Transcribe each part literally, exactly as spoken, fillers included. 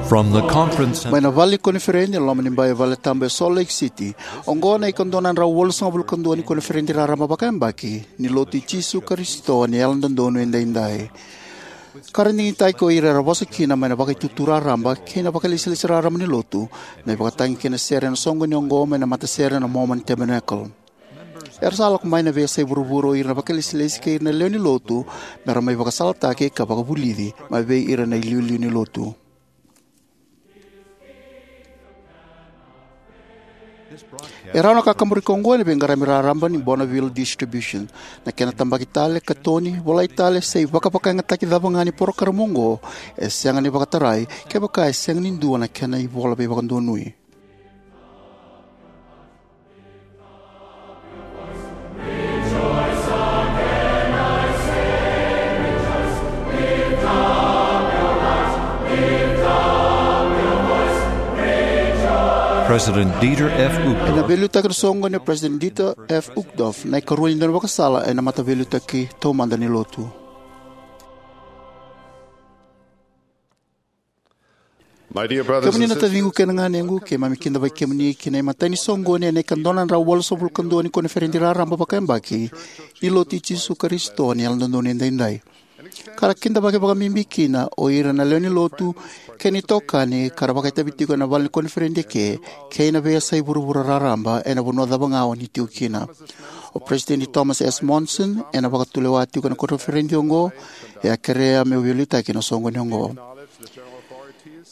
From the conference center. Mai na vale ni koniferedi e loma ni bai vale tabu e Salt Lake City, oqo na ikadua na drau walusagavulu ka dua ni koniferedi raraba vakayabaki ni Lotu i Jisu Karisito ni Yalododonu Edaidai. Ka ra digitaki o ira era vosa kina mai na Vakaitutu Raraba kei na Vakalesilesi Raraba ni Lotu na ivakatagi kei na sere ena soqoni oqo mai na matasere na Mormon Tabernacle. Era sa lako mai na veiyasai vuravura o ira na vakalesilesi kei ira na lewe ni lotu me ra mai vakasalataki ka vakavulici mai vei ira na iliuliu ni lotu. E rawa na kakaburaki oqo ena veiqaravi raraba ni Bonneville Distribution. Na kena tabaki tale, katoni, volai tale, se ivakavakayagataki cava ga ni porokaramu oqo e sega ni vakatarai kevaka e sega ni dua na kena ivola veivakadonui. President Dieter F. Uchtdorf. Ena veiliutaki na soqoni o President Dieter F. Uchtdorf, na ikarua ni daunivakasala ena mataveiliutaki taumada ni lotu. My dear brothers and sisters, kemuni na taciqu kei na ganequ, keimami kidavaki kemuni ki na imatai ni soqoni ena ikadua na drau walusagavulu ka dua ni koniferedi raraba vakayabaki ni Lotu i Jisu Karisito ni Yalododonu Edaidai. Ka ra kidavaki vakabibi kina o ira na lewe ni lotu kei na itokani ka ra vakaitavi tiko ena vale ni koniferedi eke kei na veiyasai vuravura raraba ena vanua cava ga o ni tiko kina. O President Thomas S. Monson ena vakatulewa tiko ena koniferedi oqo, e a kerea meu veiliutaki ena soqoni oqo.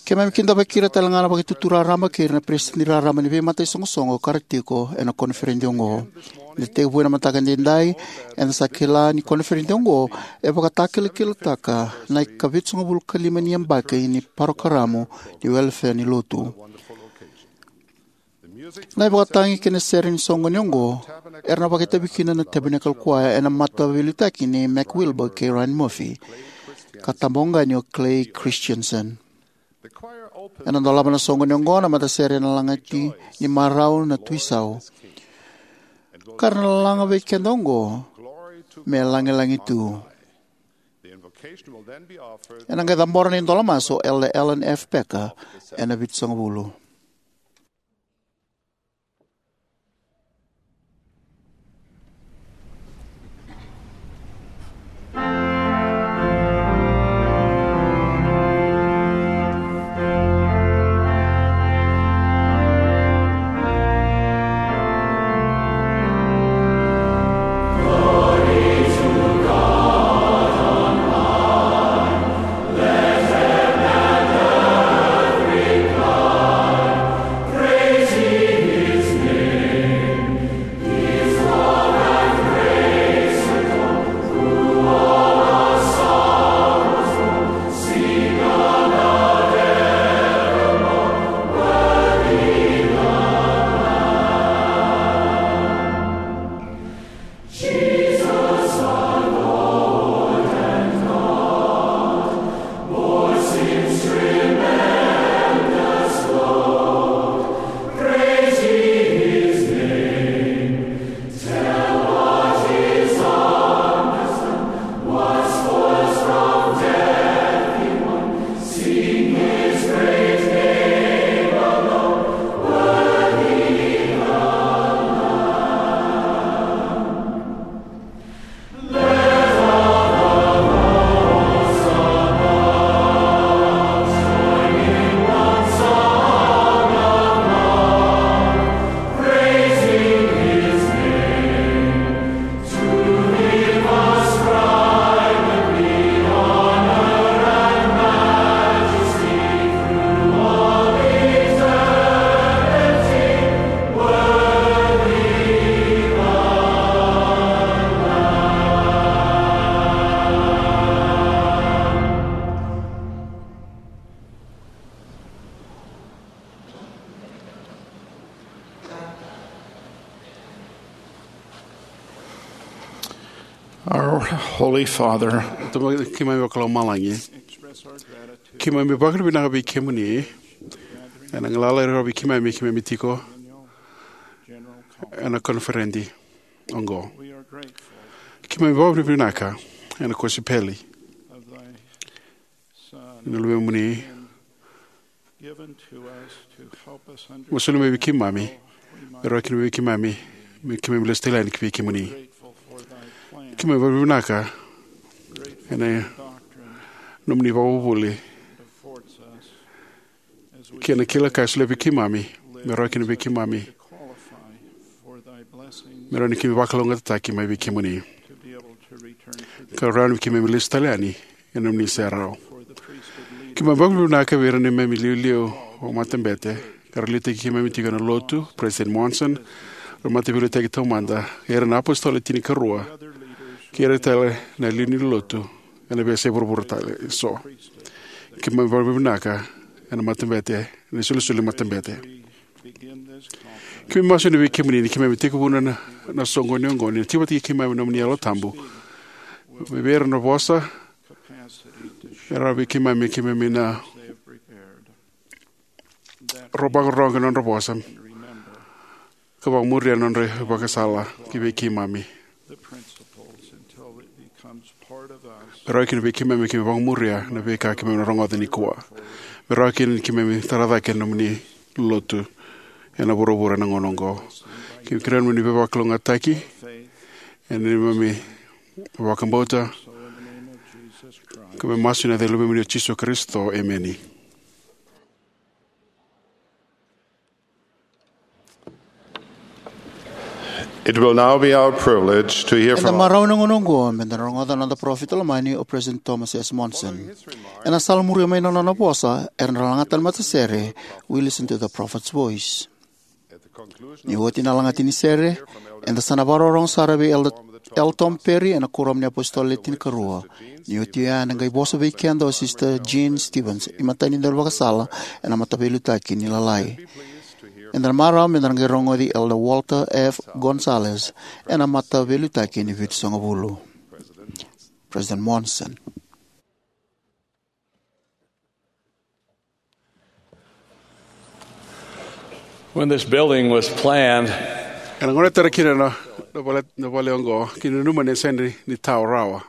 Keimami kidavaki ira tale ga na Vakaitutu Raraba kei ira na peresitedi raraba ni veimata isoqosoqo ka ra tiko ena koniferedi oqo. Ni da tekivu ena mataka edaidai, eda sa kila ni koniferedi oqo e vakatakilakilataka na ikavitusagavulu ka lima ni yabaki ni parokaramu ni welefea ni lotu. Na ivakatagi kei na sere ni soqoni oqo era na vakaitavi kina na Tabernacle Choir ena mataveiliutaki nei Mac Wilberg kei Ryan Murphy, ka tabaqani o Clay Christensen. Ena dolava na soqoni oqo na matasere ena lagati ni marau na Tui Sau, ka ra na laga vei keda oqo, Me Lagilagi Tu. Ena qai cabora na idola masu o Elder Alan F. Packer ena vitusagavulu. Our Holy Father, Tamai keimami vakalomalagi, keimami vakavinavinaka vei kemuni ena galala e rau vei keimami, keimami tiko ena koniferedi oqo. Keimami vakavinavinaka ena kosipeli ni Luvemuni, Mo soli mai vei keimami, me rawa kina vei keimami, me keimami lesu tale yani ki vei kemuni. Keimami vakavinavinaka ena nomuni vakavuvuli kei na kila ka e solia vei keimami, me rawa kina vei keimami me rawa ni keimami vakalougatataki mai vei kemuni, ka rawa ni keimami lesu tale yani ena nomuni serau. Keimami vakavinavinaka vei ira na neimami iliuliu vakamatabete ka ra liutaki keimami tiko ena lotu, President Monson, ra mataveiliutaki taumada, ira na apositolo e tinikarua, kei ira tale na liuliu ni lotu ena veiyasai vuravura tale eso. Keimami vakavinavinaka ena matabete, ena isolisoli ni matabete. Keimami masu yani vei kemuni ni keimami tekivu na, na soqoni oqo, ni tiko vata kei keimami na nomuni Yalo Tabu. Me vei ira na vosa e rawa vei keimami, keimami na rogoca na nodra vosa ka vakamuria na nodra ivakasala ki vei keimami. Me rawa kina vei keimami, keimami vakamuria na veika keimami na rogoca nikua. Me rawa kina ni keimami tara cake na nomuni lotu ena vuravura ena gauna oqo. Keimami kerea na nomuni veivakalougatataki ena neimami vakabauta, keimami masu ena yaca i Luvemuni o Jisu Karisito. Emeni. It will now be our privilege to hear Eda from marau ena gauna oqo me da rogoca na noda parofita lomani o President Thomas S. Monson. Ena sala muria mai na nona vosa, era na lagata na matasere We Listen to the Prophet's Voice. Ni oti na lagati ni sere, eda sa na vakarorogo sara vei Elder L. Tom Perry ena Kuoramu ni Apositolo Le Tinikarua. Ni oti oya, ena qai vosa vei keda o Sister Jean Stevens, imatai ni daunivakasala ena Mataveiliutaki ni Lalai. Eda na marau me da na qai rogoci Elder Walter F. Gonzalez ena Mataveiliutaki ni Vitusagavulu. President Monson. When this building was planned, ena gauna e tara kina na, na vale, na vale oqo, keimami nanuma ni sega ni tao rawa.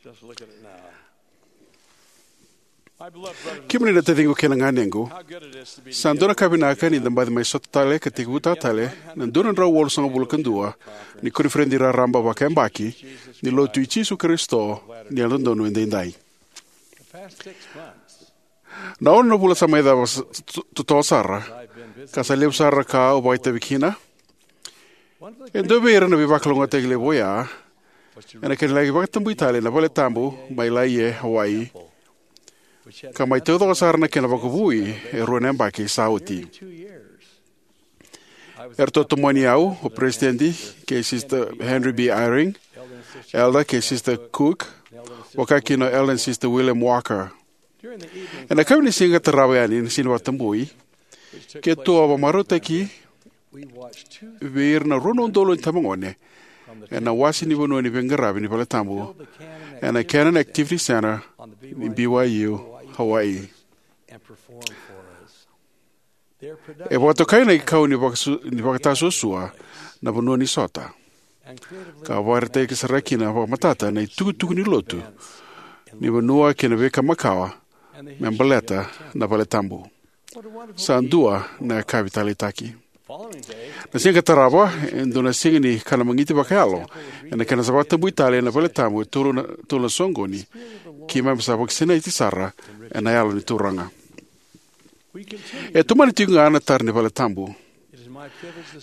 Just look at it now. Kemuni na taciqu kei na ganequ, sa dua na ka vinaka ni da baci mai sota tale ka tekivutaka tale na dua na drau walusagavulu ka dua ni koniferedi raraba vakayabaki ni Lotu i Jisu Karisito ni Yalododonu Edaidai. Na ono na vula sa mai cava sa, to-, totoka sara, ka sa levu sara ka au vakaitavi kina. E dua vei ira na veivakalougatataki levu oya, ena kena laki vakatabui tale na vale tabu mai Laie, Hawaii, ka mai taucoko sara na kena vakavoui e rua na yabaki sa oti. Eratou tomani au, o President kei Sister Henry B. Eyring, Elder kei Sister Cook, vaka kina o Elder and Sister William Walker. Ena kavi ni siga tarava yani ni siga ni vakatabui, keitou a vakamarautaki vei ira na rua na udolu na itabagone ena wase ni vanua ni veiqaravi ni vale tabu ena Cannon Activity Center ni B Y U Hawaii. E vakatokai na ikau ni vakasu-, ni vakatasuasua na vanua ni sota, ka vakaraitaki sara kina vakamatata na itukutuku ni lotu ni vanua kei na veika makawa me baleta na vale tabu. Sa dua na yakavi taleitaki. Na siga tarava, e dua na siga ni kana magiti vakayalo ena kena sa vakatabui tale na vale tabu e tolu na, tolu na soqoni, keimami sa vakasinaiti sara ena Yalo ni Turaga. E tomani tiko ga na tara ni vale tabu.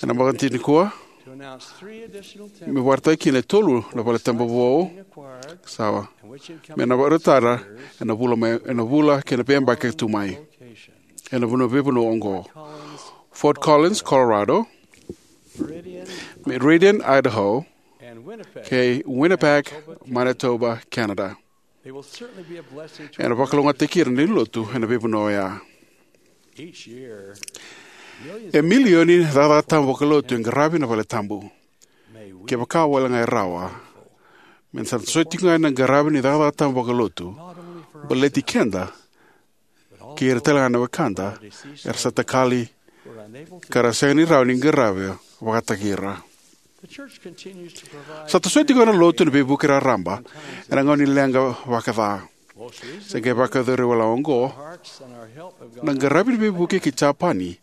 Ena mataka nikua, me vakaraitaki kina e tolu na vale tabu vou, sa me na vakarautaka ena vula mai, ena vula kei na veiyabaki ka tu mai. Ena vanua, veivanua oqo: Fort Collins, Colorado, Meridian, Idaho, kei Winnipeg, Manitoba, Canada. Ena vakalougatataki ira na lewe ni lotu ena veivanua oya. E milioni na cakacaka tabu vakalotu e qaravi na vale tabu. Kevaka wale ga e rawa, me da sa toso tiko ga ena qaravi ni cakacaka tabu vakalotu, baleti keda kei ira tale ga na wekada era sa takali ka ra sega ni rawa ni qaravi vakataki ira. Sa tosoya tiko na Lotu ena veivuke raraba ena gauna ni leqa vakaca. Se qai vakayacori wale oqo na qaravi ni veivuke ki Japani,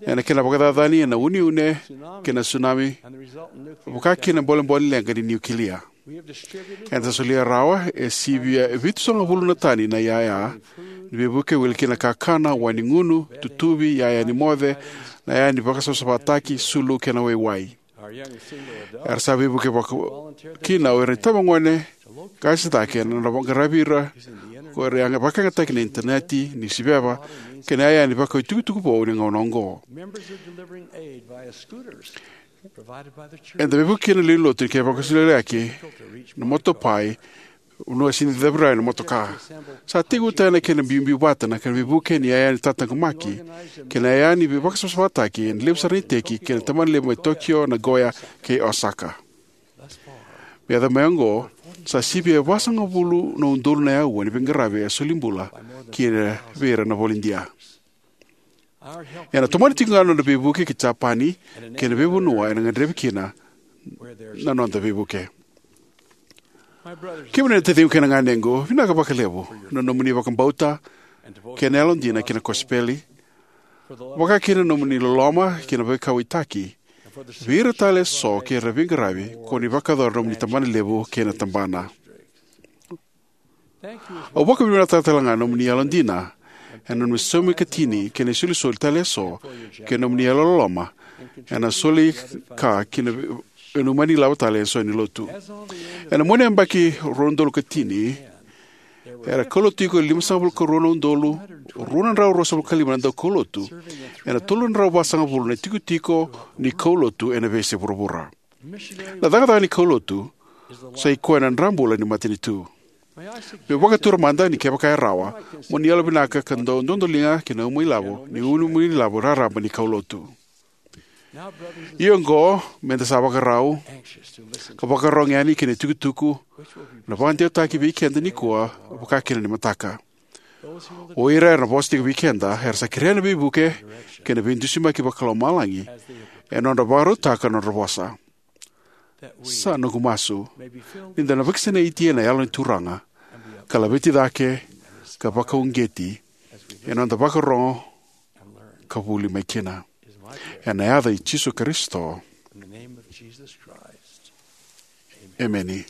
ena kena vakacacani ena uneune kei na tsunami, vaka kina na bolebole ni leqa ni niukilia. Eda sa solia rawa e sivia e vitusagavulu na tani na iyaya ni veivuke, wili kina na kakana, wai ni gunu, tutuvi, iyaya ni moce, na iyaya ni vakasavasavataki, sulu kei na waiwai. Era sa veivuke vaka kina o ira na itabagone qase cake ena nodra qaravi ira ko ira e vakayagataki ena initaneti, niusiveva, kei na iyaya ni vakau itukutuku vou ni gauna oqo. Eda veivuke kina na lewe ni lotu ni kena vakasuliyaki na motopai, vanua e sega ni cavuti rawa na motoka. Sa tekivutaki na kena biubiu vata na kena veivuke ni iyaya ni tataqomaki kei na iyaya ni vakasavasavataki ena levu sara na iteki kei na tabana levu mai Tokyo, Nagoya kei Osaka. Me yaco mai oqo, sa sivia e vasagavulu na udolu na aua ni veiqaravi e soli bula kina vei ira na volodia. Ena tomani tiko ga na noda veivuke ki Japani kei na veivanua ena gadrevi kina na noda veivuke. Kemuni na taciqu kei na ganequ, vinaka vakalevu na nomuni vakabauta kei na yalodina ki na kosipeli, vaka kina na nomuni loloma kei na veikauwaitaki vei ira tale eso kei ira na veiqaravi ko ni vakayacora na nomuni tabanalevu kei na tabana. Au vakavinavinakataka tale ga na nomuni yalodina ena nomuni saumi ikatini kei na isolisoli tale eso kei na nomuni yalololoma ena soli ka ki na inumunai lavo tale eso ni lotu. Ena mua ni yabaki rua na udolu ka tini, era kaulotu tiko e limasagavulu ka rua na udolu rua na drau ruasagavulu ka lima na daukaulotu ena tolu na drau vasagavulu na itikotiko ni kaulotu ena veiyasai vuravura. Na cakacaka ni kaulotu sa i koya na drabula ni matanitu. Meu vakatura mada ni kevaka e rawa, mo ni yalovinaka ka dau dodoliga ki na uma ilavo ni inumunai lavo raraba ni kaulotu. Ia oqo, meda sa vakarau ka vakarogo yani ki na itukutuku na vakadewataki vei keda nikua, vaka kina ni mataka. O ira era na vosa tiko vei keda era sa kerea na veivuke kei na veidusimaki vakalomalagi ena nodra vakarautaka na nodra vosa. Sa noqu masu ni da na vakasinaiti ena Yalo ni Turaga ka laveti cake ka vakauqeti ena noda vakarogo ka vuli mai kina. Ena yaca i Jisu Karisito, emeni.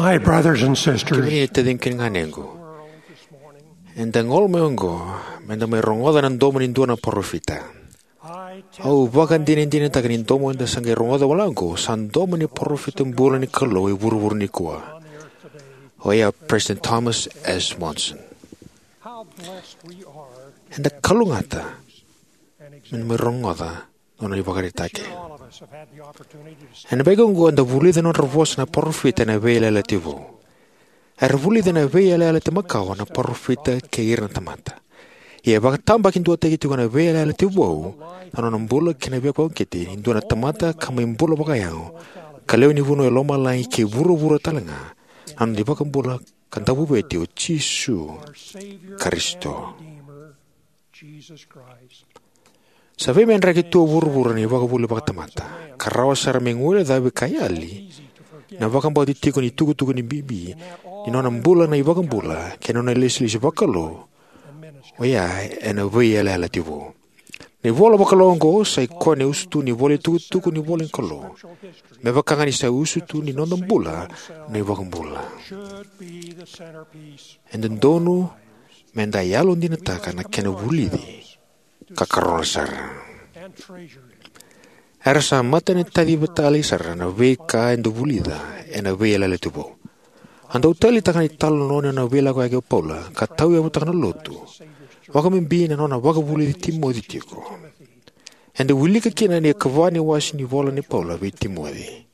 My brothers and sisters, kemuni na taciqu kei na ganequ, eda gole mai oqo meda mai rogoca na domo ni dua na parofita. Au vakadinadinataka ni domo eda sa qai rogoca wale oqo sa domo ni parofita bula ni Kalou e vuravura nikua, o ya President Thomas S. Monson. Eda kalougata meda mai rogoca nona ivakaraitaki. Ena veigauna oqo eda vulica na nodra vosa na parofita ena Veiyalayalati Vou. Era vulica ena Veiyalayalati Makawa na parofita kei ira na tamata. Ia e vakatabakidua tiko ena Veiyalayalati Vou na nona bula kei na veivakauqeti ni dua na tamata ka mai bula vakayago, ka lewe ni vanua e lomalagi kei vuravura talega, na nona iVakabula ka Dauveivueti o Jisu Karisito. Sa veimedraki tu o vuravura na ivakavuvuli vakatamata, ka rawa sara me guilecavi ka yali na vakabauti tiko ni tukutuku ni bibi ni nona bula na iVakabula kei na nona ilesilesi vakalou, o ya ena Veiyalayalati Vou. Na ivola vakalou oqo sa ikoya na usutu ni ivola ni tukutuku ni ivola ni Kalou, me vaka ga ni sa usutu ni noda bula na iVakabula. E dodonu meda yalodinataka na kena vulici ka karona sara. Era sa matanataciva tale sara na veika eda vulica ena Veiyalayalati Vou. A dau taleitaka na italanoa ni nona veilakoyaki o Paula ka tauyavutaka na lotu, vakabibi na nona vakavulici Timoci tiko. Eda wilika kina na ikava ni wase ni ivola nei Paula vei Timoci.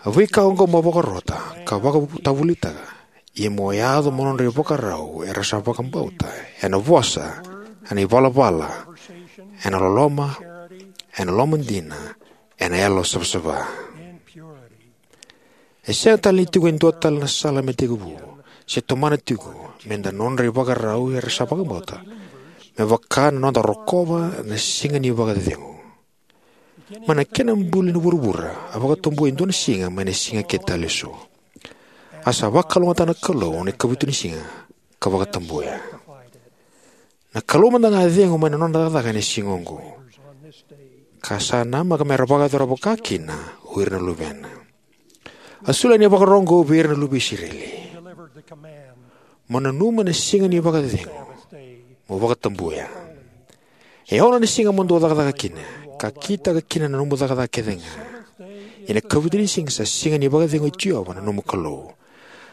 A veika oqo mo vakarota ka vakatavulitaka, ia mo yaco mo nodra ivakarau era sa vakabauta, ena vosa, ena ivalavala, ena loloma, ena lomadina, ena yalo savasava. E sega tale ni tiko e dua tale na sala me tekivu se tomana tiko meda nodra ivakarau era sa vakabauta, me vaka na noda rokova na Siga ni Vakacecegu. Mai na kena buli na vuravura, a vakatabui e dua na siga mai na siga kece tale eso. A sa vakalougatataka na Kalou na ikavitu ni siga ka vakatabuya. Na Kalou mada ga a cegu mai na nona cakacaka ena siga oqo, ka sa namaka me ra vakayacora vakakina o ira na luvena. A solia na ivakaro oqo vei ira na luve i Isireli: Mo nanuma na Siga ni Vakacecegu, mo vakatabuya. E ono na siga mo dou cakacaka kina, ka kitaka kina na nomu cakacaka kece ga. Ia na ikavitu ni siga sa Siga ni Vakacecegu i Jiova na nomu Kalou.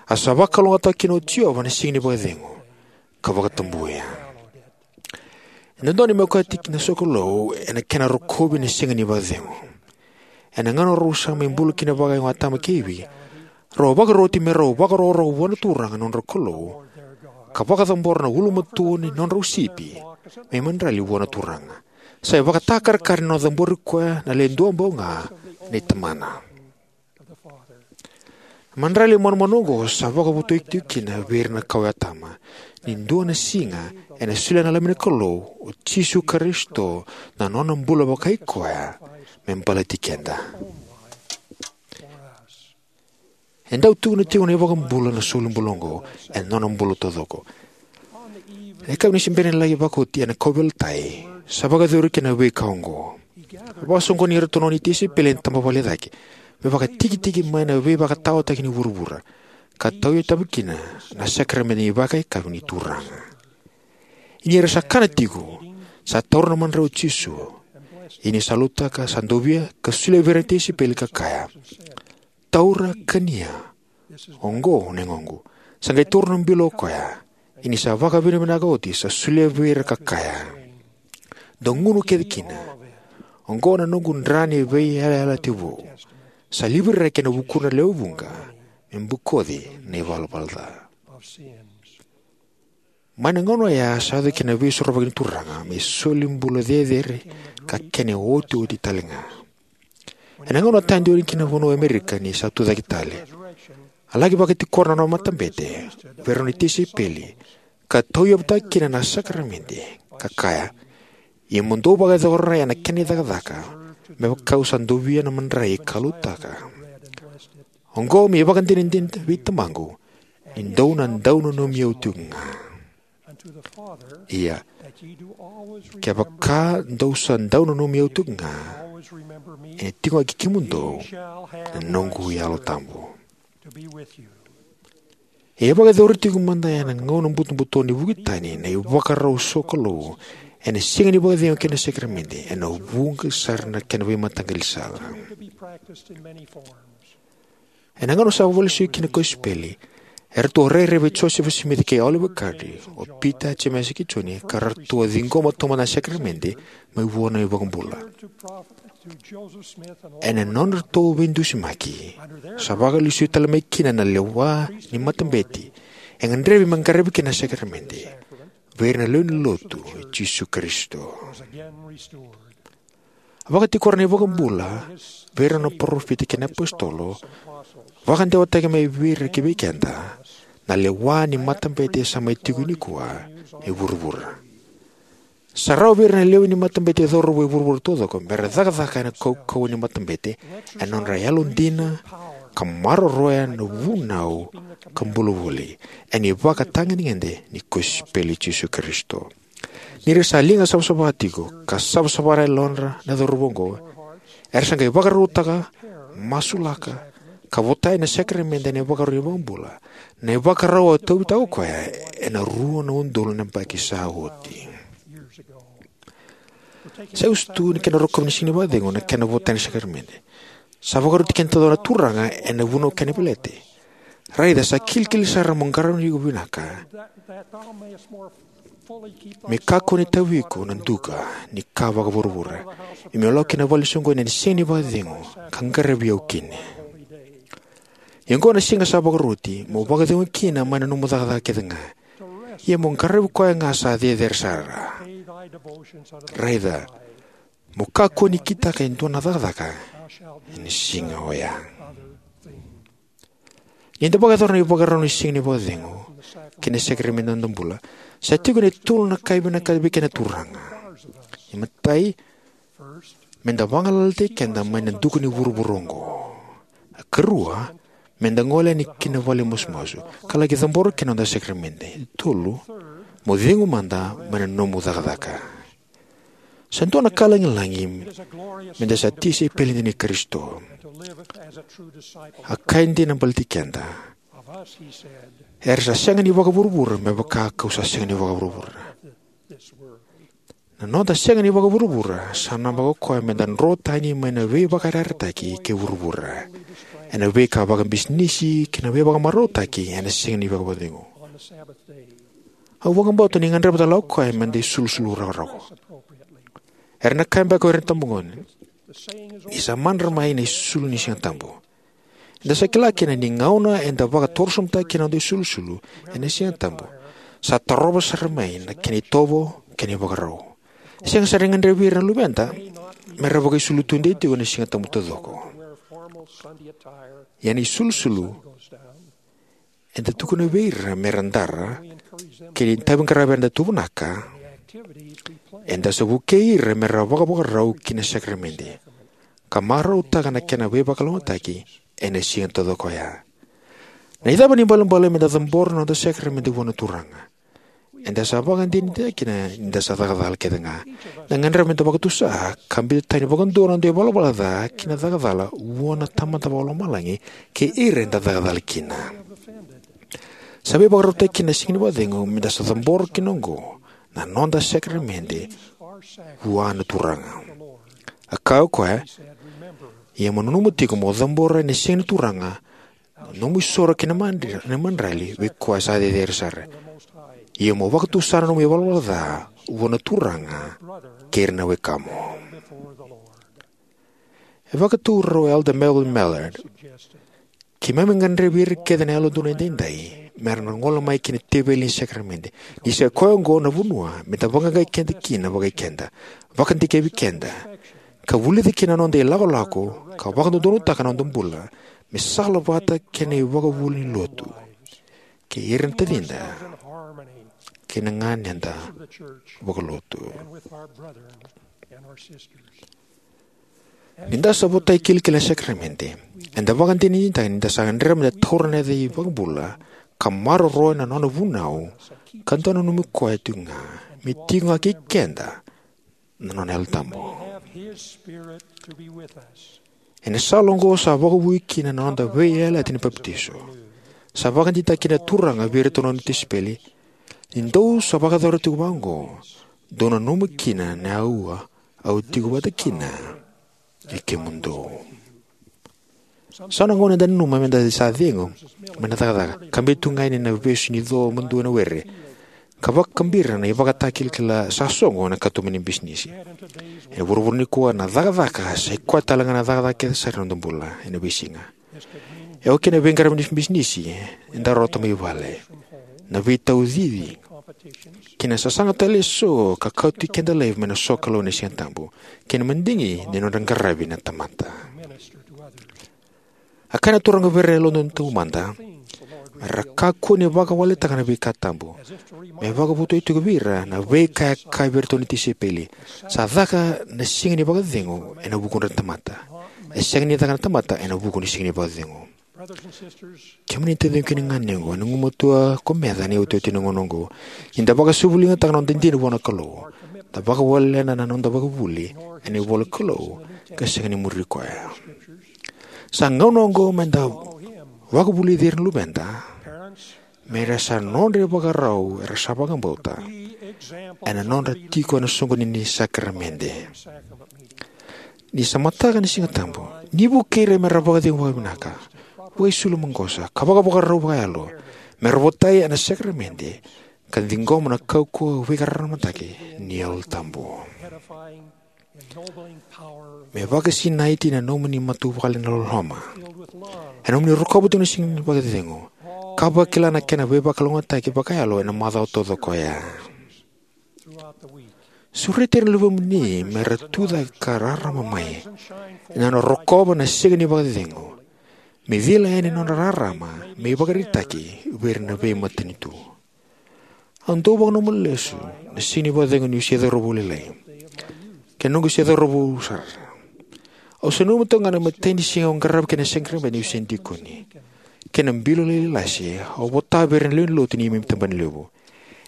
A sa vakalougatataka kina o Jiova na Siga ni Vakacecegu, ka vakatabuya. E dodonu me okati na sokalou ena kena rokovi na Siga ni Vakacecegu. Ena gauna rau sa mai bula kina vakayago o Atama kei Ivi, rau a vakaroti me rau vakarokoroko vua na Turaga na nodrau Kalou, ka vakacabora na ulumatua ni nodrau sipi me imadrali vua na Turaga. Sa ivakatakarakara ni nona cabori koya na Le Duabau Ga nei Tamana. Na imadrali manumanu oqo sa vakavotuya tiko kina vei ira na kawa i Atama ni dua na siga ena solia na Lami ni Kalou, o Jisu Karisito, na nona bula vakai koya me baleti keda. E dau tukuna tiko na iVakabula na solibula oqo ena nona bula taucoko. Na yakavi ni sipi ni laki vakaoti ena kauveilatai, sa vakayacori kina na veika oqo. A vakasoqoni iratou na nona tisaipeli ena tabavale e cake me vakatikitiki mai na veivakataotaki ni vuravura, ka tauyavutaka kina na sakaramede ni Vakayakavi ni Turaga. Ia ni ra sa kana tiko, sa taura na madrai o Jisu. Ia ni sa lotutaka, sa dovia ka solia vei ira na tisaipeli ka kaya: "Taura, kania. Oqo na yagoqu." Sa qai taura na bilo o koya. Ia ni sa vakavinavinaka oti, sa solia vei ira ka kaya: "Dou gunu kece kina. Oqo na noqu dra ni veiyalayalati vou, sa liviraki ena vukudra na lewe vuqa, me bokoci na ivalavala ca." Mai na gauna oya sa yaco kina na Veisorovaki ni Turaga me solibula cecere ka kena iotioti talega. Ena gauna a tadu yani ki na vanua o Amerika ni sa tucake tale, a laki vakatikora na nona matabete vei rau na tisaipeli, ka tauyavutaka kina na sakaramede, ka kaya: "Ia mo dou vakayacora ena kena icakacaka, me vaka au sa dovia na madrai ka lotutaka. Oqo me ivakadinadina vei Tamaqu ni dou na dau nanumi au tiko ga. Ia, kevaka dou sa dau nanumi au tiko ga, ena tiko ga kei kemudou na noqu Yalo Tabu." E vakayacori tiko mada ena gauna butobuto ni vuki tani na ivakarau sokalou ena Siga ni Vakacegu kei na sakaramede ena vuqa sara na kena veimataqali sala. Ena gauna sa vakalesuya kina na kosipeli, eratou a rairai vei Josefa Simici kei Oliver Cowdery, o Pita, Jemesa kei Joni, ka ratou a ciqoma taumada na sakaramede mai vua na iVakabula. Ena nodratou veidusimaki, sa vakalesuya tale mai kina na lewa ni matabete e gadrevi me qaravi kina na sakaramede vei ira na lewe ni Lotu i Jisu Karisito. A vakatikora na iVakabula vei ira na parofita kei na iapositolo, vakadewataki mai vei ira ki vei keda, na lewa ni matabete sa mai tiko nikua e vuravura. Sa rawa vei ira na lewe ni matabete cauravou e vuravura taucoko me ra cakacaka ena kaukauwa ni matabete ena nodra yalodina ka maroroya na vunau ka bula voli ena ivakatagedegede ni kosipeli i Jisu Karisito. Ni ra sa liga savasava tiko ka savasava na yalodra na cauravou oqo, era sa qai vakarautaka, masulaka, ka votai na sakaramede ena ivakarau ni iVakabula, na ivakarau a tauvitaka o koya ena rua na udolu na yabaki sa oti. Sa iusutu ni kena rokovi na Siga ni Vakacegu na kena votai na sakaramede. Sa vakaroti keda taucoko na Turaga ena vunau kei na veleti. Raica, sa kilikili sara mo qarauni iko vinaka, me kakua ni tavi iko na duka ni ka vakavuravura, ia mo lako ki na vale ni soqoni ena Siga ni Vakacegu ka qaravi au kina. Ia oqo na siga sa vakaroti mo vakacegu kina mai na nomu cakacaka kece ga, ia mo qaravi koya ga sa cecere sara. Raica, mo kakua ni kitaka e dua na cakacaka ena siga oya. Ni da vakayacora na ivakarau ni Siga ni Vakacegu kei na sakaramede ni noda bula, sa tiko na tolu na ka e vinakata vei keda na Turaga. Imatai, me da vagalalataki keda mai na duka ni vuravura oqo. Karua, me da gole yani ki na vale masumasu ka laki cabora kina na noda sakaramede. Tolu, mo cegu mada mai na nomu cakacaka. Sa dua na ka lagilagi me da sa tisaipeli dina i Karisito. A ka e dina baleti keda. Era sa sega ni vakavuravura me vaka kau sa sega ni vakavuravura. Na noda sega ni vakavuravura sa namaka o koya me da dro tani mai na veivakayarayarataki kei vuravura ena veika vakabisinisi kei na veivakamarautaki ena Siga ni Vakacegu. Au vakabauta ni gadreva tale o koya me da isulusulu rakorako. Era na kaya beka o ira na itabagone, ni sa madra mai na isulu ni Siga Tabu. Eda sa kila kina ni gauna eda vakatorosobutaka kina na noda isulusulu ena Siga Tabu, sa tarova sara mai na kena itovo kei na ivakarau. E sega sara ni gadrevi ira na luveda me ra vakaisulu tudei tiko ena Siga Tabu taucoko. Ia na isulusulu eda tukuna vei ira me ra dara, kei na itaviqaravi eda tuvanaka, eda sa vukei ira me ra vakavakarau ki na sakaramede ka marautaka na kena veivakalougatataki ena siga taucoko oya. Na icava ni balebale me da cabora na noda sakaramede vua na Turaga. Eda sa vakadinadinataka kina ni da sa caka cala kece ga. Eda gadreva me da vakatusa ka biuta tani vakadua na noda ivalavala ca ki na caka cala vua na Tamada Vakalomalagi kei ira eda caka cala kina. Sa veivakarautaki kina na Siga ni Vakacegu me da sa cabora kina oqo na noda sakaramede vua na Turaga. A kaya o koya, ia mo nanuma tiko mo cabora ena Siga ni Turaga na nomu isoro kei na madri-, na madrali vei koya sa cecere sara. Ia mo vakatusa na nomu ivalavala ca vua na Turaga kei ira na wekamu. E vakatau rau o Elder Melvin Mallard, keimami gadrevi ira kece na Yalododonu Edaidai me ra na gole mai ki na teveli ni sakaramede, ni sa koya oqo na vanua me da vaqaqai keda kina vakai keda, vakadikevi keda, ka vulica kina na noda ilakolako ka vakadodonutaka na noda bula me salavata kei na ivakavuvuli ni lotu kei ira na tacida kei na ganeda vakalotu. Ni da sa votai kilikili ena sakaramede, eda vakadinadinataka ni da sa gadreva me da taura na yaca ni iVakabula ka maroroya na nona vunau ka dau nanumi koya tiko ga me tiko ga kei keda na nona Yalo Tabu. Ena sala oqo sa vakavoui kina na noda veiyalayalati ni papitaiso. Sa vakadeitaka kina na Turaga vei iratou na nona tisaipeli: Ni dou sa vakayacora tiko vakaoqo, dou nanuma kina na aua au tiko vata kina kei kemudou. So na gauna eda nanuma meda sa cegu mai na cakacaka, ka biu tu ga yani na vesu ni co madua ena were, ka vakabira na ivakatakilakila sa sogo ena katuba ni bisinisi. Ena vuravura nikua, na cakacaka sa i koya tale ga na cakacaka kece sara ena noda bula ena veisiga. E oka kina na veiqaravi ni bisinisi eda rawata mai vale, na veitaucici, kei na sasaga tale eso ka kauti keda laivi mai na sokalou ena Sigatabu, kei na madigi ni nodra qaravi na tamata. A kaya na Turaga vei ira na yalododonu taumada, me ra kakua ni vakawaletaka na veika tabu, me vakavotuya tiko vei ira na veika e kaya vei iratou na tisaipeli: Sa caka na siga ni vakacegu ena vukudra na tamata, e sega ni caka na tamata ena vuku ni siga ni vakacegu. Kemuni na taciqu kei na ganequ, ena gumatua ko meca ena iotioti ni gauna oqo, ni da vakasuvuligataka na noda dina vua na Kalou, da vakawalena na noda vakavuli ena ivola ni Kalou, ka sega ni muri koya. Sa gauna oqo meda vakavulici ira na luveda me ra sa nodra ivakarau era sa vakabauta ena nodra tiko ena soqoni ni sakaramede. Ni sa mataka na Sigatabu, ni vukei ira me ra vakacegu vakavinaka, vakaisulu maqosa, ka vakavakarau vakayalo me ra votai ena sakaramede ka ciqoma na kaukauwa veivakararamataki ni Yalo Tabu. Me vakasinaiti na nomuni matavuvale ena loloma, ena nomuni rokova tiko na siga ni vakacegu, ka vakila na kena veivakalougatataki vakayalo ena macawa taucoko oya. Sureti ira na luvemuni me ra tucake ka rarama mai ena nodra rokova na siga ni vakacegu, me cila yani na nodra rarama me ivakaraitaki vei ira na veimatanitu. Au dau vakananuma lesu na siga ni vakacegu niu se cauravou lailai, kei na noqu se cauravou sara. Au se nanuma toka ga na imatai ni siga au qarava kina na sakaramede niu se dikoni, kei na bilo lailai lase au vota vei ira na lewe ni lotu ni neimami tabanalevu.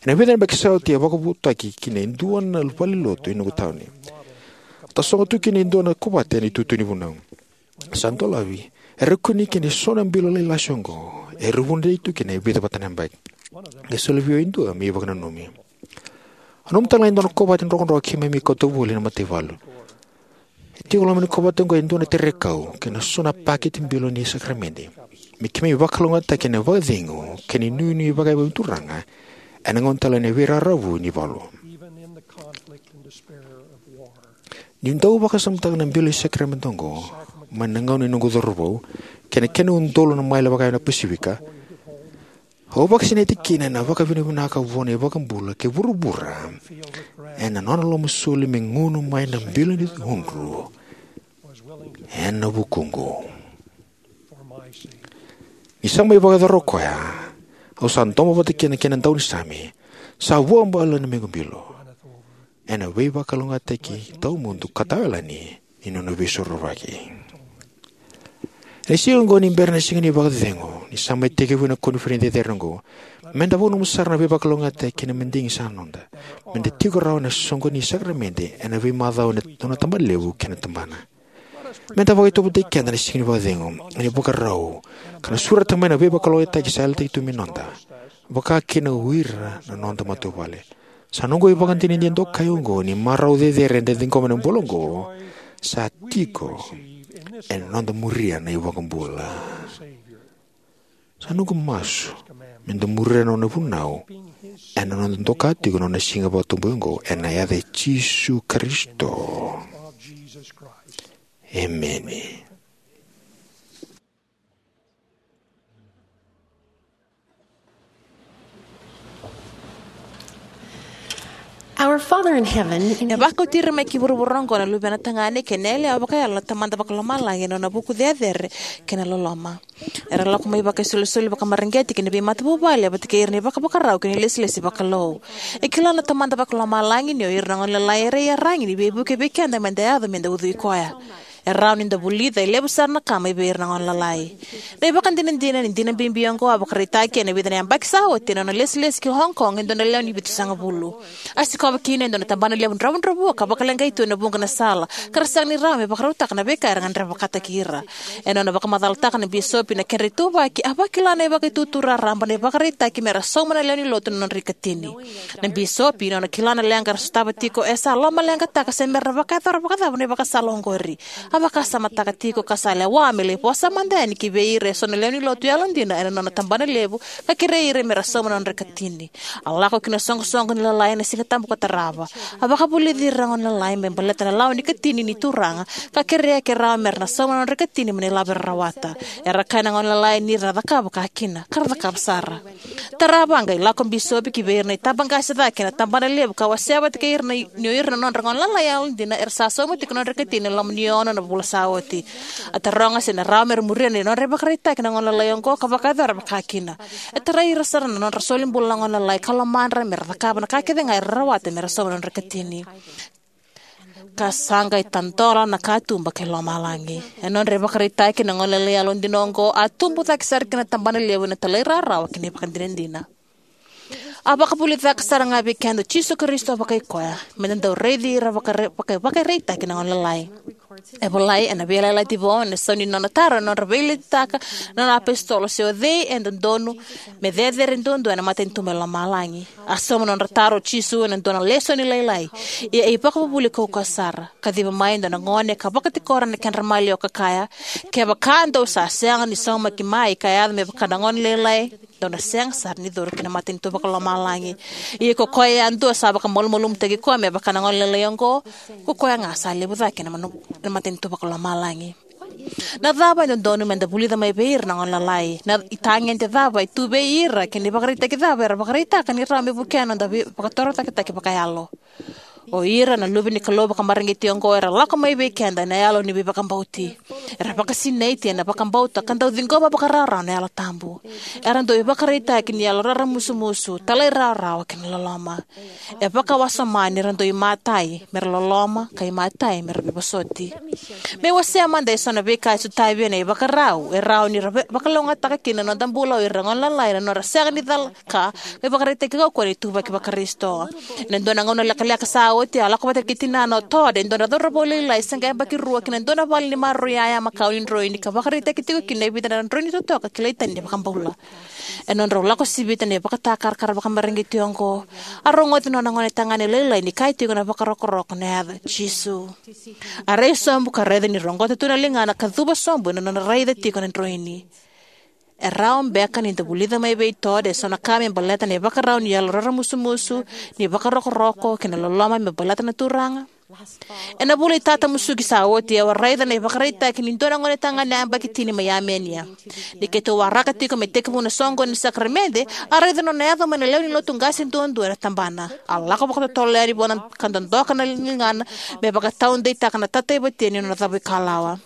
Ena vica na yabaki sa oti, a vakavotuitaki kina e dua na valenilotu ena noqu tauni. A tasogo tu kina e dua na kovate ena itutu ni vunau. Sa dolavi, era kune kina eso na bilo lailai lase oqo, era vunitaki tu kina e vica vata na yabaki. E soli vei au e dua me ivakananumi. A nanuma tale ga e dua na kovate drokadroka keimami kauta voli ena mataivalu. E tiko e loma ni kovate oqo e dua na terekau kei na so na pakete bilo ni sakaramede, me keimami vakalougatataki ena vakacegu kei na inuinui vakayawa ni Turaga ena gauna tale ni veiraravu ni valu. Niu dau vakasamataka na bilo ni sakaramede oqo mai na gauna ni noqu cauravou kei na kena udolu na maile vakayawa na Pasifika, au vakasinaiti kina ena vakavinavinaka vua na iVakabula kei vuravura ena nona lomasoli me gunu mai na bilo ni udru ena vukuqu. Ni sa mai vakayacora o koya, au sa domo vata kina kei na daunisame, sa vuabale na mequ bilo ena veivakalougatataki tawamudu ka tawayalani ni nona veisorovaki. Ena siga oqo ni bera na siga ni vakacegu, ni sa mai tekivu na koniferedi cecere oqo, meda vakananuma sara na veivakalougatataki kei na madigi sa noda, meda tiko rawa ena soqoni ni sakaramede ena veimacawa ena nona tabanalevu kei na tabana. Meda vakaitauvata keda ena siga ni vakacegu ena ivakarau ka na sureta mai na veivakalougatataki sa yalataki tu me noda, vaka kina o ira na noda matavuvale. Sa noqu ivakadinadina dokai oqo ni marau cecere eda ciqoma ena bula oqo sa tiko ena noda muria na iVakabula. Sa noqu masu meda muria na nona vunau ena noda doka tiko na nona siga vakatoboiqo, ena yaca i Jisu Karisito. Emeni. Our Father in heaven, e vakauti ira mai ki vuravura oqo na luvena tagane kei na yalewa vakayalo na Tamada Vakalomalagi ena nona vuku cecere kei na loloma. Era lako mai vakaisolisoli vakamareqeti ki na veimatavuvale vata kei ira na ivakavakarau kei na ilesilesi vakalou. E kila na Tamada Vakalomalagi ni o ira na gone lalai era iyaragi ni veivuke vei keda meda yaco meda ucui koya. E rawa ni da vulica e levu sara na ka mai vei ira na gone lalai. Na ivakadinadina ni dina bibi oqo a vakaraitaki ena vica na yabaki sa oti ena nona lesilesi ki Hong Kong e dua na lewe ni vitusagavulu. A sikova kina e dua na tabana levu dravudravua ka vakaleqai tu ena vuqa na sala, ka ra sega ni rawa me vakarautaka na veika era gadreva vakataki ira. Ena nona vakamacalataka na bisopi na kedra ituvaki, a vakila na ivakaitutu raraba na ivakaraitaki me ra sauma na lewe ni lotu na nodra ikatini. Na bisopi, ena nona kila na leqa era sotava tiko, e sa lomaleqataka se me ra vakayacora vakacava na ivakasala oqori. A vakasamataka tiko ka sa lewa me lai vosa mada yani ki vei ira eso na lewe ni lotu yalodina ena nona tabana levu, ka kerei ira me ra sauma na nodra ikatini. A lako ki na soqosoqo ni lalai ena Sigatabu ka tarava. A vakavulici ira na gone lalai me baleta na lawa ni ikatini ni Turaga, ka kerea ke rawa me ra na sauma na nodra ikatini mai na ilavo era rawata. Era kaya na gone lalai ni ra na cakava vakakina, ka ra cakava sara. Tarava a qai lako bisopi ki vei ira na itabaqase cake ena tabana levu ka wasea vata kei ira na i-, ni o ira na nodra gone lalai yalodina era sa sauma tiko na nodra ikatini ena loma ni ono na vula sa oti. A taroga se na rawa me ra muria na nodra ivakaraitaki na gone lalai oqo ka vakayacora vakakina. E tarai ira sara na nodra solibula na gone lalai ka lomadra me ra cakava na ka kece ga era rawata me ra sauma na nodra ikatini. Ka sa qai tadola na katuba kei lomalagi. E nodra ivakaraitaki na gone lalai yalodina oqo a tubu cake sara ki na tabana levu ena talairawarawa kei na ivakadinadina. A vakavulica sara ga vei keda o Jisu Karisito vakai koya me da dau raici ira vakare-, vaka-, vakaraitaki na gone lalai. E volai ena Veiyalayalati Vou ena sau ni nona taro ena nodra veiletitaka na nona apositolo se o cei e dodonu me cecere duadua ena matanitu mai lomalagi. A sauma na nodra taro o Jisu ena dua na lesoni lailai. Ia e ivakavuvuli kaukaua sara. Kaciva mai e dua na gone ka vakatikora na kedra maliwa ka kaya, kevaka dou sa sega ni saumaki mai ka yaco me vaka na gone lailai, dou na sega sara ni curu ki na matanitu vakalomalagi. Ia ko koya yadua sa vakamalumalumutaki koya me vaka na gone lailai oqo, ko koya ga sa levu cake na manu-, na matanitu vakalomalagi. Na cava e dodonu me da vulica mai vei ira na gone lalai? Na itagede cava e tu vei ira kei na ivakaraitaki cava era vakaraitaka ni rawa me vukea na noda vei-, vakatorocaketaki vakayalo? O ira na luve ni Kalou vakamareqeti oqo era lako mai vei keda ena yalo ni veivakabauti. Era vakasinaiti ena vakabauta ka dau ciqoma vakarawarawa na Yalo Tabu. Era dau ivakaraitaki ni yalo raramusumusu, talairawarawa kei na loloma. E vakawasoma ni ra dau imatai me ra loloma ka imatai me ra veivosoti. Me wasea mada eso na veika e sotavi ena ivakarau e rawa ni ra ve-, vakalougatataka kina na noda bula o ira na gone lalai ena nodra sega ni cala ka, ka ivakaraitaki kaukauwa ni ituvaki vaKarisito. Ena dua na gauna lekaleka sa oti, a lako vata kei tinana o Todd, e dua na cauravou lailai se qai yabaki rua, ki na dua na vale ni maroroi yaya makawa ni droini ka vakaraitaki tiko kina e vica na droini totoka kilai tani ni vakabula. Ena nodrau lako sivita na ivakatakarakara vakamareqeti oqo, a rogoci na nona gone tagane lailai ni kaya tiko na vakarokoroko na yaca Jisu. A rai sobu ka raica ni roqota tu na ligana ka cuva sobu ena nona raica tiko na droini. E rawa beka ni da vulica mai vei Todd eso na ka me baleta na ivakarau ni yalo raramusumusu, ni vakarokoroko kei na loloma me baleta na Turaga? Ena vula iTatamusuki sa oti, au a raica na ivakaraitaki ni dua na gone tagane yabaki tini mai Armenia. Ni keitou waraka tiko me tekivu na soqoni ni sakaramede, a raica na nona yaco mai na lewe ni lotu qase duadua ena tabana. A lako vakatotolo yani vua na ka dodoka na ligana me vakataudeitaka na tataivatia ni nona cavuikalawa.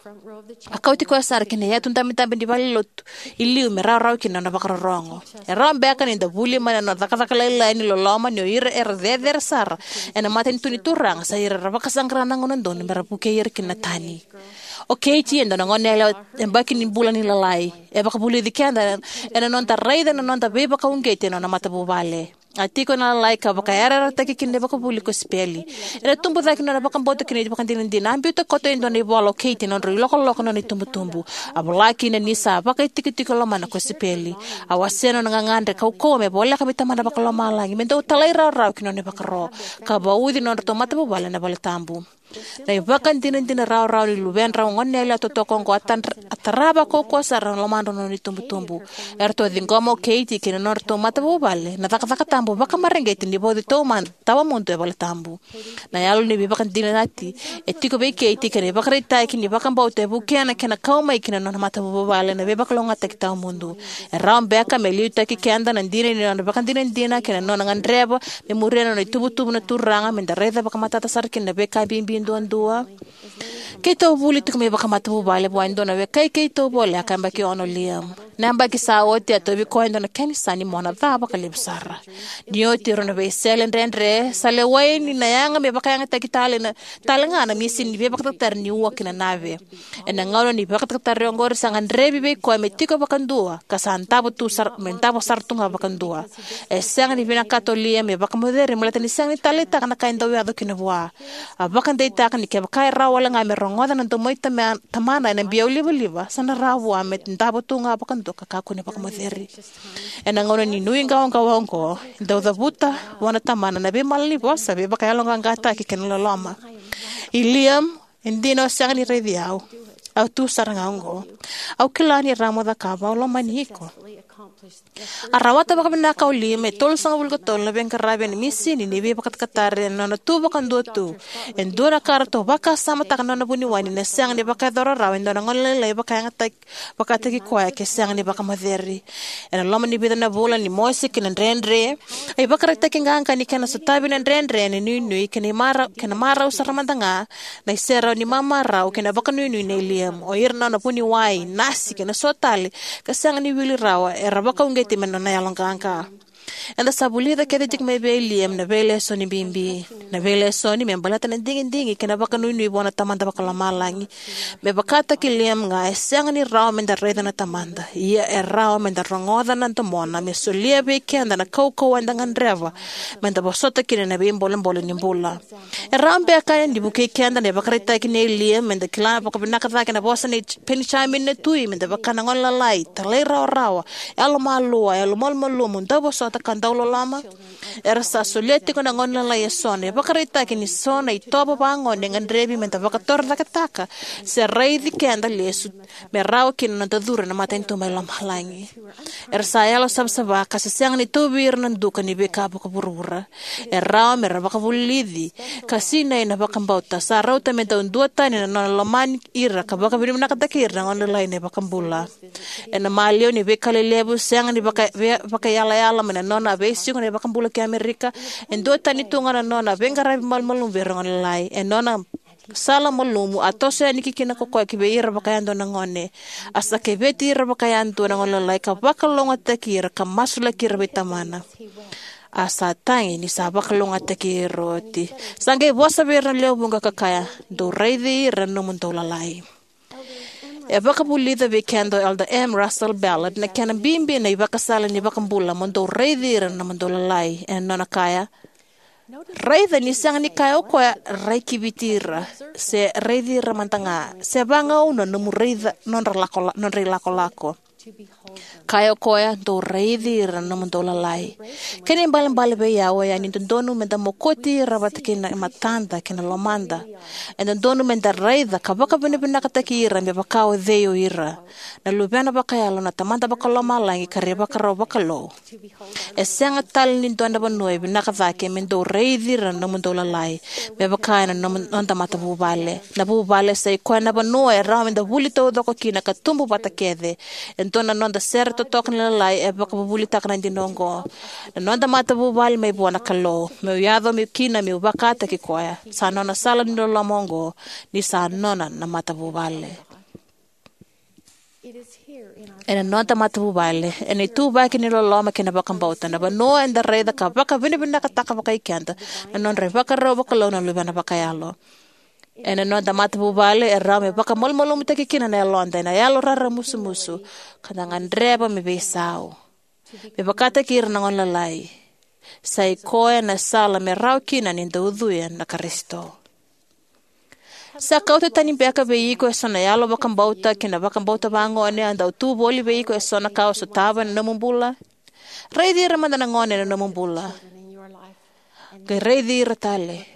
A kauti koya sara ki na yatu dabedabe ni valenilotu i liu me rawarawa kina na nona vakarorogo. E rawa beka ni da vuli mai na nona cakacaka lailai ni loloma ni o ira era cecere sara ena matanitu ni Turaga, sa ira era vakasaqara na gauna donu me ra vukei ira kina na tani. O Katie e dua na goneyalewa yabaki ni bula ni lalai. E vakavulici keda ena noda raica na noda veivakauqeti ena nona matavuvale. A tiko ena lalai ka vakayarayarataki kina na ivakavuvuli ni kosipeli. Ena tubu cake na nona vakabauta kei na ivakadinadina, a biuta koto e dua na ivola o Katie ena nodrau ilokoloko na nona itubutubu. A vola kina ni sa vakaitikotiko e lomana na kosipeli. A wasea na nona gagadre kaukauwa me voleka vei Tamana Vakalomalagi me dau talairawarawa ki na nona ivakaro, ka vauci na nodratou matavuvale ena valetabu. Na ivakadinadina rawarawa ni luvedrau goneyalewa totoka oqo a tadra-, a tarava kaukauwa sara na lomadrau na nona itubutubu. Eratou a ciqoma o Katie kei na nodratou matavuvale na cakacaka tabu vakamareqeti ni vauci taumada tawamudu e valetabu. Na yalo ni veivakadinati e tiko vei Katie kei na ivakaraitaki ni vakabauta e vukea na kena kau mai ki na nona matavuvale na veivakalougatataki tawamudu. E rawa beka me liutaki keda na dina ni nona ivakadinadina kei na nona gadreva me muria na nona itubutubu na Turaga, me da raica vakamatata sara kina na veika bibi duadua. Keitou vuli tiko mai vakamatavuvale vua e dua na wekai keitou voleka, yabaki ono o Liam. Na yabaki sa oti a tauvi koya e dua na kena isau ni mona ca vakalevu sara. Ni oti e rua na veisele dredre, sa lewai ni na yaga me vakayagataki tale na, tale ga na misini ni veivakatakatari ni ua kei na nave. Ena gauna ni veivakatakatari oqori, sa gadrevi vei koya me tiko vakadua, ka sa davo tu sara, me davo sara tu ga vakadua. E sega ni vinakata o Liam me vakamoceri baleta ni sega ni taleitaka na ka e dau yaco kina vua. A vakadeitaka ni kevaka e rawa wale ga me rogoca na domo i tama-, tamana ena biau livaliva, sa na rawa vua me davo tu ga vakadua ka kakua ni vakamoceri. Ena gauna ni nuiqawaqawa oqo, e dau cavuta vua na tamana na veimalanivosa, veivakayaloqaqataki kei na loloma. I Liam, e dina o sega ni raici au. Au tu sara ga oqo. Au kila ni rawa mo cakava, au lomani iko. A rawata vakavinaka o Liam e tolusagavulu ka tolu na veiqaravi ena misini ni veivakatakatari ena nona tu vakadua tu. E dua na ka ratou vakasamataka na nona vuniwai ni na sega ni vakayacora rawa e dua na gone lailai vakayagataki, vakataki koya ke sega ni vakamoceri. Ena loma ni vica na vula ni mosi kei na dredre, a ivakaraitaki qaqa ni kena sotavi na dredre ena nuinui kei na imara-, kei na marau sara mada ga na iserau ni mamarau kei na vakanuinui nei Liam, o ira na nona vuniwai, nasi kei na so tale, ka sega ni wili rawa, era vakauqeti mai na nona yaloqaqa. Eda sa vulica kece tiko mai vei Liam na veilesoni bibi. Na veilesoni me baleta na digidigi kei na vakanuinui vua na Tamada Vakalomalagi. Me vakataki Liam ga, e sega ni rawa meda raica na Tamada. Ia e rawa meda rogoca na domona, me solia vei keda na kaukauwa eda gadreva meda vosota kina na veibolebole ni bula. E rawa beka ni vukei keda na ivakaraitaki nei Liam meda kila vakavinaka cake na vosa nei J-, Penijamini na tui, meda vaka na gone lalai, talairawarawa, yalomalua, yalomalumalumu, dauvosota ka dauloloma? Era sa solia tiko na gone lalai eso na ivakaraitaki ni so na itovo vagone e gadrevi meda vakatorocaketaka se raici keda lesu me rawa kina na noda curu ena matanitu mai lomalagi. Era sa yalo savasava ka se sega ni tauvi ira na duka ni veika vakavuravura. E rawa me ra vakavulici ka sinai na vakabauta. Sa rauta me dau duatani na nona lomani ira ka vakavinavinakataki ira na gone lalai na iVakabula. Ena maliwa ni veika lelevu, sega ni vaka-, ve-, vakaiyalayala mai na nona veisiko na iVakabula ki Amerika, e duatani tu ga na nona veiqaravi malumalumu vei ira na gone lalai. E nona sala malumu, a toso yani ki kina ko koya ki vei ira vakayadua na gone. A sa keveti ira vakayadua na gone lalai ka vakalougatataki ira ka masulaki ira vei Tamana. A sa tagi ni sa vakalougatataki ira oti. Sa qai vosa vei ira na lewe vuqa ka kaya, "Dou raici ira na nomudou lalai." E vakavulica vei keda o Elder M Russell Ballard na kena bibi na ivakasala ni iVakabula, "Mo dou raici ira na nomudou lalai." Ena nona kaya, raica ni sega ni kaya o koya, "Rai kiviti ira," se "Raici ira mada ga," se vagauna nomu raica nodra lako-, nodra ilakolako. Kaya o koya, "Dou raici ira na nomudou lalai." Kena ibalebale vei au oya ni dodonu meda mokoti ira vata kei na matada kei na lomada. E dodonu meda raica ka vakavinavinakataki ira me vaka o cei o ira, na luvena vakayalo na Tamada Vakalomalagi ka ra ivakarau vakalou. E sega tale ni dua na vanua e vinaka cake me dou raici ira na nomudou lalai, me vaka ena nomu, noda matavuvale. Na vuvale sa i koya na vanua e rawa meda vuli taucoko kina ka tubu vata kece. E dua na noda sere totoka ni lalai e vakavuvulitaka na dina oqo. Na noda matavuvale mai vua na Kalou. Meu yaco meu kina meu vakataki koya. Sa nona sala ni loloma oqo, ni sa nona na matavuvale. Ena noda matavuvale, ena ituvaki ni loloma kei na vakabauta, na vanua eda raica ka vakavinavinakataka vakai keda na nodra ivakarau vakalou na luvena vakayalo. Ena noda matavuvale, e rawa me vakamalumalumutaki kina na yaloda ena yalo raramusumusu, ka da gadreva me veisau, me vakataki ira na gone lalai. Sa i koya na sala me rawa kina ni da ucuya na Karisito. Sa kauta tani beka vei iko eso na yalo vakabauta kei na vakabauta vagone a dau tu voli vei iko eso na ka o sotava ena nomu bula? Raici ira mada na gone ena nomu bula. Qai raici ira tale.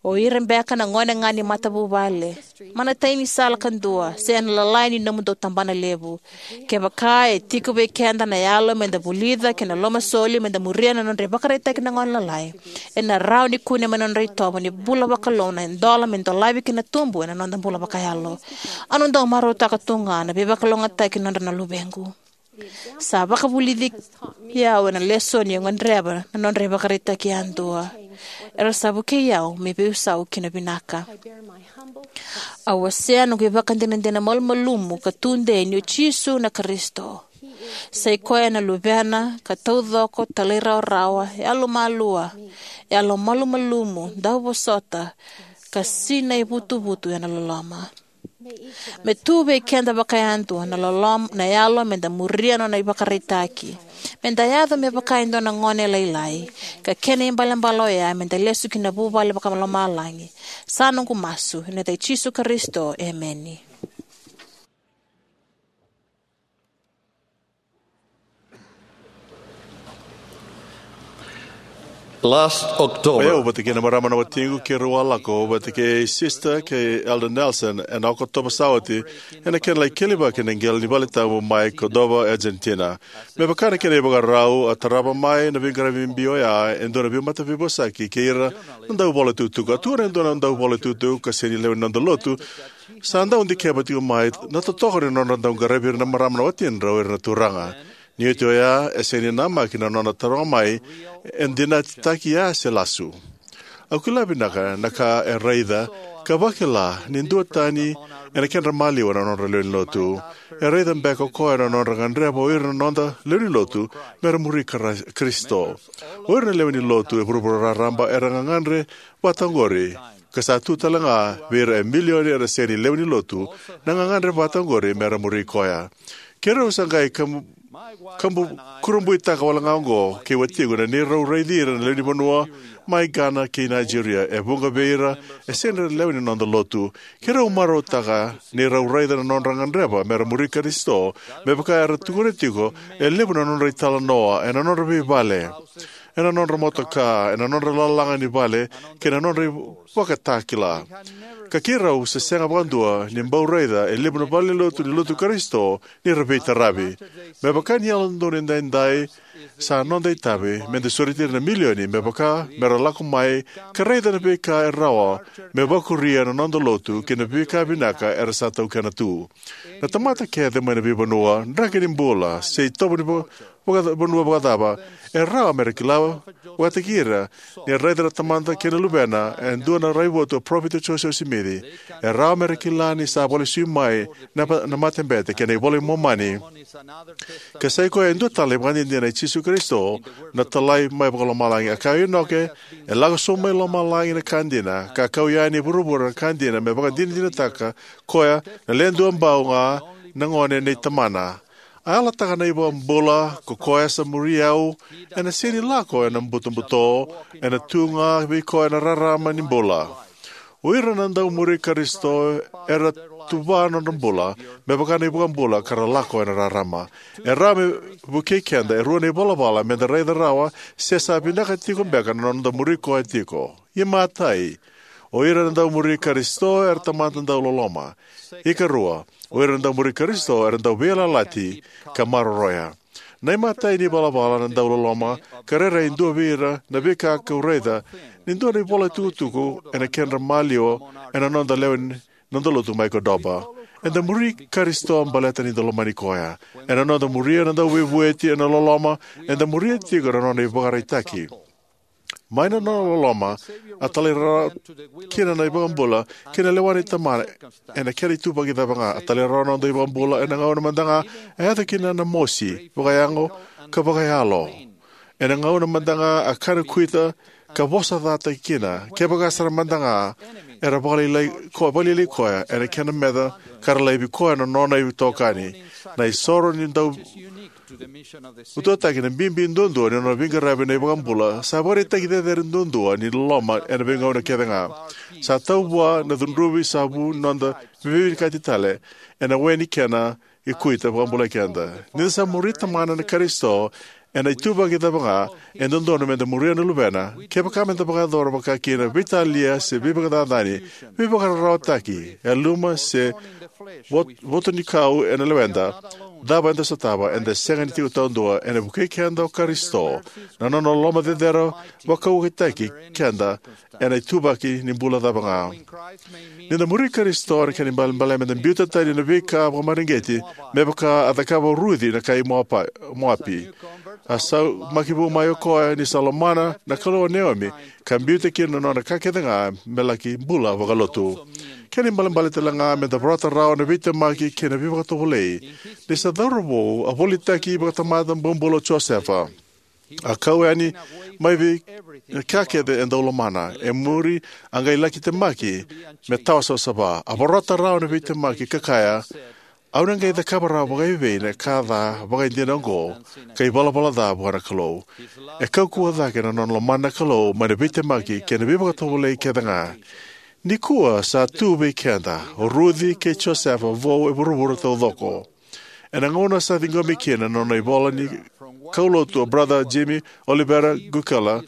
O ira beka na gone ga ni matavuvale, mana tai ni sala kadua, se na lalai ni nomudou tabana levu. Kevaka e tiko vei keda na yalo meda vulica kei na lomasoli meda muria na nodra ivakaraitaki na gone lalai, ena rawa ni kune mai na nodra itovo ni bula vakalou na idola me dolavi kina tubu ena noda bula vakayalo. Au na dau marautaka tu ga na veivakalougatataki nodra na luvequ. Sa vakavulici au ena lesoni au gadreva na nodra ivakaraitaki yadua. Era sa vukei au me veisau kina vinaka. Au wasea noqu ivakadinadina malumalumu ka tudei ni o Jisu na Karisito. Sa i koya na Luvena ka taucoko, talairawarawa, yalomalua, yalomalumalumu, dauvosota, ka sinai vutuvutu ena loloma. Me tu vei keda vakayadua na loloma, na yalo me da muria na nona ivakaraitaki. Me da yaco me vaka e dua na gone lailai, ka kena ibalebale oya me da lesu ki na vuvale vakalomalagi. Sa noqu masu ena yaca i Jisu Karisito, emeni. Last October, o yau vata kei na marama na watiqu keirau a lako vata kei Sister kei Elder Nelson ena Okotova sa oti, ena kena lai kelivaki na qele ni valetabu mai Cordova, Argentina. Me vaka na kena ivakarau, a tarava mai na veiqaravi bibi oya e dua na veimataveiveivosaki kei ira na dauvola tukutuku. A tukuna e dua na dauvola tukutuku ka sega ni lewe ni noda lotu, sa dau dikeva tiko mai na totoka ni nodra dau qaravi ira na marama na watidra o ira na turaga. Ni oti oya, e sega ni namaki na nona taroga mai, e dinatitaki ya se lasu. Au kila vinaka na ka e raica ka vakila ni duatani ena kedra maliwa na nodra lewe ni lotu. E raica beka o koya na nodra gadreva o ira na noda lewe ni lotu me ra muri Kara-, Karisito. O ira na lewe ni lotu e vuravura raraba era gagadre vata oqori, ka sa tu tale ga vei ira e milioni era sega ni lewe ni lotu na gagadre vata oqori me ra muri koya. Keirau sa qai kabu, kabu kurabuitaka wale ga oqo kei watiqu na neirau raici ira na lewe ni vanua mai Ghana kei Nigeria. E vuqa vei ira e sega ni ra lewe ni noda lotu. Keirau marautaka neirau raica na nodra gadreva me ra muri Karisito, me vaka era tukuna tiko e levu na nodra italanoa ena nodra veivale, ena nodra motoka, ena nodra lalaga ni vale, kei na nodra ivakatakila. Ka keirau se sega vakadua ni bau raica e levu na valenilotu ni lotu Karisito ni ra veitaravi. Me vaka ni Yalododonu Edaidai, sa noda itavi me da sureti ira na milioni me vaka me ra lako mai ka raica na veika e rawa me vakuria na noda lotu kei na veika vinaka era sa taukena tu. Na tamata kece mai na veivanua, draki ni bula, se itovo ni va-, vaka-, vanua vakacava, e rawa me ra kila vakataki ira ni raica na Tamada kei na Luvena e dua na raivotu o Parofita Josefa Simici. E rawa me ra kila ni sa vakalesui mai na, na matabete kei na iVola i Momani. Ka sa i koya e dua tale na ivakadinadina i Jisu Karisito, na Talai mai vakalomalagi. A kaya o Inoke, e lako sobu mai lomalagi na ka dina, ka kau yani e vuravura na ka dina, me vakadinadinataka koya na Le Duabau ga na gone nei Tamana. A yalataka na iVakabula, ko koya sa muri au, ena sega ni lako ena butobuto, ena tu ga vei koya na rarama ni bula. O ira na dau muri Karisito era tuva na nodra bula me vaka na iVakabula ka ra lako ena rarama. E rawa me vukei keda e rua na ivalavala me da raica rawa se sa vinaka tiko beka na noda muri koya tiko. Imatai, o ira na dau muri Karisito era tamata dau loloma. Ikarua, o ira na dau muri Karisito era dau veiyalayalati ka maroroya. Na imatai ni valavala na dau loloma ka rairai e dua vei ira na veika kau raica ni dua na ivola tukutuku ena kedra maliwa ena noda lewe ni noda lotu mai Cordova. Eda muri Karisito baleta ni da lomani koya. Ena noda muria na dau veivueti ena loloma, eda muria tiko na nona ivakaraitaki. Mai na nona loloma, a talairawarawa kina na iVakabula kei na lewa ni Tamana ena kena ituvaki cava ga. A talairawarawa na noda iVakabula ena gauna mada ga e yaco kina na mosi vakayago ka vakayalo. Ena gauna mada ga a kana kuita ka vosa cataki kina, kevaka sara mada ga era vakalailai ko-, vakalailai koya ena kena meca ka ra laivi koya na nona itokani. Na isoro ni dau utuataki na bibi duadua ni nona veiqaravi na iVakabula sa vakaraitaki cecere duadua ni loloma ena veigauna kece ga. Sa tau vua na cudruvi sa vu noda veivinakati tale ena we ni kena ikuita vakabulai keda. Ni da sa muri Tamana na Karisito ena ituvaki cava ga, e dodonu me da muria na Luvena. Kevaka me da vakayacora vaka kina veitalia se veivakacacani, veivakararawataki, yaluma se vot-, votonikau ena leweda, cava eda sotava, eda sega ni tiko taudua. Ena vukei keda o Karisito, na nona loloma cecere vakauqeti keda ena ituvaki ni bula cava ga. Ni da muri Karisito ena kena ibalebale me da biuta tani na veika vakamareqeti me vaka a cakava o Ruci na kai Moapa-, Moapi. A saumaki vou mai o koya ni sa lomana na Kalou o Neomi ka biuta kina na nona ka kece ga me laki bula vakalotu. Kena ibalebale talega me da vorata rawa na veitemaki kei na veivakatovolei. Ni se cauravou, a volitaki vakatamata bobula o Josefa. A kau yani mai vei ka kece e dau lomana. E muri, a qai laki temaki me tawa savasava. A vorata rawa na veitemaki ka kaya, "Au na qai cakava rawa vakaevei na ka ca vakaidina oqo ka ivalavala ca vua na Kalou?" E kaukauwa cake na nona lomana na Kalou mai na veitemaki kei na veivakatovolei kece ga. Nikua sa tu vei keda o Ruci kei Josefa vou e vuravura taucoko. Ena gauna sa ciqomi kina na nona ivola ni kaulotu o Brother Jimmy Oliveira Gukela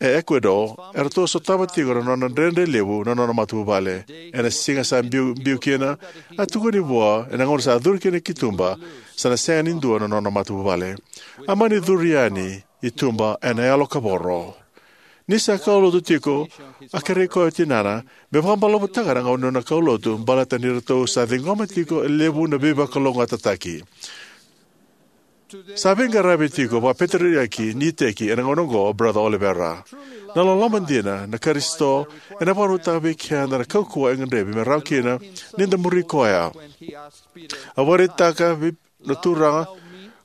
e Ecuador, eratou sotava tiko na nona dredre levu na nona matavuvale. Ena siga sa biu, biu kina, a tukuni vua, ena gauna sa curu kina ki tuba, sa na sega ni dua na nona matavuvale. A mani curu yani i tuba ena yalo kavoro. Ni sa kaulotu tiko, a kerei koya o tinana me vakabalavutaka na gauna ni nona kaulotu, baleta ni ratou sa ciqoma tiko e levu na veivakalougatataki. Sa veiqaravi tiko vakapeteriaki ni iteki ena gauna oqo o Brother Oliveira. Na loloma dina na Karisito ena vakarautaka vei keda na kaukauwa e gadrevi me rawa kina ni da muri koya. A vakaraitaka vei na Turaga,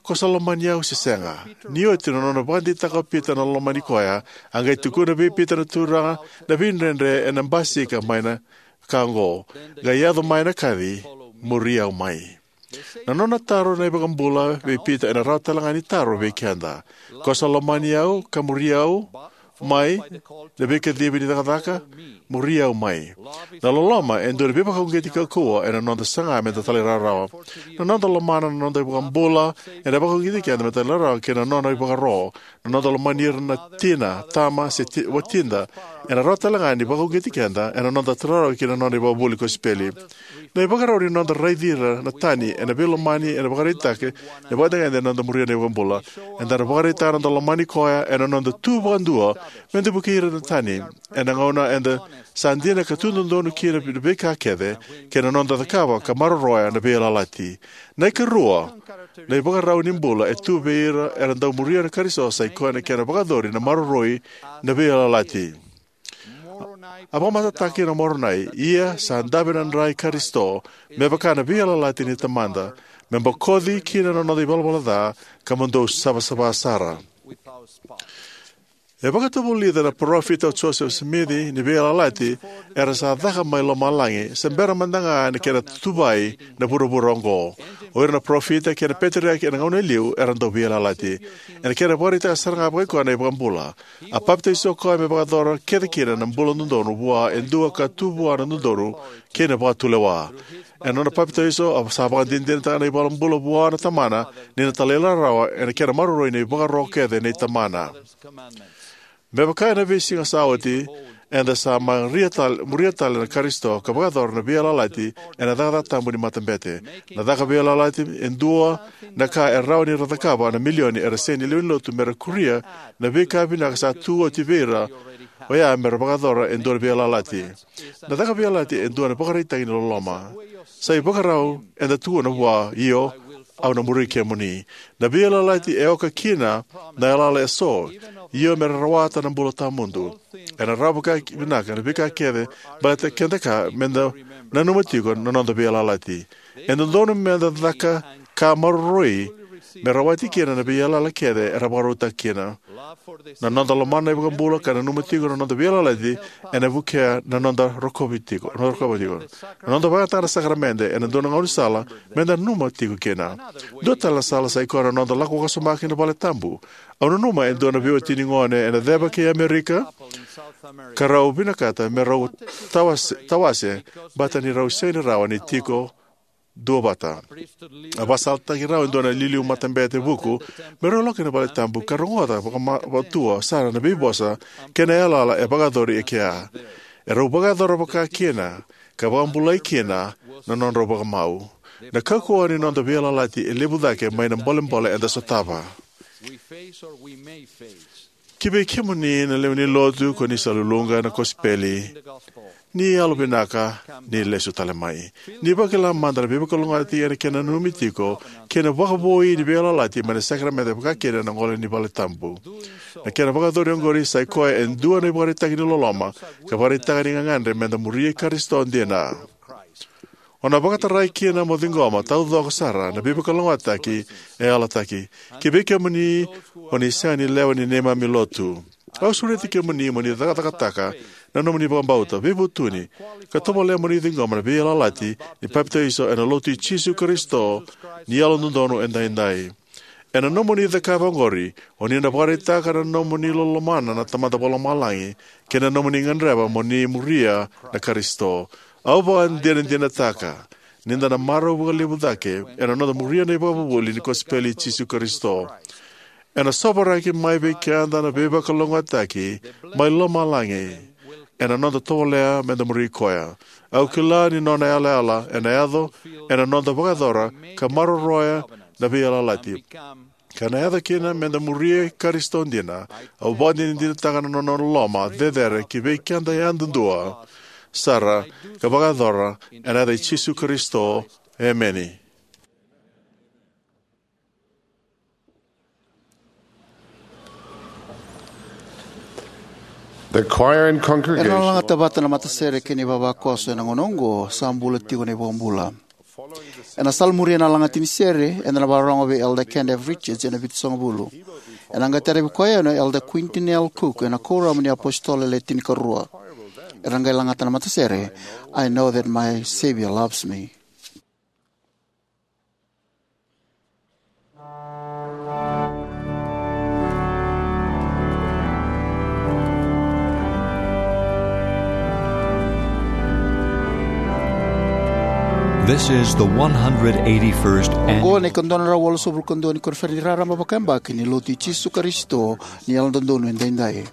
"Ko sa lomani au se sega?" Ni oti na nona vakadeitaka o Pita na lomani koya, a qai tukuna vei Pita na Turaga na veidredre ena basika mai na ka oqo, qai yaco mai na kaci, "Muri au mai." Na nona taro na iVakabula vei Pita ena rawa talega ni taro vei keda. "Ko sa lomani au ka muri au mai na veikacivi ni cakacaka, muri au mai." Na loloma e dua na veivakauqeti kaukauwa ena noda saga me da talairawarawa. Na noda lomana na noda iVakabula ena vakauqeti keda me da talairawarawa ki na nona ivakaro. Na noda lomani ira na tina, tama, se ti, watida ena rawa talega ni vakauqeti keda ena noda talairawarawa ki na nona ivakavuvuli kosipeli. Na ivakarau ni noda raici ira na tani ena veilomani ena vakaraitaki na vakatagede ena noda muria na iVakabula. Eda na vakaraitaka na noda lomani koya ena noda tu vakadua me da vukei ira na tani ena gauna eda sa dina ka tu dodonu kina na veika kece kei na noda cakava ka maroroya na veiyalayalati. Na ikarua, na ivakarau ni bula e tu vei ira era dau muria na Karisito sa i koya na kena vakayacori na maroroi na veiyalayalati. A vakamatatataka kina o Moronai, "Ia sa dave na dra i Karisito, me vaka na veiyalayalati ni Tamada, me bokoci kina na noda ivalavala ca, ka mo dou savasava sara." E vakatavulica na parofita o Joseph Smith ni veiyalayalati era sa caka mai lomalagi se bera mada ga na kena tuvai na vuravura oqo. O ira na parofita kei na peteriaki ena gauna e liu era dau veiyalayalati. Ena kena vakaraitaka sara ga vakaikoya na iVakabula, a papitaiso o koya me vakayacora kece kina na bula dodonu vua e dua ka tu vua na dodonu kei na vakatulewa. Ena nona papitaiso, a sa vakadinadinataka na iVakabula vua na Tamana ni na talairawarawa ena kena maroroi na ivakaro kece nei Tamana. Me vaka ena veisiga sa oti, eda sa muria tale, muria tale na Karisito ka vakayacora na veiyalayalati ena cakacaka tabu ni matabete. Na caka veiyalayalati e dua na ka e rawa ni ra cakava na milioni era sega ni lewe ni lotu me ra kuria na veika vinaka sa tu oti vei ira oya me ra vakayacora e dua na veiyalayalati. Na caka veiyalayalati e dua na ivakaraitaki ni loloma. Sa ivakarau eda tukuna vua, "Io, au na muri kemuni." Na veiyalayalati e oka kina na yalayala eso, "Io, me ra rawata na bula tawamudu." Ena rawa vakavinaka na veika kece baleta keda ka me da nanuma tiko na noda veiyalayalati. E dodonu me da caka ka maroroi me rawati kina na veiyalayala kece era vakarautaka kina. Na noda lomana na iVakabula ka nanuma tiko na noda veiyalayalati ena vukea na noda rokovi tiko, noda rokovi tiko. Na noda vakayagataka na sakaramede ena dua na gaunisala me da nanuma tiko kina. Dua tale na sala sa i koya na noda lako vakasoma ki na vale tabu. Au nanuma e dua na veiwatini gone ena ceva kei Amerika ka rau vinakata me rau tawase, tawase, baleta ni rau sega ni rawa ni tiko duavata. A vakasalataki rau e dua na iliuliu matabete vuku me rau lako ki na vale tabu ka rogoca vakama-, vakatua sara na veivosa kei na yalayala e vakayacori e kea. E rau vakayacora vaka kina ka vakabulai kina na nodrau vakamau. Na kaukauwa ni noda veiyalayalati e levu cake mai na bolebole eda sotava. Ki vei kemuni na lewe ni lotu ko ni sa luluqa na kosipeli, Ni yalovinaka, ni lesu tale mai. Ni vakila mada na veivakalougatataki ena kena nanumi tiko kei na vakavoui ni veiyalayalati mai na sakaramede, vakakina na gole ni vale tabu. Na kena vakayacori oqori sa i koya e dua na ivakaraitaki ni loloma ka vakaraitaka ni gagadre meda muria Karisito dina. O na vakatarai kina mo ciqoma taucoko sara na veivakalougatataki e yalataki. Kivei kemuni o ni sega ni lewe ni neimami lotu, au sureti kemuni mo ni cakacakataka na nomuni vakabauta, veivutuni, ka tovolea mo ni ciqoma na veiyalayalati ni papitaiso ena Lotu i Jisu Karisito ni Yalododonu Edaidai. Ena nomuni cakava oqori, o ni na vakaraitaka na nomuni lomana na Tamada Vakalomalagi kei na nomuni gadreva mo ni muria na Karisito. Au vakadinadinataka ni da na marau vakalevu cake ena noda muria na ivakavuvuli ni kosipeli i Jisu Karisito. Ena sovaraki mai vei keda na veivakalougatataki mai lomalagi ena noda tovolea meda muri koya. Au kila ni nona yalayala ena yaco ena noda vakayacora ka maroroya na veiyalayalati, ka na yaco kina meda muria Karisito dina. Au vakadinadinataka na nona loloma cecere kivei keda yadudua sara ka vakayacora ena yaca i Jisu Karisito. Emeni. The choir and congregation. Era na lagata vata na matasere kei na ivavakoso ena gauna oqo, Sa Bula Tiko na iVakabula. Ena salamuria na lagati ni sere, eda na vakarorogo vei Elder Kenneth Richards ena Vitusagavulu. Ena qai tarovi koya yani o Elder Quentin L. Cook ena Kuoramu ni iApositolo Le Tinikarua. Era qai lagata na matasere, I Know That My Savior Loves Me. This is the one hundred eighty-first annual. Oqo na ikadua na drau walusagavulu ka dua ni koniferedi raraba vakayabaki ni Lotu i Jisu Karisito ni Yalododonu Edaidai.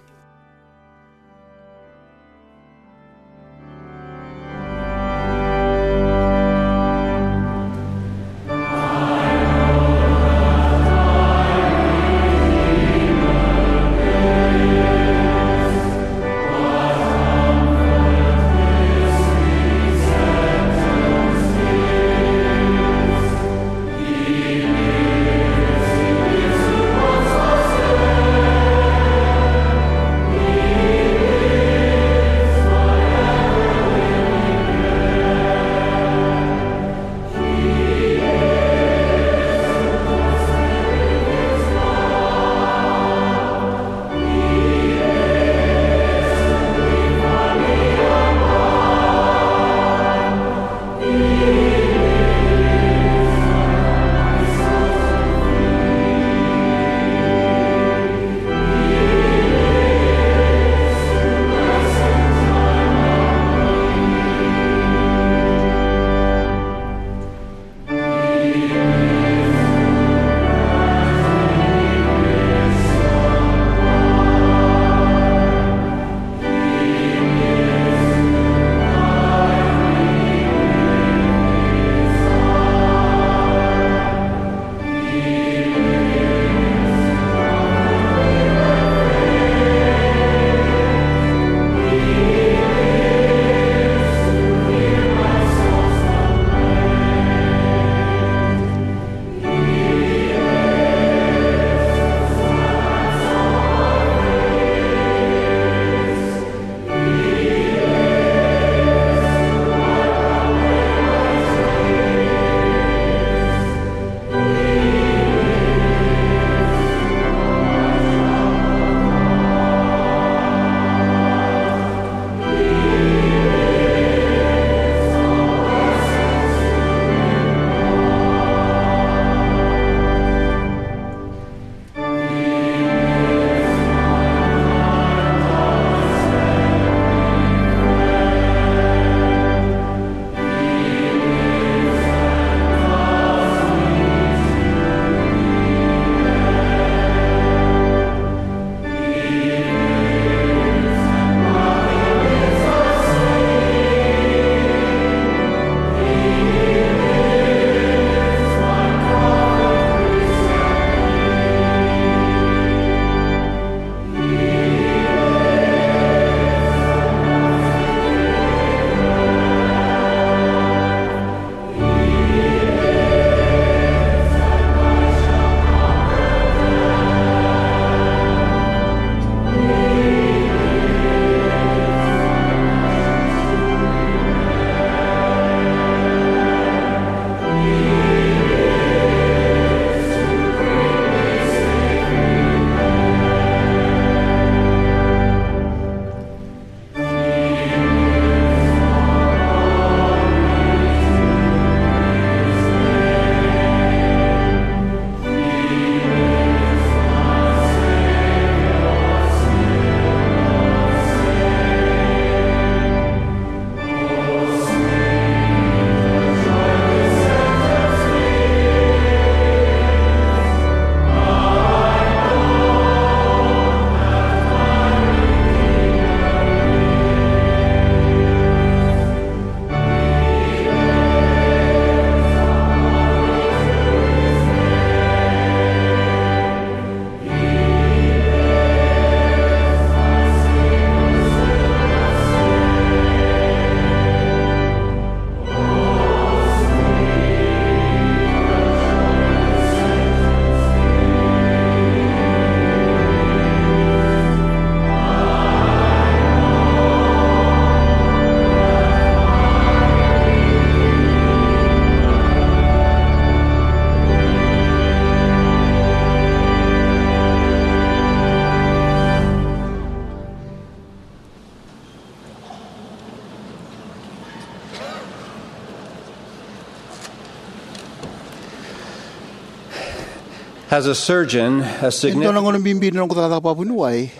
As a surgeon, a E dua na significant gauna bibi ni noqu cakacaka vakavuniwai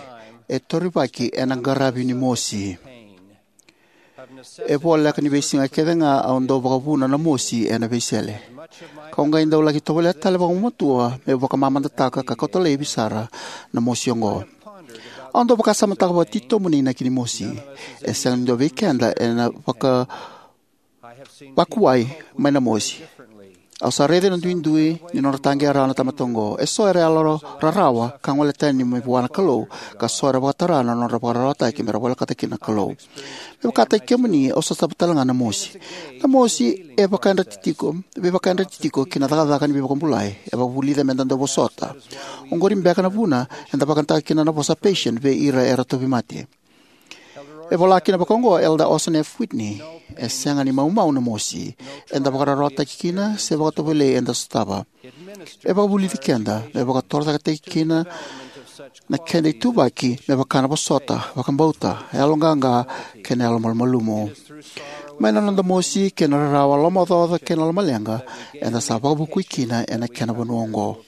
e torivaki ena qaravi ni mosi. E voleka ni veisiga kece ga au dau vakavuna na mosi ena veisele, kau qai dau laki tovolea tale vakagumatua meu vakamamadataka ka kauta laivi sara na mosi oqo. Au dau vakasamataka vakatitobu na inaki ni mosi. E sega ni dua vei keda ena vaka vakuwai mai na mosi. Au sa raica na duidui ni nodra taqeya rawa na tamata oqo. Eso era yalo rarawa ka gole tani mai vua na Kalou, ka so era vakatara na nodra vakararawataki me ra volekata kina na Kalou. Me vakataki kemuni, au sotava tale ga na mosi. Na mosi e vakayadrati tiko, veivakayadrati tiko ki na cakacaka ni veivakabulai. E vakavulica me da dau vosota. Oqori beka na vuna eda vakayagataka kina na vosa patient vei ira era tauvimate. E vola kina vakaoqo o Elder Orson F. Whitney: "E sega ni maumau na mosi eda vakararawataki kina se vakatovolei eda sotava. E vakavulici keda me vakatorocaketaki kina na keda ituvaki, me vaka na vosota, vakabauta, yaloqaqa, kei na yalomalumalumu. Mai na noda mosi kei na rarawa, lomaocaoca kei na lomaleqa, eda sa vakavukui kina ena kena vanua oqo."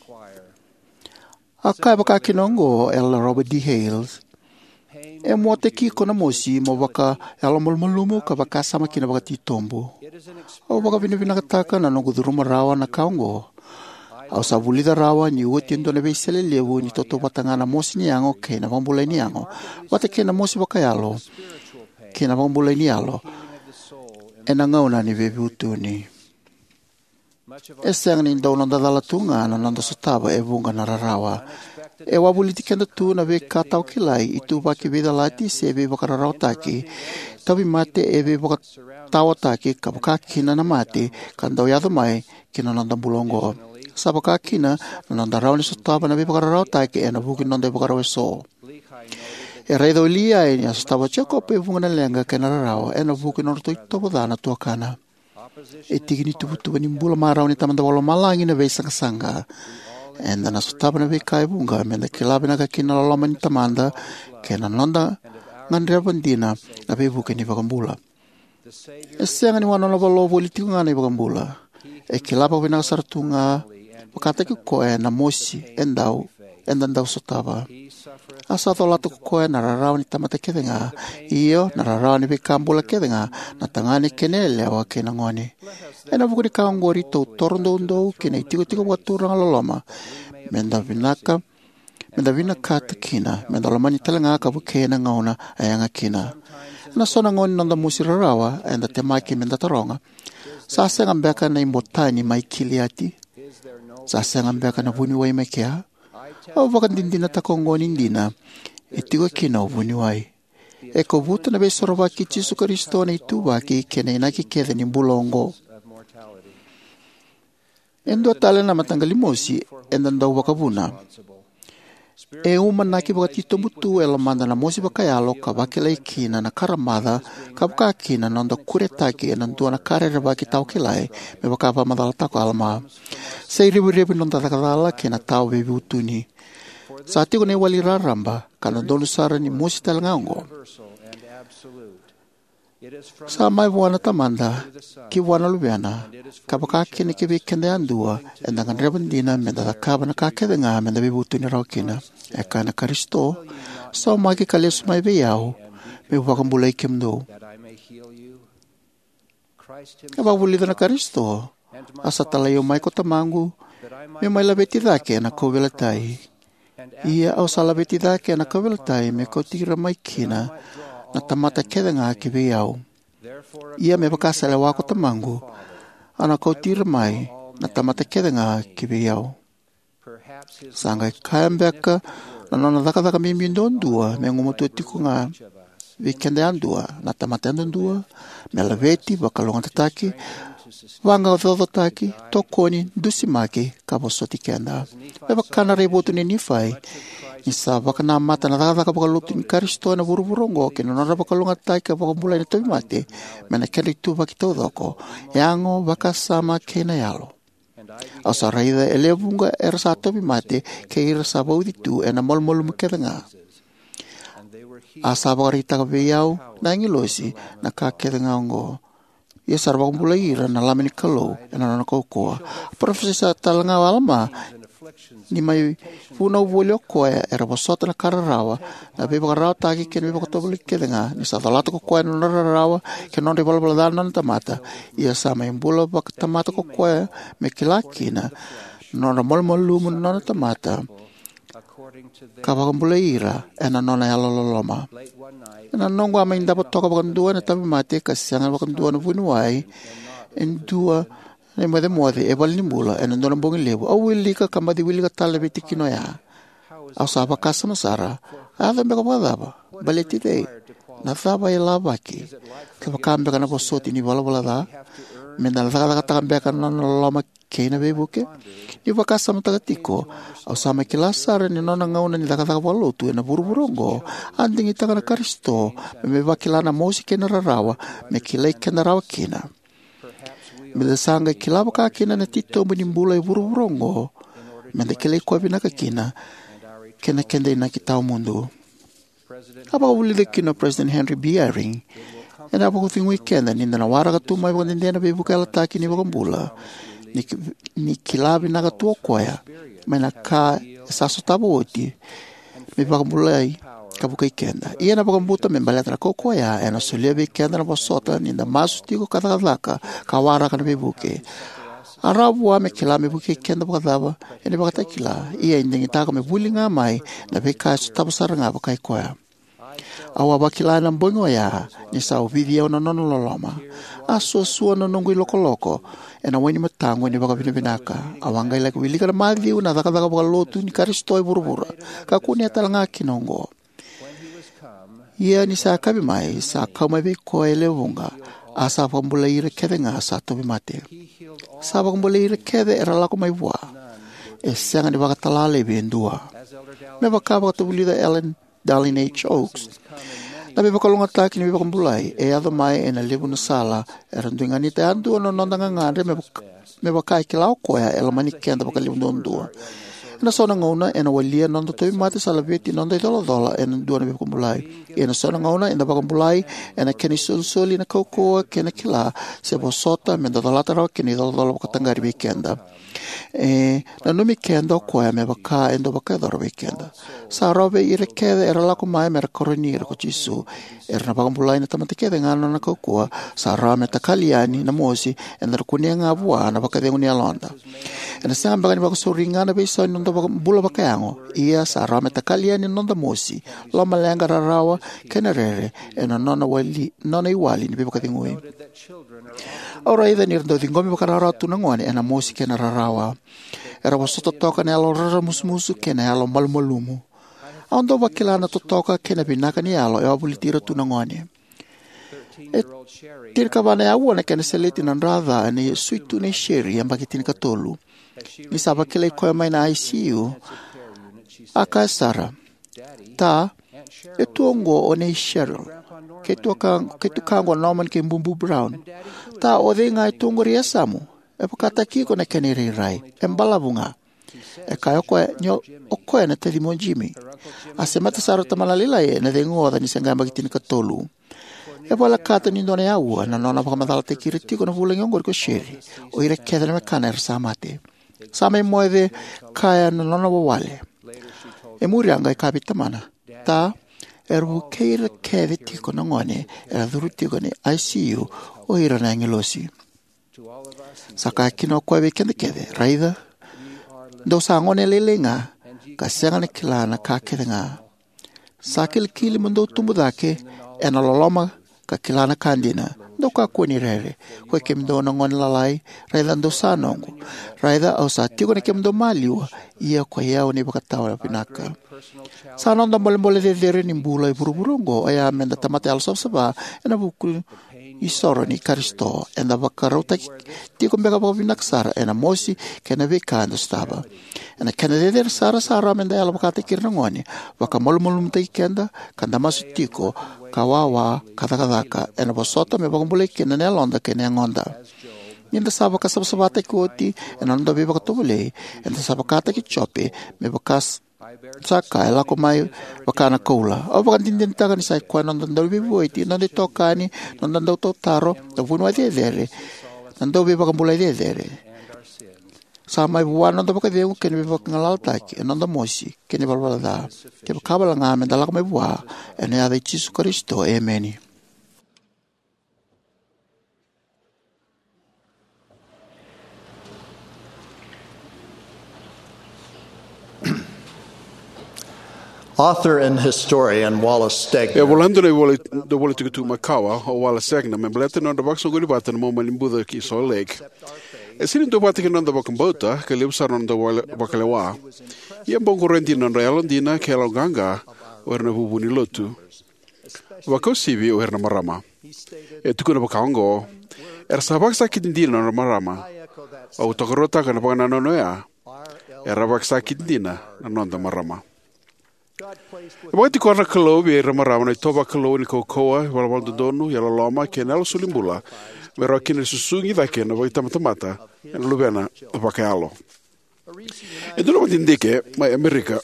A kaya vaka kina oqo o Elder Robert D. Hales: "E muataki iko na mosi mo vakayalomalumalumu ka vakasama kina vakatitobu. Au vakavinavinakataka na noqu curuma rawa na ka oqo. Au sa vulica rawa ni oti e dua na veisele levu ni tautauvata ga na mosi ni yago kei na vakabulai ni yago, vata kei na mosi vakayalo kei na vakabulai ni yalo ena gauna ni veivutuni." E sega ni dau noda cala tu ga na noda sotava e vuqa na rarawa. E wavoliti keda tu na veika tawakilai, ituvaki veicalati se veivakararawataki, tauvimate e veivakataotaki, ka vakakina na mate ka dau yaco mai ki na noda bula oqo. Sa vakakina na noda rawa ni sotava na veivakararawataki ena vuku ni noda ivakarau eso. E raica o Liai ni a sotava o Jekope e vuqa na leqa kei na rarawa ena vuku ni nodratou itovo ca na tuakana. E tiki ni tuvatuva ni bula marau ni Tamada Vakalomalagi na veisaqasaqa. Eda na sotava na veika e vuqa me da kila vinaka kina na loloma ni Tamada kei na noda gadreva dina na veivuke ni iVakabula. E sega ni wanono valo voli tiko ga na iVakabula. E kila vakavinaka sara tu ga vakataki koya na mosi e dau, eda dau sotava. A sa colata ko koya na rarawa ni tamata kece ga, io, na rarawa ni veika bula kece ga, na tagane kei na yalewa kei na gone. Ena vuku ni ka oqori, tou toro doudou ki na itikotiko vakaturaga loloma, me da vinaka, me da vinakata kina me da lomani tale ga ka vukei ena gauna e yaga kina. Ena so na gauna ni noda mosi rarawa, eda temaki me da taroga: "Sa sega beka na ibotani mai Kiliati? Sa sega beka na vuniwai mai kea?" Au vakadinadinataka oqo ni dina, e tiko kina o vuniwai. E kovuta na Veisorovaki i Jisu Karisito na ituvaki kei na inaki kece ni bula oqo. E dua tale na mataqali mosi eda dau vakavuna. E umanaki vakatitobu tu e lomada na mosi vakayalo ka vakilai kina na karamaca, ka vaka kina na noda kuretaki ena dua na ka rerevaki tawakilai, me vaka vakamacalataka o Alama. Sa irevurevu ni noda cakacala kei na tawa veivutuni. Sa tiko na iwali raraba, ka dodonu sara ni mosi tale ga oqo. Sa mai vua na Tamada, ki vua na Luvena, ka vaka kina ki vei keda yadua, eda gadreva dina me da cakava na ka kece ga me da veivutuni rawa kina. E kaya na Karisito: "Saumaki ka lesu mai vei au, meu vakabulai kemudou." E vakavulica na Karisito: "A sa talai au mai ko Tamaqu, meu mai laveti cake ena kauveilatai. Ia au sa laveti cake ena kauveilatai, me kauti ira mai kina na tamata kece ga ki vei au. Ia me vaka sa lewa ko Tamaqu, au na kauti ira mai na tamata kece ga ki vei au." Sa qai kaya beka na nona cakacaka bibi duadua me gumatua tiko ga vei keda yadua, na tamata yadudua, me laveti, vakalougatataki, vaqaqacotaki, tokoni, dusimaki, ka vosoti keda. Me vaka na raivotu nei Nifai, ni sa vakanamata na cakacaka vakalotu ni Karisito ena vuravura oqo kei na nodra vakalougatataki ka vakabulai na tauvimate, me na kedra ituvaki taucoko, yago, vakasama kei na yalo. Au sa raica e lewe vuqa era sa tauvimate kei ira sa vauci tu ena malumalumu kece ga. A sa vakaraitaka vei au na agilosi na ka kece ga oqo. Ia sa ra vakabulai ira na Lami ni Kalou ena nona kaukauwa. A parofisai tale ga o Alama Ni mai vunau voli o koya, era vosota na ka rarawa, na veivakararawataki kei na veivakatovolei kece ga. Ni sa colata ko koya na nodra rarawa kei na nodra ivalavala ca na nona tamata, ia sa mai bula vakatamata ko koya me kila kina na nodra malumalumu na nona tamata, ka vakabulai ira ena nona yalololoma. Ena noqu a mai davo toka vakadua ena tauvimate ka sega vakadua na vuniwai, e dua na imocemoce e valenibula ena dua na bogi levu. Au wilika ka baci wilika tale na veitikina oya. Au sa vakasama sara, a yaco beka vakacava? Baleti cei? Na cava e lavaki? Kevaka beka na vosoti ni valavala ca? Meda na cakacakataka beka na nona loloma kei na veivuke? Niu vakasamataka tiko, au sa mai kila sara ni nona gauna ni cakacaka vakalotu ena vuravura oqo a digitaka na Karisito me mai vakila na mosi kei na rarawa, me kilai keda rawa kina. Meda sa qai kila vaka kina na titobu ni bula e vuravura oqo, meda kilai koya vinaka kina, kei na keda inaki tawamudu. A vakavulica kina o President Henry B. Eyring, ena vakacegui keda ni da na waraka tu mai vakadede na veivuke yalataki ni iVakabula, ni, ni kila vinaka tu o koya mai na ka e sa sotava oti, me vakabulai ka vukei keda. Ia na vakabuta me baleta na kaukauwa oya, ena solia vei keda na vosota ni da masu tiko ka cakacaka ka waraka na veivuke. A rawa vua me kila me vukei keda vakacava ena ivakatakila, ia e digitaka me vuli ga mai na veika e sotava sara ga vakai koya. Au a vakila ena bogi oya ni sa ovici au na nona loloma. A suasua na noqu ilokoloko ena wai ni mataqu ena vakavinavinaka. Au a qai laki wilika na Maciu, na cakacaka vakalotu ni Karisito e vuravura, ka kunea tale ga kina oqo. Ia ni sa yakavi mai, sa kau mai vei koya e lewe vuqa, a sa vakabulai ira kece ga sa tauvimate. Sa vakabulai ira kece era lako mai vua. E sega ni vakatala laivi e dua. Me vaka vakatavulica Ellen Dallin H. Oaks, na veivakalougatataki ni veivakabulai e yaco mai ena levu na sala. Era dui ganita yadua na noda gagadre me vaka, me vaka e kila o koya e lomani keda vakalevu duadua. Ena so na gauna ena walia na noda tauvimate sa laveti na noda icolacola ena dua na veivakabulai. Ia ena so na gauna eda vakabulai ena kena isolisoli na kaukauwa kei na kila se vosota meda colata rawa kina na icolacola vakataqari vei keda. E nanumi keda o koya me vaka e dau vakayacora vei keda. Sa rawa vei ira kece era lako mai me ra karoni ira ko Jisu. Era na vakabulai na tamata kece ga na nona kaukauwa. Sa rawa me takali yani na mosi, eda na kunea ga vua na vakacegu ni yaloda. Ena sega beka ni vakasauri ga na veisau ni noda vaka-, bula vakayago. Ia sa rawa me takali yani na noda mosi, lomaleqa, rarawa kei na rere ena nona wali, nona iwali ni veivakacegui. Au raica ni ra dau ciqomi vakarawarawa tu na gone ena mosi kei na rarawa. Era vosota toka na yalo raramusumusu kei na yalo malumalumu. Au dau vakila na totoka kei na vinaka ni yalo e wavoliti ira tu na gone. E tinikava na aua na kena seleti na draca ena sui tu nei Sherry, yabaki tinikatolu. Ni sa vakilai koya mai na I C U, a kaya sara, "Ta, e tu oqo o nei Cheryl, kei tuka, kei tukaqu o Norman kei Bubu Brown. Ta, o cei ga e tu oqori e yasamu? E vakataki iko na kena irairai. E balavu ga." E kaya o koya ni o, o koya na tacimu o Jimmy. A semata sara o tamana lailai ena cegu oca ni se qai yabaki tinikatolu. E volekata ni dua na aua na nona vakamacalataki ira tiko na vulagi oqori ko Sherry, o ira kece na wekana era sa mate. Sa mai moce kaya na nona wawale. E muri a qai kaya vei tamana, "Ta, era vukei ira kece tiko na gone era curu tiko ena I C U, o ira na agilosi." Sa kaya kina o koya vei keda kece, "Raica, dou sa gone lailai ga, ka sega ni kila na ka kece ga. Sa kilikili mo dou tubu cake ena loloma ka kila na ka dina. Dou kakua ni rere. Koi kemudou na gone lalai, raica dou sa noqu. Raica au sa tiko na kemudou maliwa, ia koi au na ivakatawa vinaka." Sa noda bolebole cecere ni bula e vuravura oqo oya meda tamata yalosavasava ena vuku isoro ni Karisito. Eda vakarautaki tiko beka vakavinaka sara ena mosi kei na veika eda sotava. Ena kena cecere sara, sa rawa meda yalo vakataki ira na gone, vakamalumalumutaki keda, ka da masu tiko ka wawa ka cakacaka ena vosota me vakabulai kina na yaloda kei na yagoda. Ni da sa vakasavasavataki oti ena noda veivakatovolei, eda sa vakataki Jope, me vaka s-, sa ka e lako mai vaka na koula. Au vakadinadinataka ni sa i koya na noda dauveivueti, noda itokani, noda dautautaro, na vuniwai cecere, na dauveivakabulai cecere. Sa mai vua na noda vakacegu kei na veivakagalalataki, e noda mosi kei na ivalavala ca. Kevaka wale ga me da lako mai vua, ena yaca i Jisu Karisito, emeni. Author and historian Wallace Stegner. E voladona na ivola, na ivola tukutuku makawa o Wallace Stegner me baleta na nodra vakasoqoni vata na Momani Buca ki Salt Lake. E sega ni duavata kei na noda vakabauta, ka levu sara na noda wale-, vakalewa. Ia e bau qoroya dina na nodra yalodina kei yaloqaqa o ira na vuvu ni lotu, vakauasivi o ira na marama. E tukuna vakaoqo: Era sa vakasakiti dina na nodra marama. Au tokaruataka na vakanananu oya. Era vakasakiti dina na noda marama. E vakatikora na Kalou vei ira na marama na itovo vakalou ni kaukauwa, ivalavala dodonu, yalololoma kei na yalo solibula, me rawa kina ni susugi cake na vakaitabatamata ena luvena vakayalo. E dua na vakadidike mai Amerika.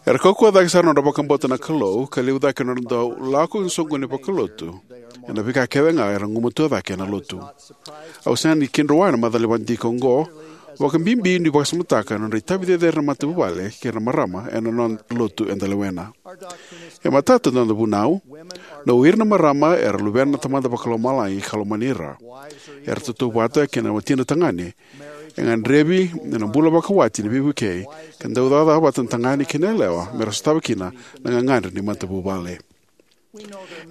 Era kaukauwa cake sara na nodra vakabauta na Kalou, ka levu cake na nodra dau lako ena soqoni vakalotu ena veika kece ga era gumatua cake ena lotu. Au sega ni kidrowa na macala ni vakadidike oqo, vakabibi niu vakasamataka na nodra itavi cecere na matavuvale kei ira na marama ena nona lotu eda lewena. E matata na noda vunau. Na o ira na marama era luvena na Tamada Vakalomalagi ka lomani ira. Era tautauvata kei na watina tagane. E gadrevi ena bula vakawati na veivukei, ka dau cakacaka vata na tagane kei na yalewa me ra sotava kina na gagadre ni matavuvale.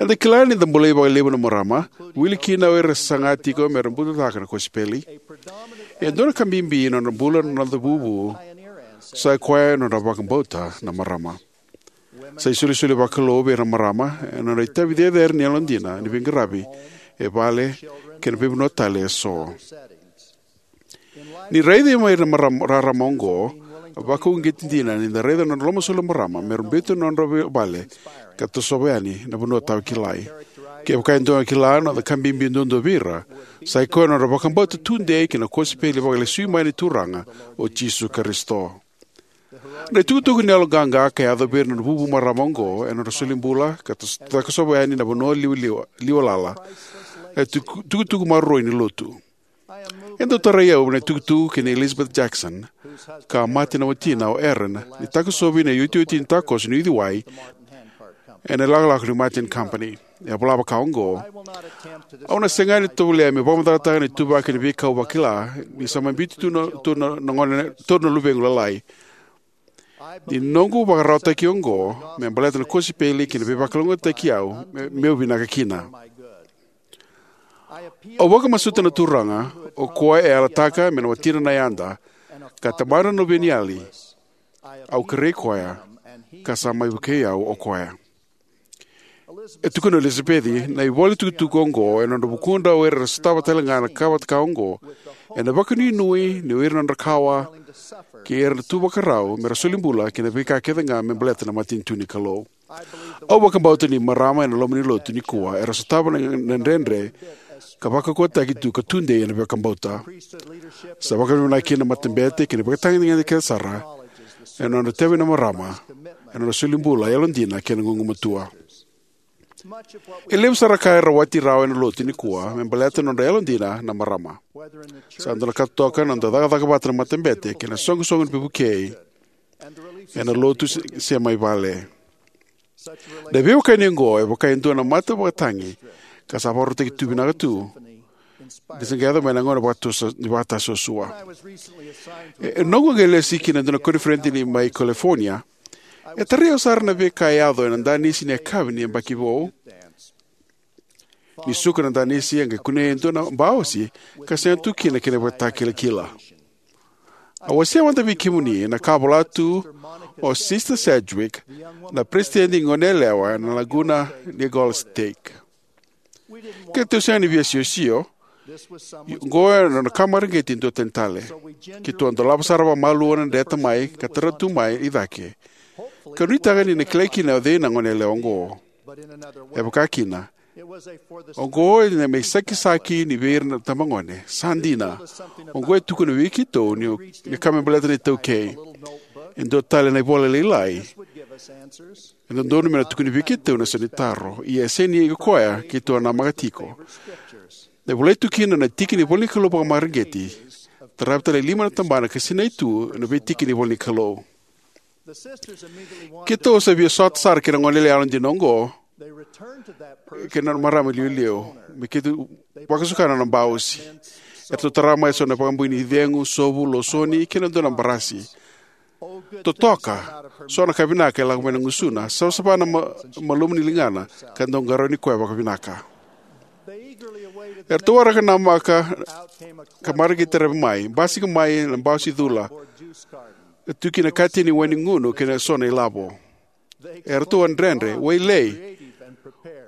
Eda kila ni da bolei vakalevu na marama, wili kina o ira era saga tiko me ra butucaka na kosipeli. E dua na ka bibi ena nodra bula na noda vuvu, sa i koya na nodra vakabauta na marama. Sa isolisoli vakalou vei ira na marama ena nodra itavi cecere ni yalodina ni veiqaravi e vale kei na veivanua tale eso. Ni raici mai ira na marama, rarama oqo, vakauqeti dina ni da raica na nodra lomasoli na marama me ra biuta na nodra vei-, vale ka tosova yani na vanua tawakilai. Kevaka e dua na kila na noda ka bibi duadua vei ira, sa i koya na nodra vakabauta tudei kei na kosipeli vakalesui mai ni Turaga o Jisu Karisito. Na itukutuku ni yaloqaqa ka yaco vei ira na vuvu marama oqo ena nodra solibula ka tas-, takosova yani na vanua liwaliwa, liwalala, e tuku-, tukutuku maroroi ni lotu. E dau tarai au na itukutuku kei na Elizabeth Jackson, ka mate na watina o Aaron, ni takosovi na iotioti ni takoso ni uciwai ena ilakolako ni Martin Company. E a vola vakaoqo: Au na sega ni tovolea meu vakamacalataka na ituvaki ni veika au vakila, ni sa mai biuti tu na, tu na, na gone, tu na luvequ lalai. Ni noqu vakararawataki oqo me baleta na kosipeli kei na veivakalougatataki au, me, meu vinaka kina. Au vakamasuta na Turaga, o koya e yalataka me na watina na yada, ka tamana na luveniyali. Au kerei koya, ka sa mai vukei au o koya. E tukuna o Elizabeth, na ivola tukutuku oqo ena nodra vukudra o ira era sotava tale ga na ka vata ka oqo, ena vakanuinui ni o ira na nodra kawa kei ira na tu vakarau me ra soli bula kei na veika kece ga me baleta na matanitu ni Kalou. Au vakabauta ni marama ena loma ni lotu nikua era sotava na, na dredre ka vakaukauwataki tu ka tudei ena vakabauta. Sa vakavinavinaka kina na matabete kei na ivakatagedegede kece sara ena nodra itavi na marama ena nodra soli bula, yalodina kei na gugumatua. E levu sara ka e rawati rawa ena lotu nikua me baleta na nodra yalodina na marama. Sa dua na ka totoka na noda cakacaka vata na matabete kei na soqosoqo ni veivukei ena lotu se, se mai vale. Na veiwekani oqo e vaka e dua na mata vakatagi ka sa vakarautaki tu vinaka tu, ni sa qai yaco mai na gauna vakatusa, ni vakatasuasua. E, e noqu qai lesi ki na dua na koniferedi ni mai California, e tarai au sara na veika e yaco ena danisi ni yakavi ni yabaki vou. Ni suka na danisi, e qai kunei e dua na baosi ka sega tu kina kena ivakatakilakila. Au wasea mada vei kemuni na ka a vola tu o Sister Sedgwick, na peresitedi ni Goneyalewa ena Laguna Niguel Stake. Keitou sega ni via siosio. Oqo ena nona ka mareqeti e dua tani tale. Keitou a dolava sara vakamalua na dreta mai ka tara tu mai i cake, ka nuitaka ni na kilai kina o cei na goneyalewa oqo. E vaka kina, oqo e na me isakisaki ni vei ira na tabagone. Sa dina. Oqo e tukuna vei keitou ni, ni ka me baleta na iTaukei. E dua tale na ivola lailai e dodonu me na tukuni vei keitou na so ni taro, ia e sega ni o koya keitou a namaka tiko. Na volai tu kina na tiki ni ivolanikalou vakamareqeti, taravi tale e lima na tabana ka sinai tu ena veitiki ni ivolanikalou. Keitou sa via sota sara kei na goneyalewa yalodina oqo kei na nona marama iliuliu me keitou vakasuka na nona bausi. Eratou tara mai eso na vakabui ni cegu, sovu, losoni, kei na dua na barasi. Totoka so na ka vinaka e lako mai na gusuna, savasava na ma-, malumu ni ligana, ka dau qarauni koya vakavinaka. Eratou waraka na maka ka mareqeti taravi mai, basika mai na bausi cula, ka tu kina katini wainigunu kei na so na ilavo. Eratou a dredre, wailei,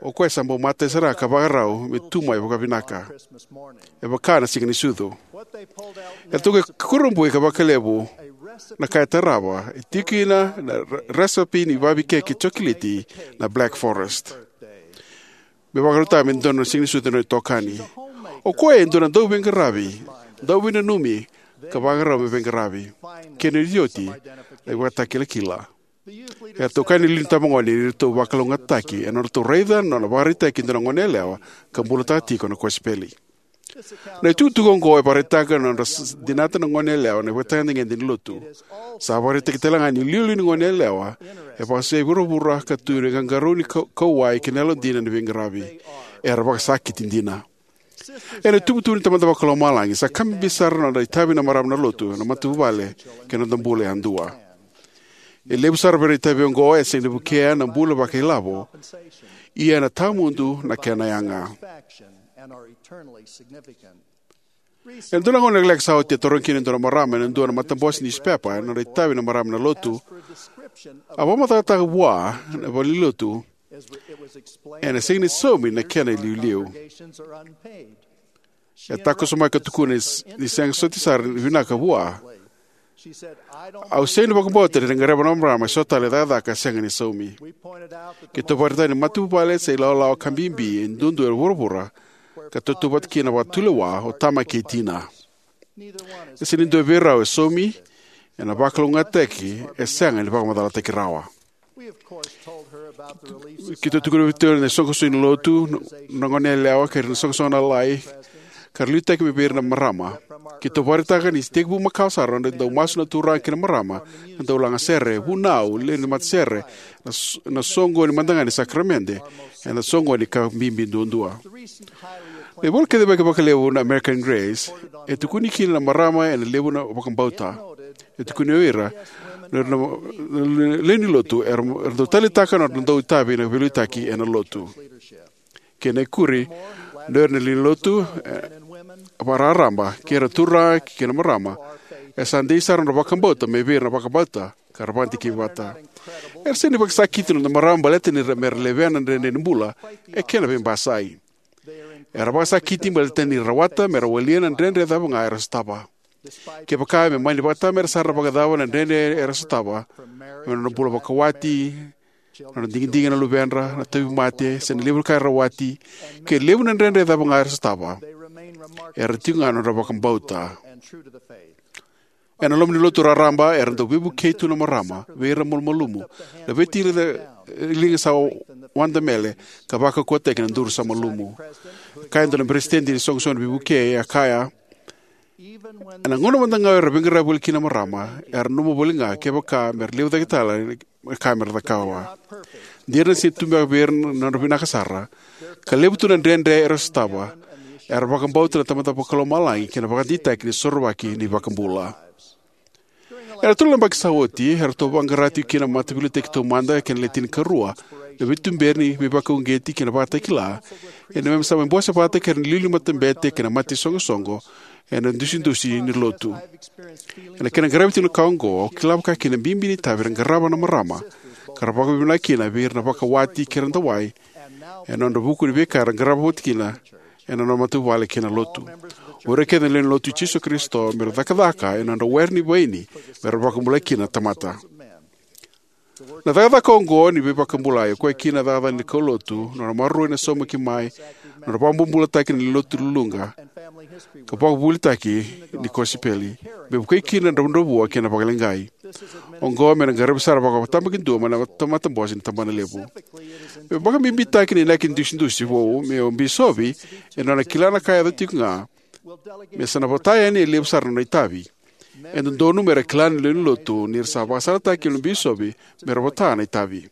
o koya sa bau matai sara ka vakarau me tu mai vakavinaka. E vaka na Siga ni Sucu. Eratou qai kurabui ka vakalevu na ka e tarava, e tiko kina na re-, resepi ni vavei keki cokoleti na Black Forest. Me vakarautaka me dua na Siga ni Sucu na itokani. O koya e dua na dauveiqaravi, dauveinanumi, ka vakarau me veiqaravi. Kena iotioti, na ivakatakilakila. Eratou kaya na iliuliu ni itabagone ni ratou vakalougatataki ena nodratou raica na nona vakaraitaki e dua na goneyalewa ka bulataka tiko na kosipeli. Na itukutuku oqo e vakaraitaka na nodra s-, dinata na goneyalewa na ivakatagedegede ni lotu. Sa vakaraitaki tale ga ni iliuliu ni goneyalewa e vakasai vuravura ka tu ena qaqarauni kau-, kauwai kei na yalodina ni veiqaravi. Era vakasakiti dina. Ena ituvatuva ni Tamada Vakalomalagi, sa ka bibi sara na nodra itavi na marama na lotu, na matavuvale, kei na noda bula yadua. E levu sara vei ira na itavi oqo e sega ni vukea na bula vakailavo, ia ena tawamudu na kena yaga. Ena dua na gauna lekaleka sa oti, a tarogi kina e dua na marama ena dua na matabose ni niusipepa na nodra itavi na marama na lotu. A vakamacalataka vua na valenilotu ena sega ni saumi na kena iliuliu. E takoso mai ka tukuna ni s-, ni sega soti sara ni vinaka vua. Au sega ni vakabauta ni na gadreva na marama eso tale na cakacaka sega ni saumi. Keitou vakaraitaka ni matavuvale se ilawalawa ka bibi e duadua e vuravura, ka tautauvata kina vakatulewa o tama kei tina. E sega ni dua vei rau e saumi ena vakalougatataki e sega ni vakamacalataki rawa. Keitou tukuna vei keitou na isoqosoqo ni lotu, na goneyalewa kei ira na isoqosoqo lalai, ka ra liutaki mai vei ira na marama. Keitou vakaraitaka ni sa tekivu makawa sara na nodra dau masu na turaga kei na marama, na dau lagasere, vunau, lewe ni matasere, na s-, na soqoni mada ga ni sakaramede, ena soqoni ka bibi duadua. Na ivola kacivaki vakalevu na American Grace e tukuni kina na marama ena levu na vakabauta. E tukuni o ira na, na, na lewe ni lotu era, era dau taleitaka na nodra dau itavi na veiliutaki ena lotu. Kena ikuri, na lewe ni lotu, e, vakararaba, kei ira na turaga kei na marama, e sa dei sara na nodra vakabauta mai vei ira na vakabauta ka ra vakadikevi vata. Era sega ni vakasakiti na noda marama baleta ni ra, me ra levea na dredre ni bula, e kena veibasai. Era vakasakiti baleta ni ra rawata me ra walia na dredre cava ga era sotava. Kevaka me mani vakatamera sara vakacava na dredre era sotava, me nodra bula vakawati, na nodra digidigi na luvedra, na tauvimate, se na levu na ka era rawati, ke levu na dredre cava ga era sotava, era tiko ga na nodra vakabauta. Ena loma ni lotu raraba, era dau veivukei tu na marama vei ira na malumalumu, laveti ira na liga sa wadamele, ka vakaukauwataki na duru sa malumu. Kaya e dua na peresitedi ni isoqosoqo ni veivukei, a kaya, ena gauna mada ga era veiqaravi voli kina na marama, era nanuma voli ga kevaka me ra levu cake tale na ka me ra cakava. De ra na sega ni tu beka vei ira na nodra vinaka sara, ka levu tu na dredre era sotava, era vakabauta na Tamada Vakalomalagi kei na vakadeitaki ni Sorovaki ni iVakabula. Ena tolu na yabaki sa oti, eratou vaqara tiko kina na Mataveiliutaki Taumada kei na Le Tinikarua na veituberi ni veivakauqeti kei na vakatakila, ena neimami sa mai bose vata kei ira na iliuliu ni matabete kei na mata ni isoqosoqo ena idusidusi ni lotu. Ena kena qaravi tiko na ka oqo, au kila vakakina na bibi ni itavi era qarava na marama, ka ra vakavinavinaka kina vei ira na vakawati kei ira na dawai, ena nodra vuku ni veika era qarava vata kina ena nodra matavuvale kei na lotu. O ira kece na lewe ni Lotu i Jisu Karisito me ra cakacaka ena nodra were ni vaini me ra vakabulai kina na tamata. Na cakacaka oqo ni veivakabulai, o koya kina na cakacaka ni kaulotu, nodra maroroi na saumaki mai, nodra vakabobulataki na lotu luluqa, ka vakavuvulitaki ni kosipeli, me vukei kina na dravudravua kei na vakaleqai. Oqo me na qaravi sara vakatabakidua mai na tamata bose ni tabanalevu. Me vakabibitaki na inaki ni idusidusi vou, me o bisovi e nona kila na ka e yaco tiko ga, me sa na vota yani e levu sara na nona itavi. E dodonu me ra kila na lewe ni lotu ni ra sa vakasalataki na bisovi me ra vota na itavi.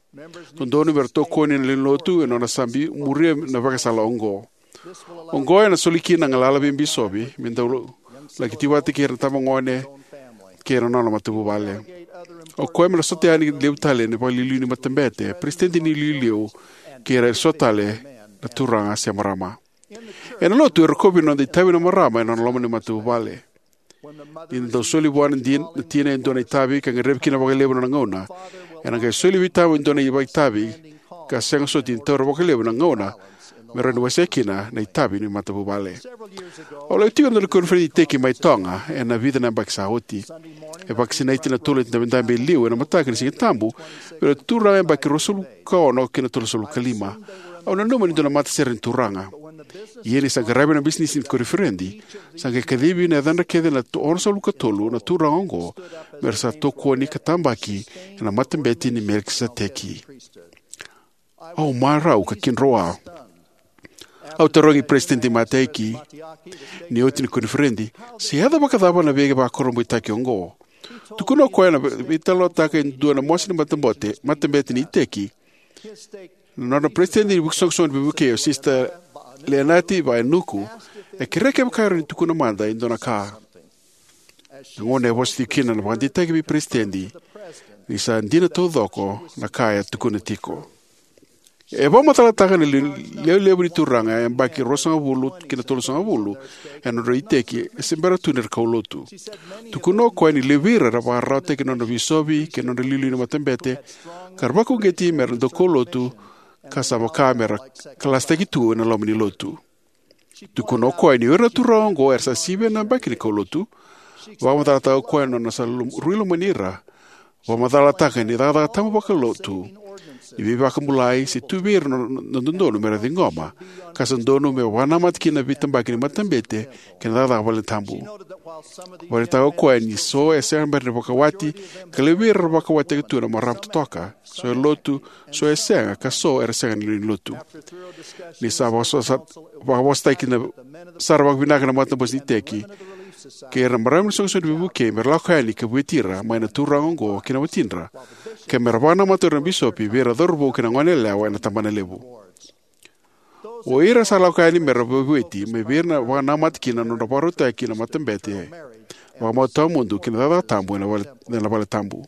Dodonu me ra tokoni na lewe ni lotu e nona sa muria na ivakasala oqo. Oqo ena soli kina na galala vei bisovi me dau laki tiko vata kei ira na itabagone kei ira na nona matavuvale. O koya me na sota yani levu tale ena vakaliuliu ni matabete, peresitedi ni iliuliu, kei ira eso tale na turaga se marama. Ena lotu, e rokovi na noda itavi na marama ena nona loma ni matavuvale. Ni da dau soli vua na din-, na tina e dua na itavi ka gadrevi kina vakalevu na nona gauna, ena qai soli vei tama e dua na itavi ka sega soti ni taura vakalevu na gauna me rawa ni wasea kina na itavi ni matavuvale. Au lako tiko ena dua na koniferedi iteki mai Toga ena vica na yabaki sa oti. E vakasinaiti na tolu na dabedabe e liu ena mataka ni Siga Tabu vei ira na turaga yabaki ruasagavulu ka ono ki na tolusagavulu ka lima. Au nanuma ni dua na matasere ni turaga. Ia ni sa qaravi na bisinisi ni koniferedi, sa qai kacivi na yacadra kece na to-, onosagavulu ka tolu na turaga oqo me ra sa tokoni ka tabaki ena matabete ni Melikiseteki. Au marau ka kidroa. Au tarogi Peresitedi Mataiki ni oti ni koniferedi, se yaco vakacava na veivakurabuitaki oqo. Tukuna o koya na vei-, veitalanoataka e dua na mosi ni matabote, matabete ni iteki. Na nona peresitedi ni vukisoqosoqo ni veivukei, o Sista Leanati Vaenuku, e kerea kevaka e rawa ni tukuna mada e dua na ka. Na gauna e vosa tiko kina na vakadeitaki vei peresitedi ni sa dina taucoko na ka e tukuna tiko. E vakamacalataka na le-, lewe levu ni turaga e yabaki ruasagavulu ki na tolusagavulu ena nodra iteki e se bera tu ni ra kaulotu. Tukuna o koya ni levu vei ira era vakararawataki na nodra veisovi kei na nodra iliuliu ni matabete, ka ra vakauqeti me ra dau kaulotu, ka sa vaka me ra kalasitaki tu ena loma ni lotu. Tukuna o koya ni o ira na turaga oqo era sa sivia na yabaki ni kaulotu. Vakamacalataka o koya na nona sa lom-, rui lomani ira. Vakamacalataka ni cakacaka tabu vakalotu, ni veivakabulai, se tu vei ira na, na, na dodonu me ra ciqoma, ka sa dodonu me vakanamata kina na veitabaki ni matabete kei na cakacaka valetabu. Vakaraitaka o koya ni so e sega bera ni vakawati, ka levu vei ira era vakawatitaka tu na marama totoka, so e lotu, so e sega, ka so era sega ni lotu. Ni sa vakasosa-, vakavosataki na, sara vakavinaka na matabose ni iteki kei ira na marama ni soqosoqo ni veivukei me ra lako yani ka vueti ira mai na turaga oqo kei na watidra, ka me ra vakanamata o ira na bisopi vei ira na cauravou kei na goneyalewa ena tabanalevu. O ira sa lako yani me ra veivueti mai vei ira na vakanamata kina na nodra vakarautaki na matabete vakamau tawamudu kei na cakacaka tabu ena vale, ena vale tabu.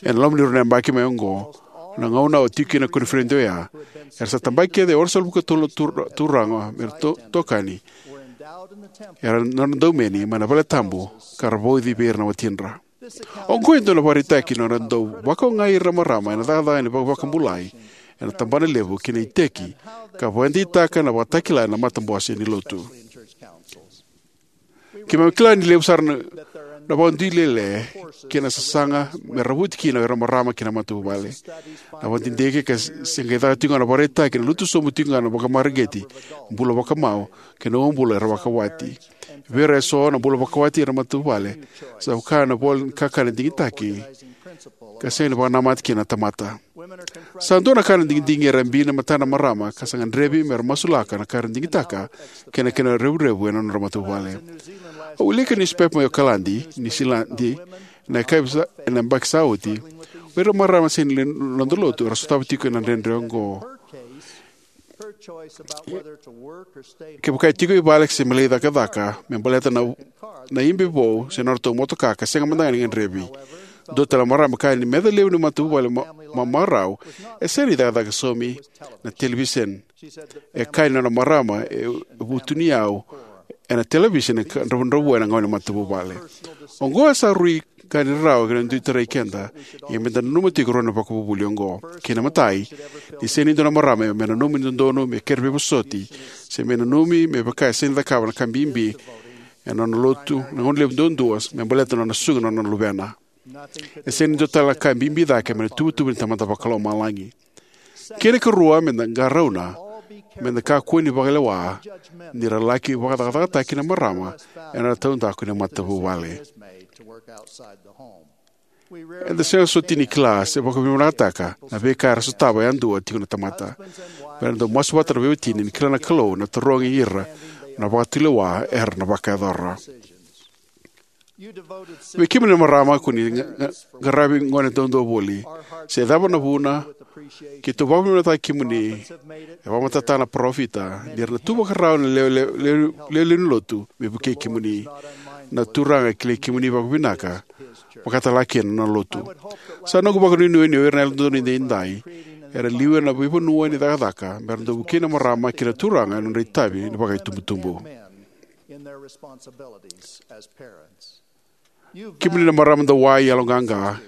Ena loma ni rua na yabaki mai oqo, na gauna au tiko kina na koniferedi oya, era sa tabaki kece e onosagavulu ka tolu na tur-, turaga me ra to-, tokani. Era na nona daumeni mai na vale tabu ka ra vauci vei ira na watidra. Oqo e dua na ivakaraitaki ni nodra dau vakaogai ira na marama ena cakacaka ni vakavakabulai ena tabanalevu kei na iteki, ka vakadeitaka na ivakatakila ena matabose ni lotu. Keimami kila ni levu sara na, na vakadulele kei na sasaga me ravuti kina o ira na marama kei na matavuvale. Na vakadidike ka se, se qai caka tiko ga na ivakaraitaki, na lutu sobu tiko ga na vakamareqeti, bula vakamau, kei na uabula era vakawati. Vei ira eso, na bula vakawati ena matavuvale sa vaka na ivola ni kakana digitaki, ka sega ni vakanamata kina na tamata. Sa dua na ka na digidigi era bibi ena matana na marama, ka sa gadrevi me ra masulaka na ka era digitaka kei na kena revurevu ena nodra matavuvale. Au wilika na niusipepa mai Okaladi, Niusiladi, ena yakavi sa, ena yabaki sa oti. O ira na marama sega ni lodoloto era sotava tiko na dredre oqo. Kevaka e tiko i vale se me lai cakacaka me baleta na, na ibe vou se nodratou motoka, ka sega mada ga ni gadrevi. Dua tale na marama e kaya ni meca levu ni matavuvale ma-, mamarau e sega ni cakacaka saumi na televiseni. E kaya ni nona marama e vutuni au ena televiseni ka dravudravua ena gauna ni matavuvale. Oqo e sa rui ka ni rarawa kei na dui tarai keda, ia meda nanuma tiko rua na ivakavuvuli oqo. Kei na imatai, ni sega ni dua na marama me nanumi ni dodonu me kere veivosoti, se me nanumi me vaka e sega ni cakava na ka bibi ena nona lotu, na gauna levu duadua, me baleta na nona susuga na nona luvena. E sega ni dua tale na ka e bibi cake mai na ituvatuva ni Tamada Vakalomalagi. Kei na ikarua, meda qarauna me da kakua ni vakalewa ni ra laki vakacakacakataki na marama ena taudaku ni matavuvale. Eda sega soti ni kila se vakavinavinakataka na veika era sotava yadua tiko na tamata. Me ra dau masu vata na veiwatini ni kila na Kalou na tarogi ira na vakatulewa era na vakayacora. Vei kemuni na marama ko ni ga- ga- qaravi gone daudau voli, se cava na vuna, keitou vakavinavinakataki kemuni. E vakamatata na parofita ni ra na tu vakarau na lewe- lewe- lewe- lewe ni lotu me vukei kemuni. Na Turaga e kilai kemuni vakavinaka, vakatalega kina na nona lotu. Sa noqu vakanuinui ni o ira na Yalododonu Edaidai era liu ena veivanua ni cakacaka me ra dau vukei na marama kei na turaga ena nodra itavi ni vakaitubutubu. Kemuni na marama dau wai yaloqaqa,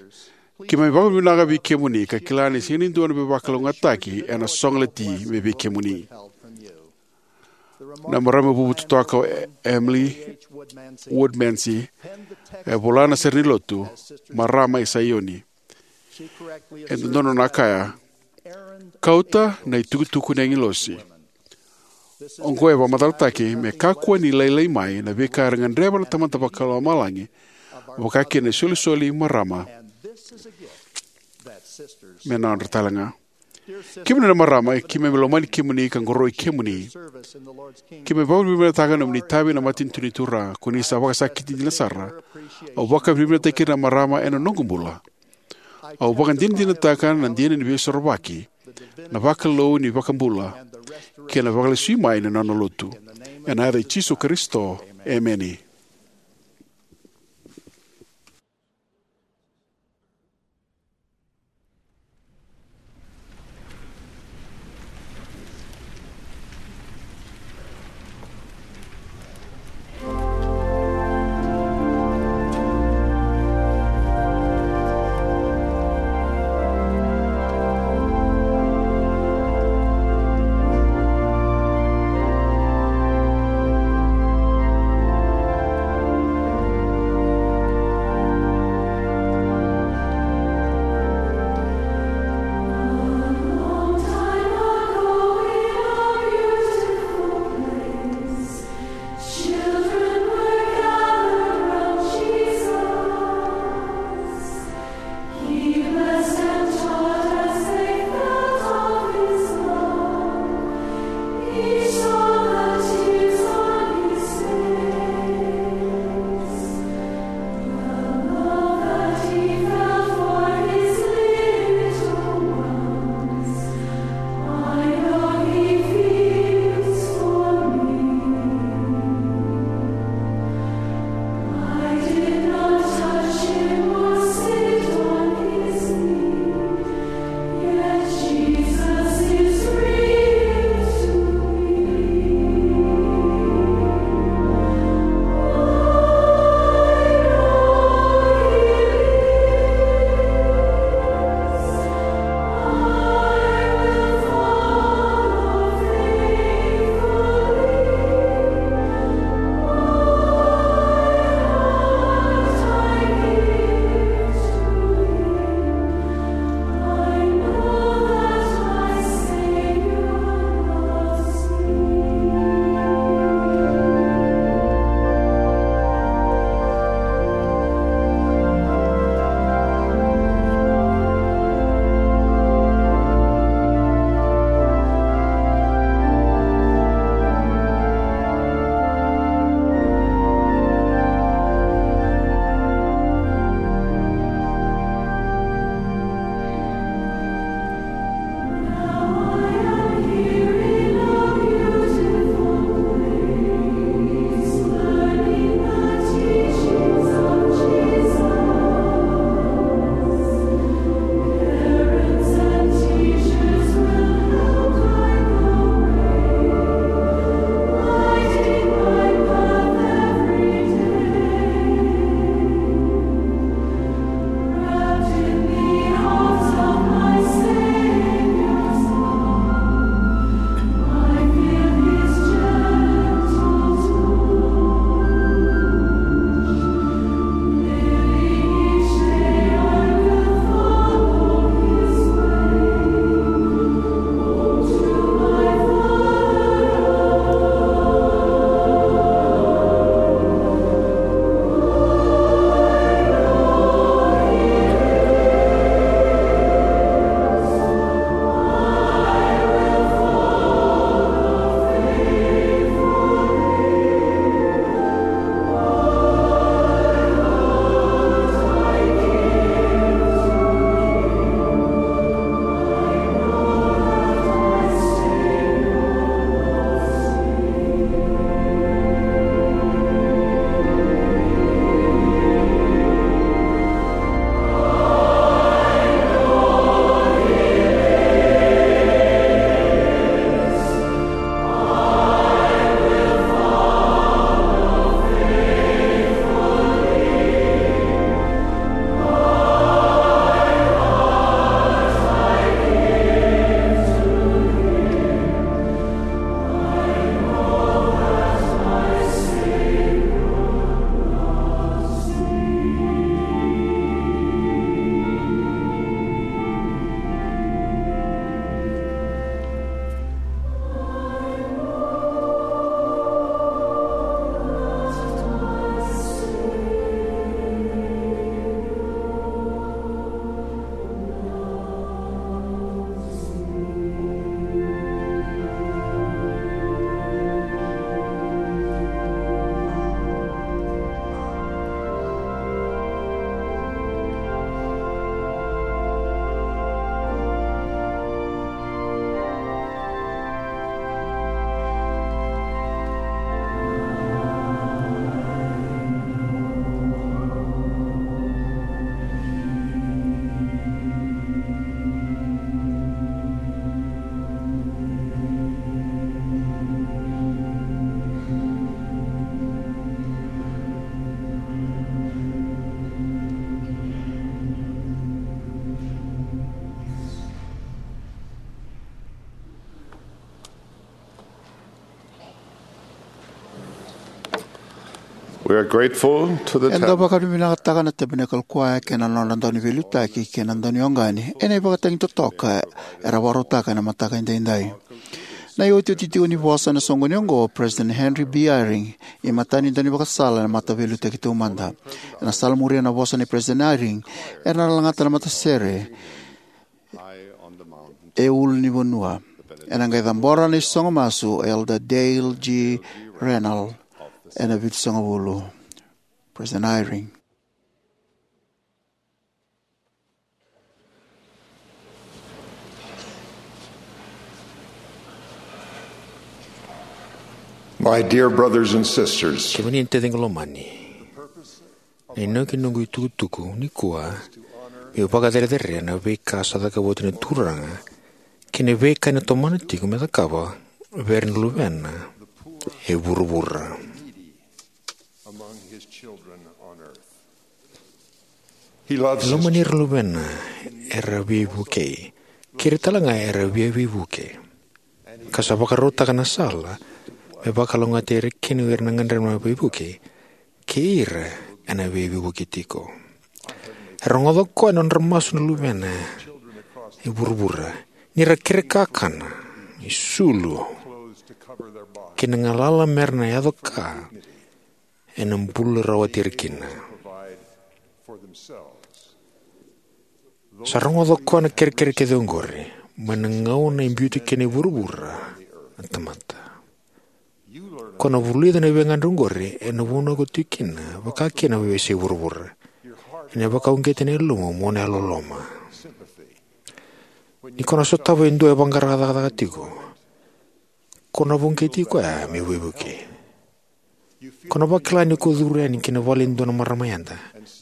keimami vakavinavinaka vei kemuni ka kila ni sega ni dua na veivakalougatataki ena sogalati mai vei kemuni. Na marama vuvu totoka o E- Emily Woodmansee e vola na sere ni lotu, Marama e Saioni. E dodonu na kaya, kauta na itukutuku ni agilosi. Oqo e vakamacalataki me kakua ni lailai mai na veika era gadreva na Tamada Vakalomalagi, vaka kina na isolisoli marama me nodra talega. Kemuni na marama, keimami lomani kemuni ka qoroi kemuni. Keimami vakavinavinakataka na nomuni itavi ena matanitu ni Turaga, ko ni sa vakasakiti dina sara. Au vakavinavinakataki ira na marama ena noqu bula. Au vakadinadinataka na dina ni Veisorovaki, na vakalou ni iVakabula, kei na vakalesui mai ni nona lotu. Ena yaca i Jisu Karisito, emeni. We are grateful to the Eda tab- vakavinavinakataka na Tabernacle Choir kei na nodra dauniveiliutaki kei na daunioqani ena ivakatagi totoka era vakarautaka ena mataka edaidai. Na iotioti tiko ni vosa ena soqoni oqo o President Henry B. Eyring, imatai ni daunivakasala ena Mataveiliutaki Taumada. Ena sala muria na vosa nei President Eyring, era na lagata na matasere e ulunivanua. Ena qai cabora na isogo masu o Elder Dale G. Rennell ena vitusagavulu. President Eyring. My dear brothers and sisters, kemuni na taciqu lomani, na inaki ni noqu itukutuku nikua meu vakacerecerei na veika sa cakava oti na Turaga kei na veika ena tomana tiko me cakava vei ira na luvena e vuravura. Among his children on earth. He loves E his lomani ira na luvena era veivukei, kei ira talega era via veivuke, ka sa vakarautaka na sala me vakalougatataki ira kina o ira na gadreva na veivukei kei ira ena veiveivuke tiko. E rogoca o koya na nodra masu na luvena e vuravura, ni ra kere kakana, isulu, kei na galala me ra na yaco ka ena bula rawati ira kina. Sa rogoca o koya na kerekere kece oqori mai na gauna e biuti kina e vuravura na tamata. Ko na vulica na veigagadre oqori ena vanua ko tiko kina, vaka kina na veiyasai vuravura. Ena vakauqeti na yalomu mo na yalololoma. Ni ko na sotava e dua e vaqara cakacaka tiko, ko na vakauqeti koya me veivuke. Ko na vakila ni ko curu yani ki na vale e dua na marama yada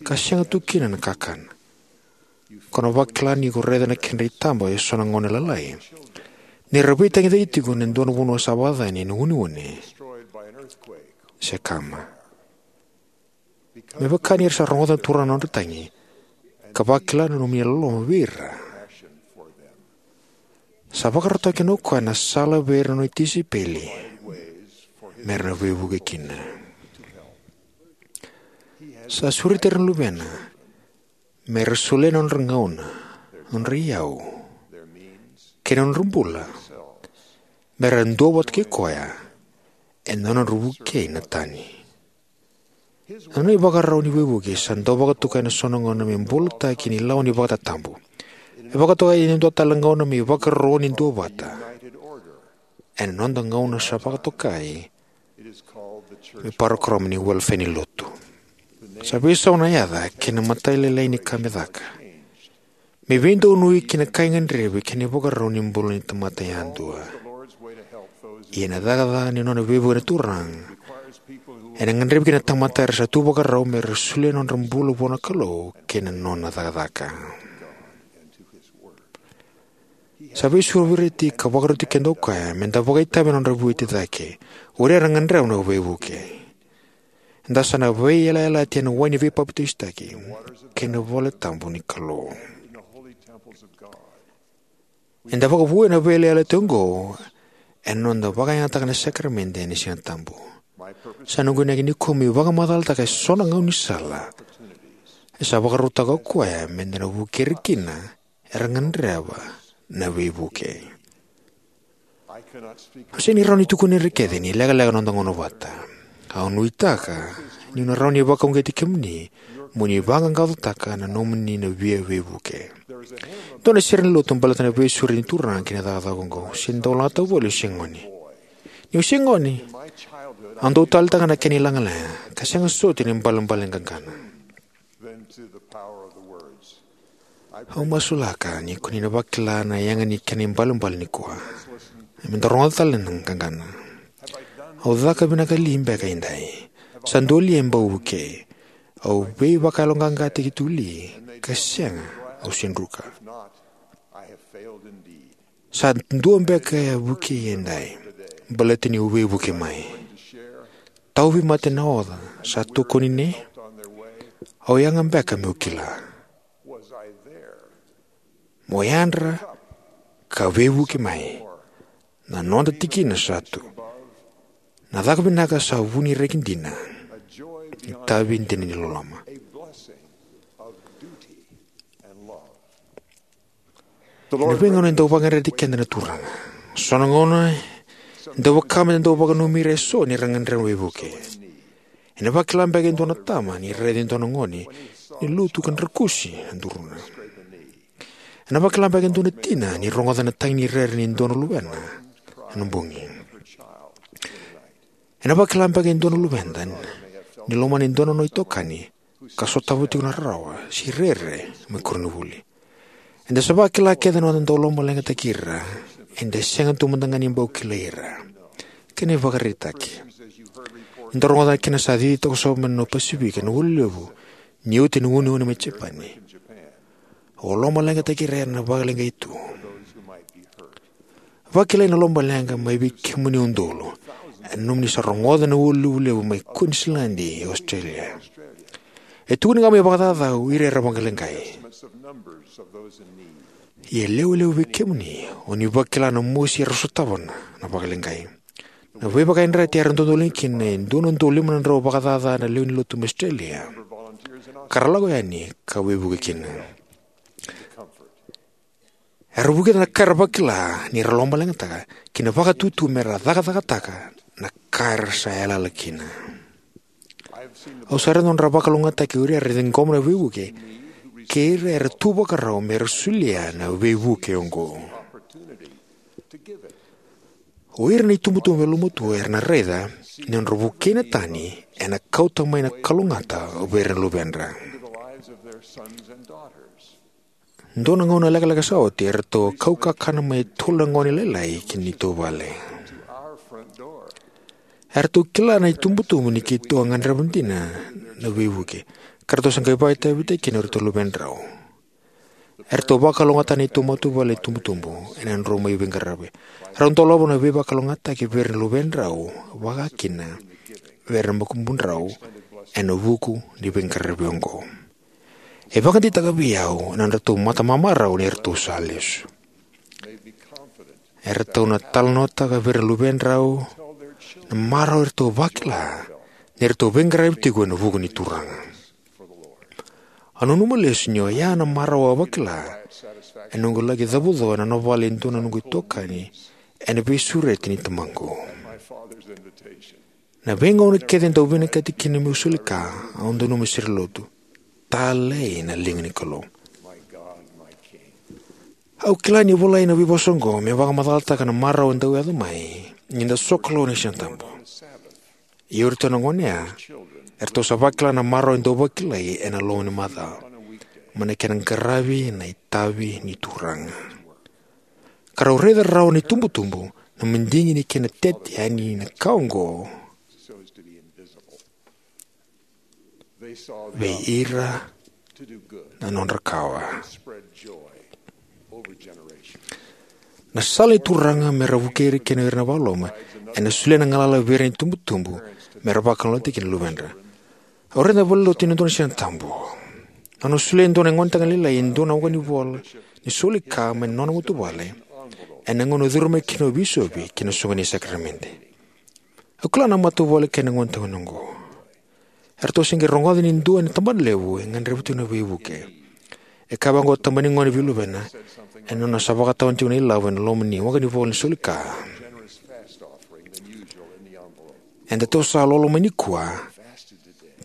ka sega tu kina na kakana. Ko na vakila ni ko raica na kedra itaba eso na gone lalai ni ra veitagicaki tiko ena dua na vanua sa vakacacani ena uneune se kama. Me vaka ni ra sa rogoca na Turaga na nodra tagi ka vakila na nomuni yalololoma vei ira, sa vakarautaka kina o koya na sala vei ira na nona tisaipeli me ra na veivuke kina. Sa sureti ira na luvena me ra solia na nodra gauna, nodra iyau, kei na nodra bula me ra duavata kei koya ena nodra vukei na tani. Na nona ivakarau ni veivuke sa dau vakatokai ena so na gauna me bulataki ni lawa ni vakatatabu. E vakatokai ena dua tale na gauna me ivakarau ni duavata ena noda gauna sa vakatokai me parokaramu ni welefea ni lotu. Sa veisau na yaca kei na matailalai ni ka me caka me veidonui kei na ka e gadrevi kei na ivakarau ni bula ni tamata yadua. Ia na cakacaka ni nona veivuke na Turaga ena gadrevi kina na tamata era sa tu vakarau me ra solia na nodra bula vua na Kalou kei na nona cakacaka. Sa veisureti ka vakaroti keda o koya me da vakaitavi ena nodra vueti cake o ira era gadreva na veivuke. Eda sa na veiyalayalati ena wai ni veipapitaisotaki kei na vale tabu ni Kalou. Eda vakavoui ena veiyalayalati oqo ena noda vakayagataka na sakaramede ena Siga Tabu. Sa noqu inaki nikua meu vakamacalataka eso na gaunisala e sa vakarautaka o koya me da na vukei ira kina era gadreva na veivuke. Au sega ni rawa ni tukuna ira kece ni lekaleka na noda gauna vata. Au nuitaka niu na rawa ni vakauqeti kemuni mo ni vaqaqacotaka na nomuni na via veivuke. Dua na sere ni lotu baleta na veisureti ni Turaga ki na cakacaka oqo. Se dau lagata voli au se gone. Niu se gone, au dau taleitaka na kena ilagalaga ka sega soti na ibalebale ni qaqana. Au masulaka ni ko ni na vakila na yaga ni kena ibalebale nikua. Me da rogoca tale na qaqana. Au caka vinaka li beka edai? Sa dua li e bau vukei? Au veivakayaloqaqataki tu li? Ka sega, au se druka. Sa dua beka e vukei edai baleta niu veivuke mai? Tauvimate na oca sa tokoni ne? Au yaga beka meu kila? Mo yadra ka veivuke mai. Na noda tikina sa tu. Na caka vinaka sa vu ni reki dina. itavi dina ni loloma. Ena veigauna e dau vakayadrati keda na Turaga. So na gauna e dau vaka me da dau vakananumi ira eso ni ra gadreva na veivuke. Ena vakila beka e dua na tama ni raici e dua na gone ni lutu ka drakusi na duruna. Ena vakila beka e dua na tina ni rogoca na tagi ni rere ni dua na luvena ena bogi. Ena vakila beka e dua na luveda ni lomana e dua na nona itokani ka sotava tiko na rarawa se rere mai koronivuli. Eda sa vakila kece na noda dau lomaleqataki ira, eda sega tu mada ga ni bau kilai ira. Kena ivakaraitaki, eda rogoca na kena sa cici toka sobu mai na Pasifika na ulu levu ni oti na uneune mai Japani. O lomaleqataki ira era na vakaleqai tu. Vakilai na lomaleqa mai vei kemuni udolu. E nomuni sa rogoca na ulu levu mai Queensland e Australia. E tukuni ga mai vakacacau ira era vakaleqai. Ia lewe levu vei kemuni o ni vakila na mosi era sotava na vakaleqai. Na veivakayadrati era dodoliga kina e dua na udolu lima na drau vakacaca na lewe ni lotu mai Australia ka ra lako yani ka veivuke kina. Era vukica na ka era vakila ni ra lomaleqataka kei na vakatutu me ra cakacakataka na ka era sa yalayala kina. Au sa raica na nodra vakalougatataki o ira era ciqoma na veivuke kei ira era tu vakarau me ra solia na veivuke oqo. O ira na itubutubu yalomatua era na raica ni nodra vukei na tani ena kauta mai na kalougata vei ira na luvedra. Dua na gauna lekaleka sa oti, eratou a kau kakana mai e tolu na gone lailai ki neitou vale. Eratou kila na itubutubu ni keitou a gadreva dina na veivuke, ka ratou sa qai vakaitavitaki kina o iratou na luvedrau. Eratou vakalougatataka na neitou matavuvale na itubutubu ena nodrau mai veiqaravi. Rau dolava na veivakalougatataki vei ira na luvedrau, vaka kina vei ira na makubudrau, ena vuku ni veiqaravi oqo. E vakadeitaka vei au na nodratou matamamarau ni ratou sa lesu. Eratou na talanoataka vei ira na luvedrau na marau eratou vakila ni ratou veiqaravi tiko ena vuku ni Turaga. Au nanuma lesu ni oya na marau au a vakila ena noqu laki cavuco ena nona vale e dua na noqu itokani ena veisureti nei tamaqu. Na veigauna kece e dau vinakati kina meu soli ka, au dau nanuma sere lotu, "Talei na liga ni Kalou." Au kila ni volai na veivosa oqo me vakamacalataka na marau e dau yaco mai ni da sokalou ena Sigatabu. Ia o iratou na gone ya, eratou sa vakila na marau e dau vakilai ena loma ni macawa mai na kena qaravi na itavi ni Turaga. Ka rau raica rawa na itubutubu na madigi ni kena tete yani na ka oqo vei ira na nodra kawa. Na sala ni Turaga me ra vukei ira kina o ira na vakaloloma ena solia na galala vei ira na itubutubu me ra vakalougatataki kina na luvedra. Au raica na valenilotu ena dua na Sigatabu. Au na solia e dua na gonetagane lailai e dua na waqanivola ni soli ka mai na nona matavuvale ena gauna e curu mai kina o bisopi ki na soqoni ni sakaramede. Au kila na matavuvale kei na gonetagane oqo. Eratou se qai rogoca ni dua ena tabanalevu e gadreva tiko na veivuke. E kaya vaqo o tabana ni gone vei luvena ena nona sa vakatawana tiko na ilavo ena loma ni waqanivola ni soli ka, "Edatou sa lolo mai nikua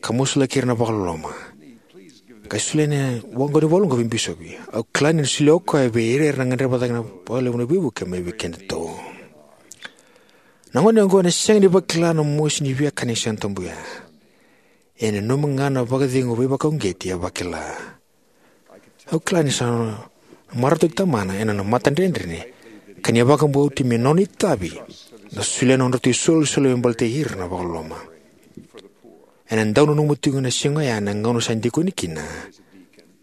ka masulaki ira na vakaloloma. Qai solia na waqanivola oqo vei bisopi." Au kila ni na solia o koya vei ira era na gadreva cake vakalevu na veivuke mai vei kedatou. Na gone oqo ena sega ni vakila na mosi ni viakana ni Sigatabu ya. E nanuma ga na vakacegu veivakauqeti e vakila. Au kila ni sa na marautaki tamana ena nona matadredredre ka ni a vakabauti me nona itavi na solia na nodratou isolisoli me baleti ira na vakaloloma. Ena dau nanuma tiko na siga oya na gauna sa dikoni kina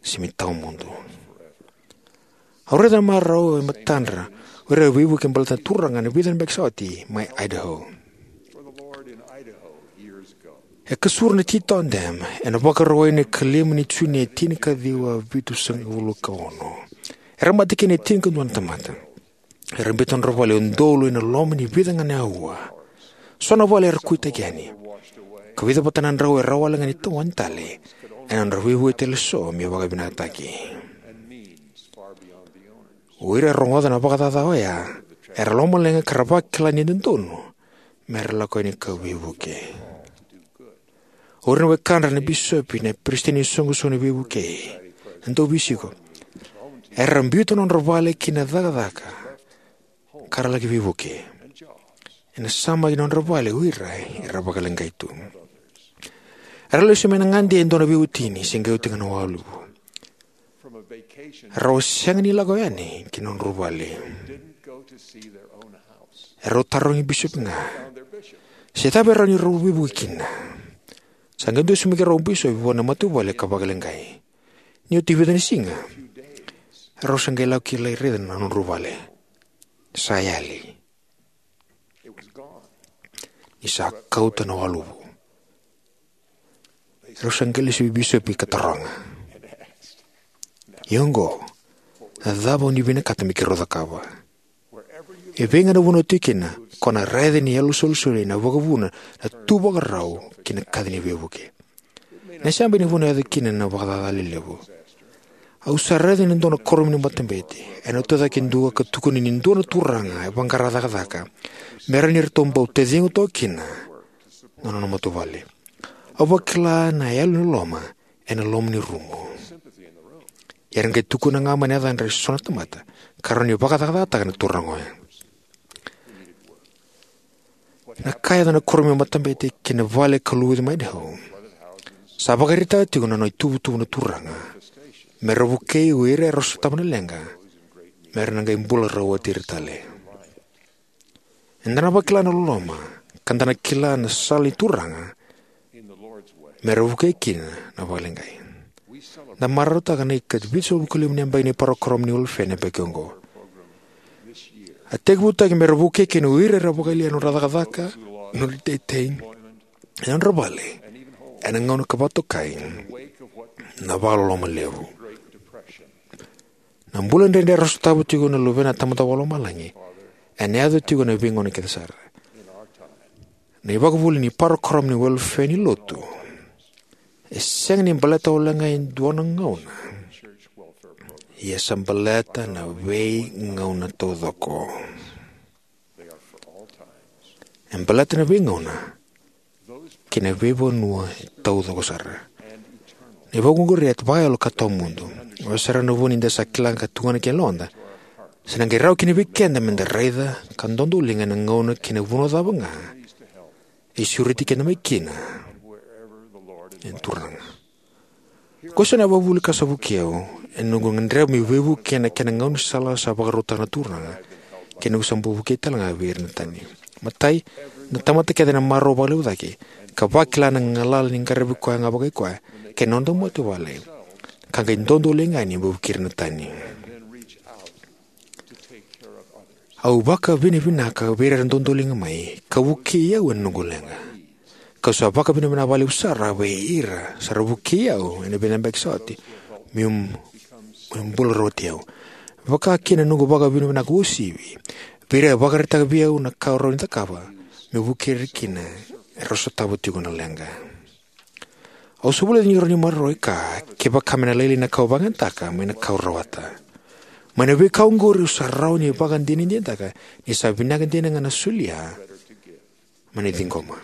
se me tawamudu. Au raica na marau e matadra o ira era veivuke baleta na Turaga ena vica na yabaki sa oti mai Idaho. E kasura na Teton Dam ena Vakarauwai ena ikalima ni June e tinikaciwa vitusagavulu ka ono. Era mate kina e tinikadua na tamata. Era biuta nodra vale e udolu ena loma ni vica ga na aua. So na vale era kuitaki yani. ka vica vata na drau e rawa wale ga ni tawani tale ena nodra veivueti tale eso me vakavinakataki. O ira era rogoca na vakacaca oya era lomaleqa ka ra vakila ni dodonu me ra lako yani ka veivuke. O ira na wekadra na bisopi, na peresitedi ni soqosoqo ni veivukei, na dauveisiko, era biuta na nodra vale ki na cakacaka ka ra laki veivuke. Ena samaki na nodra vale o ira era vakaleqai tu. Era lesu mai na gade e dua na veiwatini se qai oti ga na waluvu. Rau sega ni lako yani ki na nodrau vale. Erau tarogi bisopi ga se cava e rawa ni rau veivuke kina. Sa qai dusimaki rau bisopi vua na matavuvale ka vakaleqai. Ni oti vica na siga, rau sa qai lako ki lai raica na nodrau vale. Sa yali. Ni sa kauta na waluvu. Rau sa qai lesu vei bisopi ka taroga, "Ia oqo, na cava o ni vinakata me keirau cakava?" E vei ga na vanua o tiko kina, ko na raica ni yalo solisoli na vakavuna na tu vakarau ki na kaci ni veivuke. Na same ni vanua e yaco kina na vakacaca lelevu. Au sa raica ni dua na kuoramu ni matabete ena tucake dua ka tukuni ni dua na turaga e vaqara cakacaka me rawa ni ratou bau taciqu toka kina na nona matavuvale. Au vakila na yalo ni loloma ena loma ni rumu. Ia era qai tukuna ga mai na yacadra e so na tamata ka rawa ni vakacakacakataka na turaga oya. Na ka e yaco na kuoramu ni matabete kei na vale ka luvuci mai Idaho sa vakaraitaka tiko na nona ituvatuva na turaga me ra vukei o ira era sotava na leqa me ra na qai bula rau oti ira tale. Eda na vakila na loloma ka da na kila na sala ni Turaga me ra vukei kina na vakaleqai. Da marautaka na ika vitusagavulu ka lima ni yabaki ni parokaramu ni welefea ena yabaki oqo. A tekivutaki me ra vukei kina o ira era vakayalia na nodra cakacaka, na nodra iteitei, na nodra vale ena gauna ka vakatokai na vakaloloma levu. Na bula dredre era sotava tiko na luvena na Tamada Vakalomalagi ena yaco tiko ena veigauna kece sara. Na ivakavuvuli ni parokaramu ni welefea ni lotu e sega ni baleta wale ga e dua na gauna, ia sa baleta na veigauna taucoko. E baleta na veigauna kei na veivanua e taucoko sara. Na ivakavuvuli oqori e vakayalo ka tawamudu. Oya sara na vuna ni da sa kila ka tugana ki yaloda, sa na qai rawa kina vei keda me da raica ka dodoliga ena gauna kei na vanua cava ga e sureti keda mai kina na Turaga. Ko sa na ivakavuvuli ka sa vukei au ena noqu gadreva meu veivuke ena kena gaunisala sa vakarautaka na Turaga kei na noqu sa bau vukei tale ga vei ira na tani. Matai, na tamata kece ena marau vakalevu cake ka vakila na galala ni qaravi koya ga vakai koya kei na noda matavuvale, ka qai dodoliga yani me vukei ira na tani. Au vakavinavinaka vei ira era dodoliga mai ka vukei au ena noqu leqa. Kau sa vakavinavinaka vakalevu sara vei ira sa ra vukei au ena vica na yabaki sa oti meu, meu bula rau oti au. Vakakina na noqu vakavinavinaka uasivi vei ira era vakaraitaka vei au na ka au rawa ni cakava meu vukei ira kina era sotava tiko na leqa. Au sa vulica ni rawa ni maroroi ka kevaka me na lailai na ka au vakayagataka mai na ka au rawata. Mai na veika oqori au sa rawa ni vakadinadinataka ni sa vinaka dina ga na solia mai na ciqoma.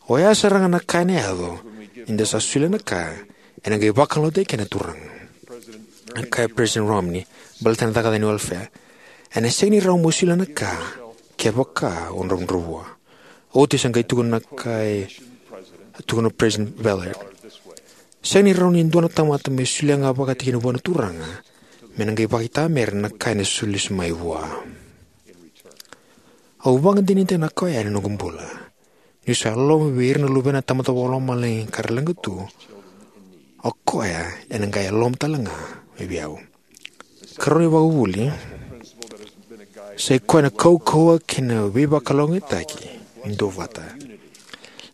Oya sara ga na ka ena yaco ni da sa solia na ka ena qai vakalougatataki kina na Turaga. Na kaya President Romney baleta na cakacaka ni welefea, ena sega ni rawa mo solia na ka kevaka o dravudravua. Oti sa qai tukuna na ka e tukuna President Ballard. Sega ni rawa ni dua na tamata me solia ga vakatikina vua na Turaga me na qai vakaitamera na ka ena soli lesu mai vua. Au vakadinadinataka na ka oya ena noqu bula. Niu sa loloma vei ira na luvena na Tamada Vakalomalagi ka ra leqa tu, o koya ena qai loloma tale ga mai vei au. Karua ni ivakavuvuli sa i koya na kaukauwa kei na veivakalougatataki ni duavata.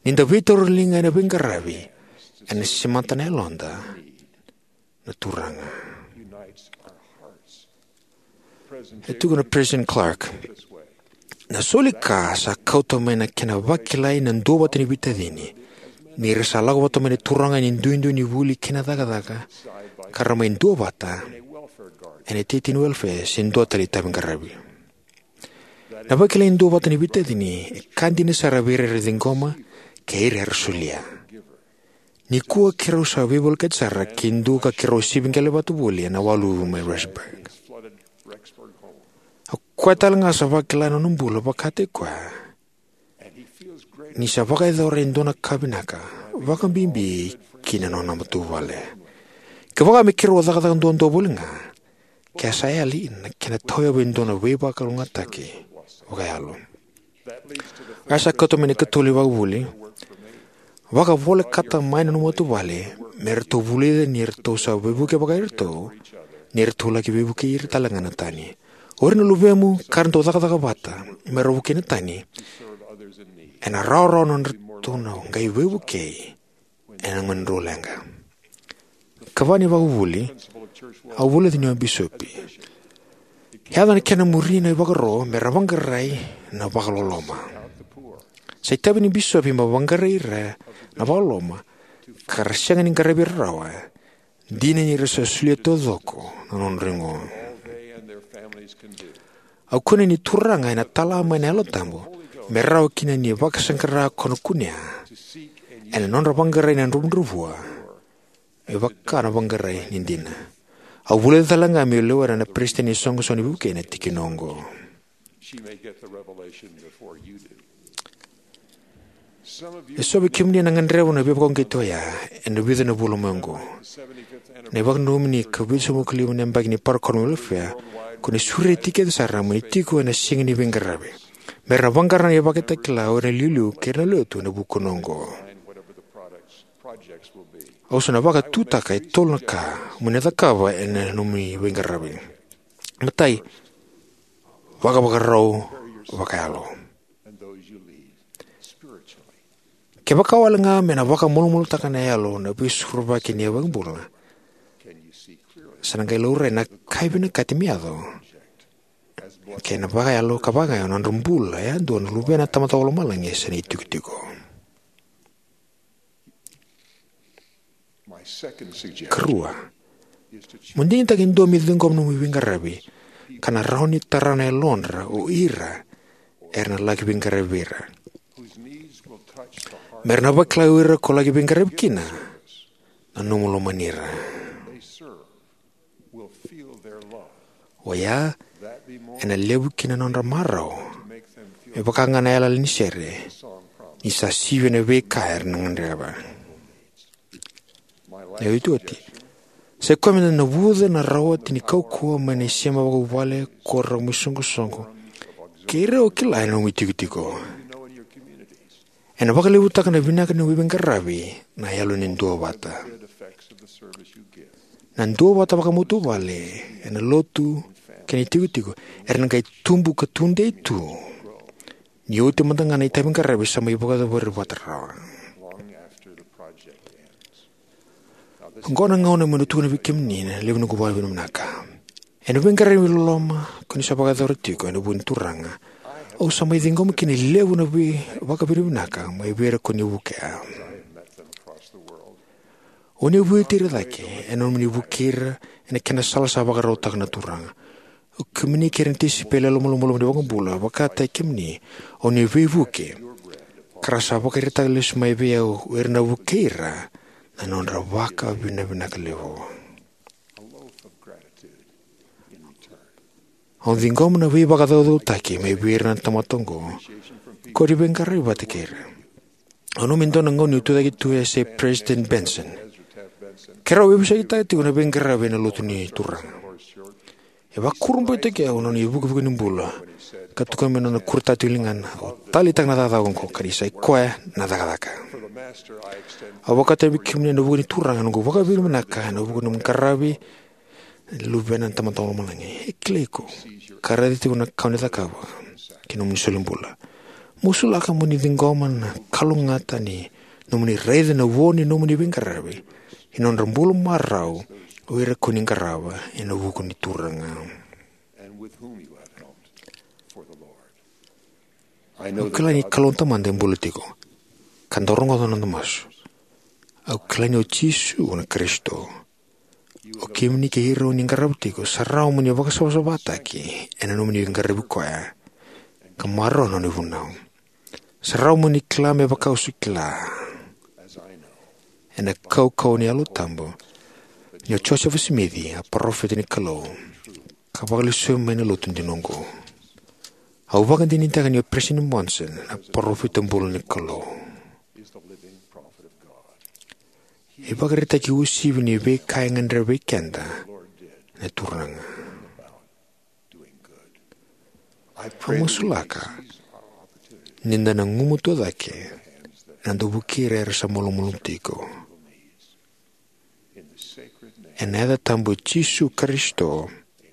Ni da veitauriliga ena veiqaravi, ena semata na yaloda na Turaga. E tukuna President Clark, na soli ka sa kauta mai na kena vakilai na duavata ni veitacini Ni ra sa lako vata mai na turaga ena duidui ni vuli kei na cakacaka, ka ra mai duavata ena iteitei ni welfare se dua tale itavi qaravi. Na vakilai ni duavata ni veitacini e ka dina sara vei ira era ciqoma kei ira era solia. Nikua keirau sa veivolekati sara ki dua ka keirau sivi qele vata voli ena waluvu mai Rexburg. O koya talega sa vakila ena nona bula vakataki koya ni sa vakayacora e dua na ka vinaka, vakabibi ki na nona matavuvale. Kevaka me keirau a cakacaka duadua voli ga, ke a sa yali na kena tauyavu e dua na veivakalougatataki vakayalo. Oya sa kauta mai na ikatolu ni vakavuvuli: vakavolekata mai na nomu matavuvale me ratou vulica ni ratou sa veivuke vakai iratou, ni ratou laki veivukei ira talega na tani. O ira na luvemu ka ra dau cakacaka vata me ra vukei na tani, ena rawarawa nodratou na qai veivukei ena gauna ni leqa. Ikava ni vakavuvuli, au vulica ni o bisopi, e yaco na kena muri na ivakaro me ra vaqarai na vakaloloma. Sa itavi ni bisopi me vaqarai ira na vakaloloma, ka ra sega ni qaravi ira rawa, dina ni ra sa solia taucoko na nodra igu. Au kune ni Turaga ena tala mai na Yalo Tabu me rawa kina ni vakasaqara ko na kunea ena nodra vaqarai na dravudravua, e vaka na vaqarai ni dina. Au vulica talega meu lewena na peresitedi ni soqosoqo ni veivuke ena tikina oqo. E so vei kemuni ena gadreva na veivakauqeti oya ena vica na vula mai oqo. Na ivakananumi ni ikavitu sagavulu ka lima na yabaki ni parokaramu ni welefea, ko ni sureti kece sara mo ni tiko ena siga ni veiqaravi, me ra na vaqara na ivakatakila o ira na iliuliu kei ira na lotu ena vukuna oqo. Au sa na vakatutaka e tolu na ka mo ni na cakava ena nomuni veiqaravi. Matai, vakavakarau vakayalo. Kevaka wale ga me na vakamalumalumutaka na yalo na veisorovaki ni iVakabula, sa na qai laurai na ka e vinakati me yaco kei na vakayalo ka vakayawa na nodra bula yadua na luvena na Tamada Vakalomalagi se na itikotiko. Karua, mo digitaka e dua me ciqoma na nomu veiqaravi ka na rawa ni tara na yalodra o ira era na laki veiqaravi vei ira, me ra na vakila o ira ko laki veiqaravi kina na nomu lomani ira. Oya ena levu kina na nodra marau, me vaka ga na yalayala ni sere, ni sa sivia na veika era na gadreva. Na iotioti, sai koya me da navuca na rawati ni kaukauwa mai na isema vakavuvale, koro, rau mai soqosoqo, kei ira o kila ena nomu itikotiko. Ena vakalevutaka na vinaka ni nomu veiqaravi na yalo ni duavata. Na duavata vakamatavuvale ena lotu kei na itikotiko era na qai tubu ka tudei tu ni oti mada ga na itavi qaravi sa mai vakayacori vata rawa. Oqo na gauna meu na tukuna vei kemuni na levu ni noqu vakavinavinaka. Ena veiqaravi loloma ko ni sa vakayacora tiko ena vuku ni Turaga, au sa mai ciqoma kina e levu na vei- vakavinavinaka mai vei ira ko ni vukea. O ni vueti ira cake ena nomuni vukei ira ena kena sala sa vakarautaka na Turaga. O kemuni kei ira na tisaipeli yalomalumalumu ni iVakabula vakataki kemuni, o ni veivuke, ka ra sa vakaraitaka lesu mai vei au o ira na vukei ira na nodra vakavinavinaka levu. Au ciqoma na veivakacaucautaki mai vei ira na tamata oqo ko ni veiqaravi vata kei ira. Au nanuma e dua na gauna niu tucake tu e yasai Peresitedi Benson. Keirau veivosakitaka tiko na veiqaravi ena lotu ni Turaga. E vakurabuitaki au na nona ivukevuke ni bula, ka tukuna mai na nona kuretaka tiko na ligana, au taleitaka na cakacaka oqo, ka ni sai koya na cakacaka. Au vakataki kemuni ena vuku ni Turaga na noqu vakavinavinaka ena vuku ni nomu qaravi na Luvena na Tamada Vakalomalagi. E kilai iko ka raica tiko na ka o ni cakava ki na nomuni solibula. Masulaka mo ni ciqoma na kalougata ni nomuni raica na vo ni nomuni veiqaravi ena nodra bula marau o ira ko ni qarava ena vuku ni Turaga. Au kila ni Kalou na Tamada e bula tiko, ka dau rogoca na noda masu. Au kila ni o Jisu na Karisito. O kemuni kei ira o ni qarava tiko, sa rawa mo ni vakasavasavataki ena nomuni qaravi koya ka maroroya na nona ivunau. Sa rawa mo ni kila me vaka au sa kila, ena kaukauwa ni Yalo Tabu, ni o Josefa Simici a parofita ni Kalou ka vakalesui mai na lotu dina oqo. Au vakadinadinataka ni o Peresitedi Monson a parofita bula ni Kalou. E vakaraitaki uasivi ni veika e gadreva vei keda na Turaga. Au masulaka ni da na gumatua cake na dau vukei ira era sa malumalumu tiko. Ena yaca tabu i Jisu Karisito,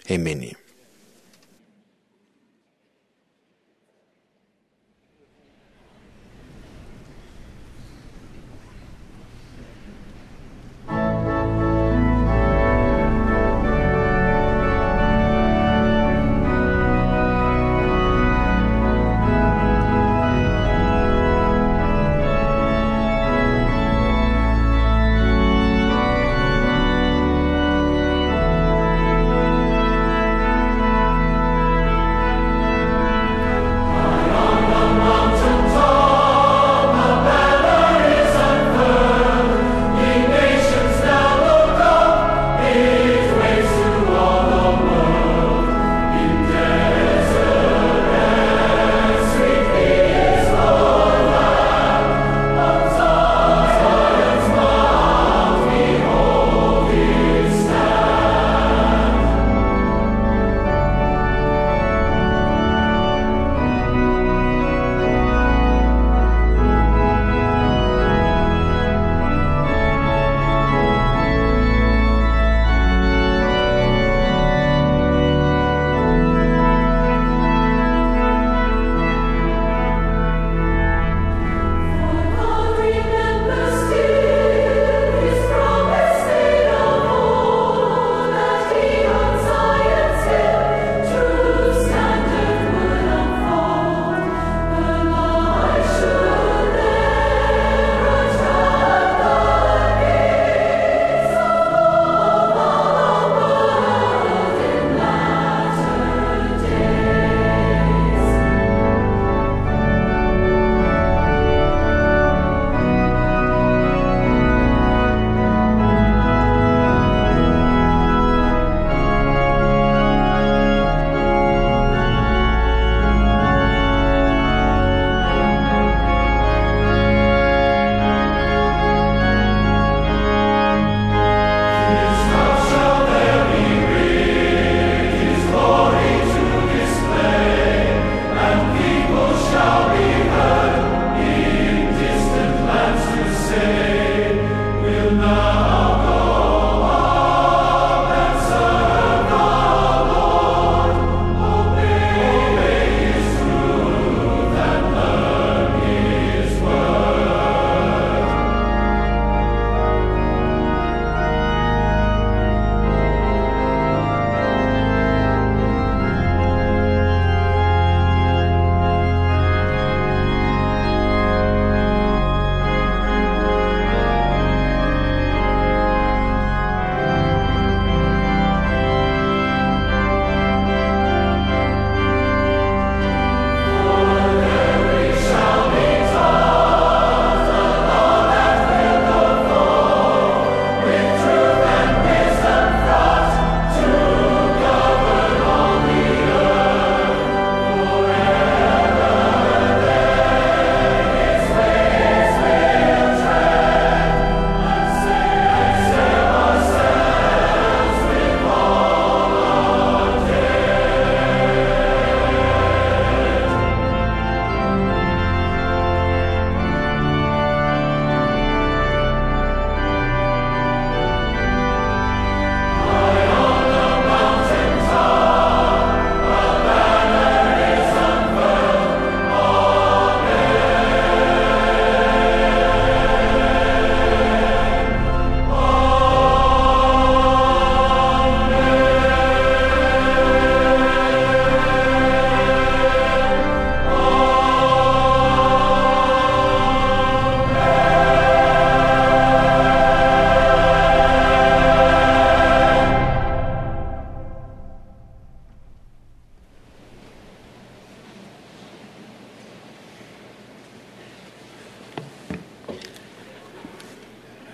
emeni.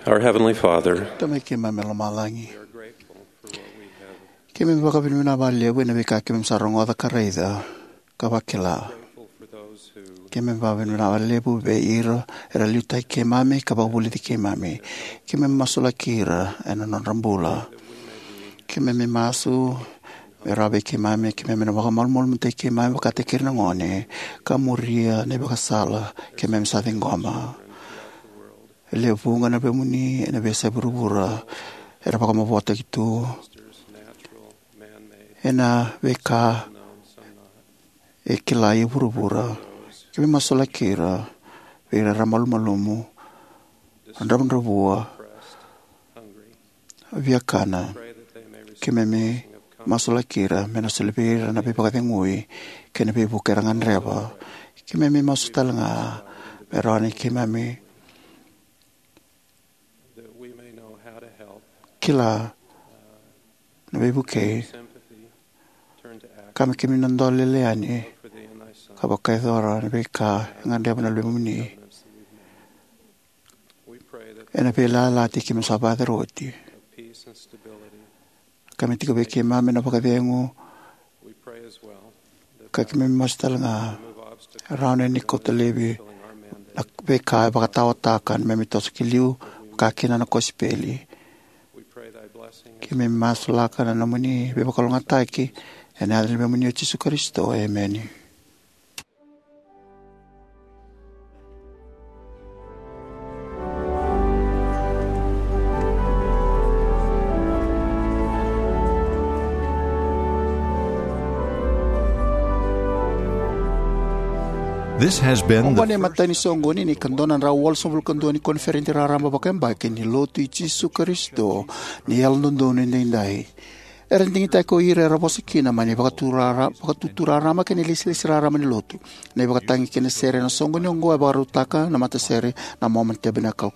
Our Heavenly Father, Tamai keimami mai lomalagi, keimami vakavinavinaka vakalevu ena veika keimami sa rogoca ka raica ka vakila. Keimami vakavinavinaka vakalevu vei ira era liutaki keimami ka vakavulici keimami. Keimami masulaki ira ena nodra bula. Keimami masu me rawa vei keimami, keimami na vakamalumalumutaki keimami vakataki ira na gone ka muria na ivakasala keimami sa ciqoma. E lewe vuqa na veimuni ena veiyasai vuravura era vakamavotaki tu ena veika e kila e vuravura. Keimami masulaki ira vei ira era malumalumu, dravudravua, viakana. Keimami masulaki ira me na soli vei ira na veivakacegui kei na veivuke era gadreva. Keimami masu tale ga me rawa ni keimami kila na veivukei ka me keimami na dole lele yani ka vakayacora na veika e gadreva na luvemuni ena veiyalayalati keimami sa vakayacora oti. Ka me tiko vei keimami na vakacegu, ka keimami masu tale ga e rawa ni kauta laivi na veika e vakataotaka na neimami toso ki liu, vakakina na kosipeli. Keimami masulaka na nomuni veivakalougatataki ena yaca ni luvemuni o Jisu Karisito. Emeni. This has been Oqo na imatai ni soqoni ni ika dua na drau walusagavulu ka dua ni koniferedi raraba vakayabaki ni Lotu i Jisu Karisito ni Yalododonu Edaidai. Era digitaki ko ira era vosa kina mai na vakatutu raraba kei na ilesilesi raraba ni Lotu, na ivakatagi kei na sere ena soqoni oqo e vakarautaka na matasere na Mormon Tabernacle.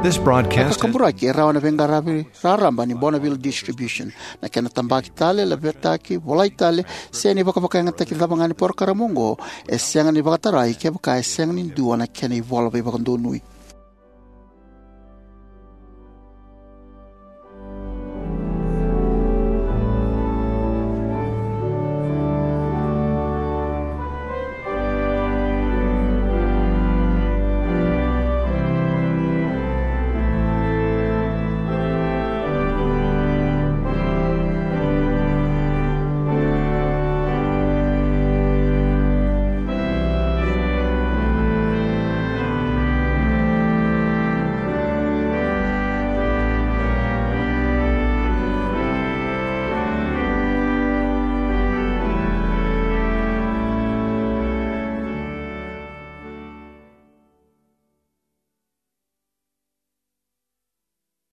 This broadcast Na kakaburaki e rawa na veiqaravi raraba ni Bonneville Distribution. Na kena tabaki tale, lavetaki, volai tale, se na ivakavakayagataki cava ga ni porokaramu oqo, e sega ni vakatarai kevaka e sega ni dua na kena ivola veivakadonui.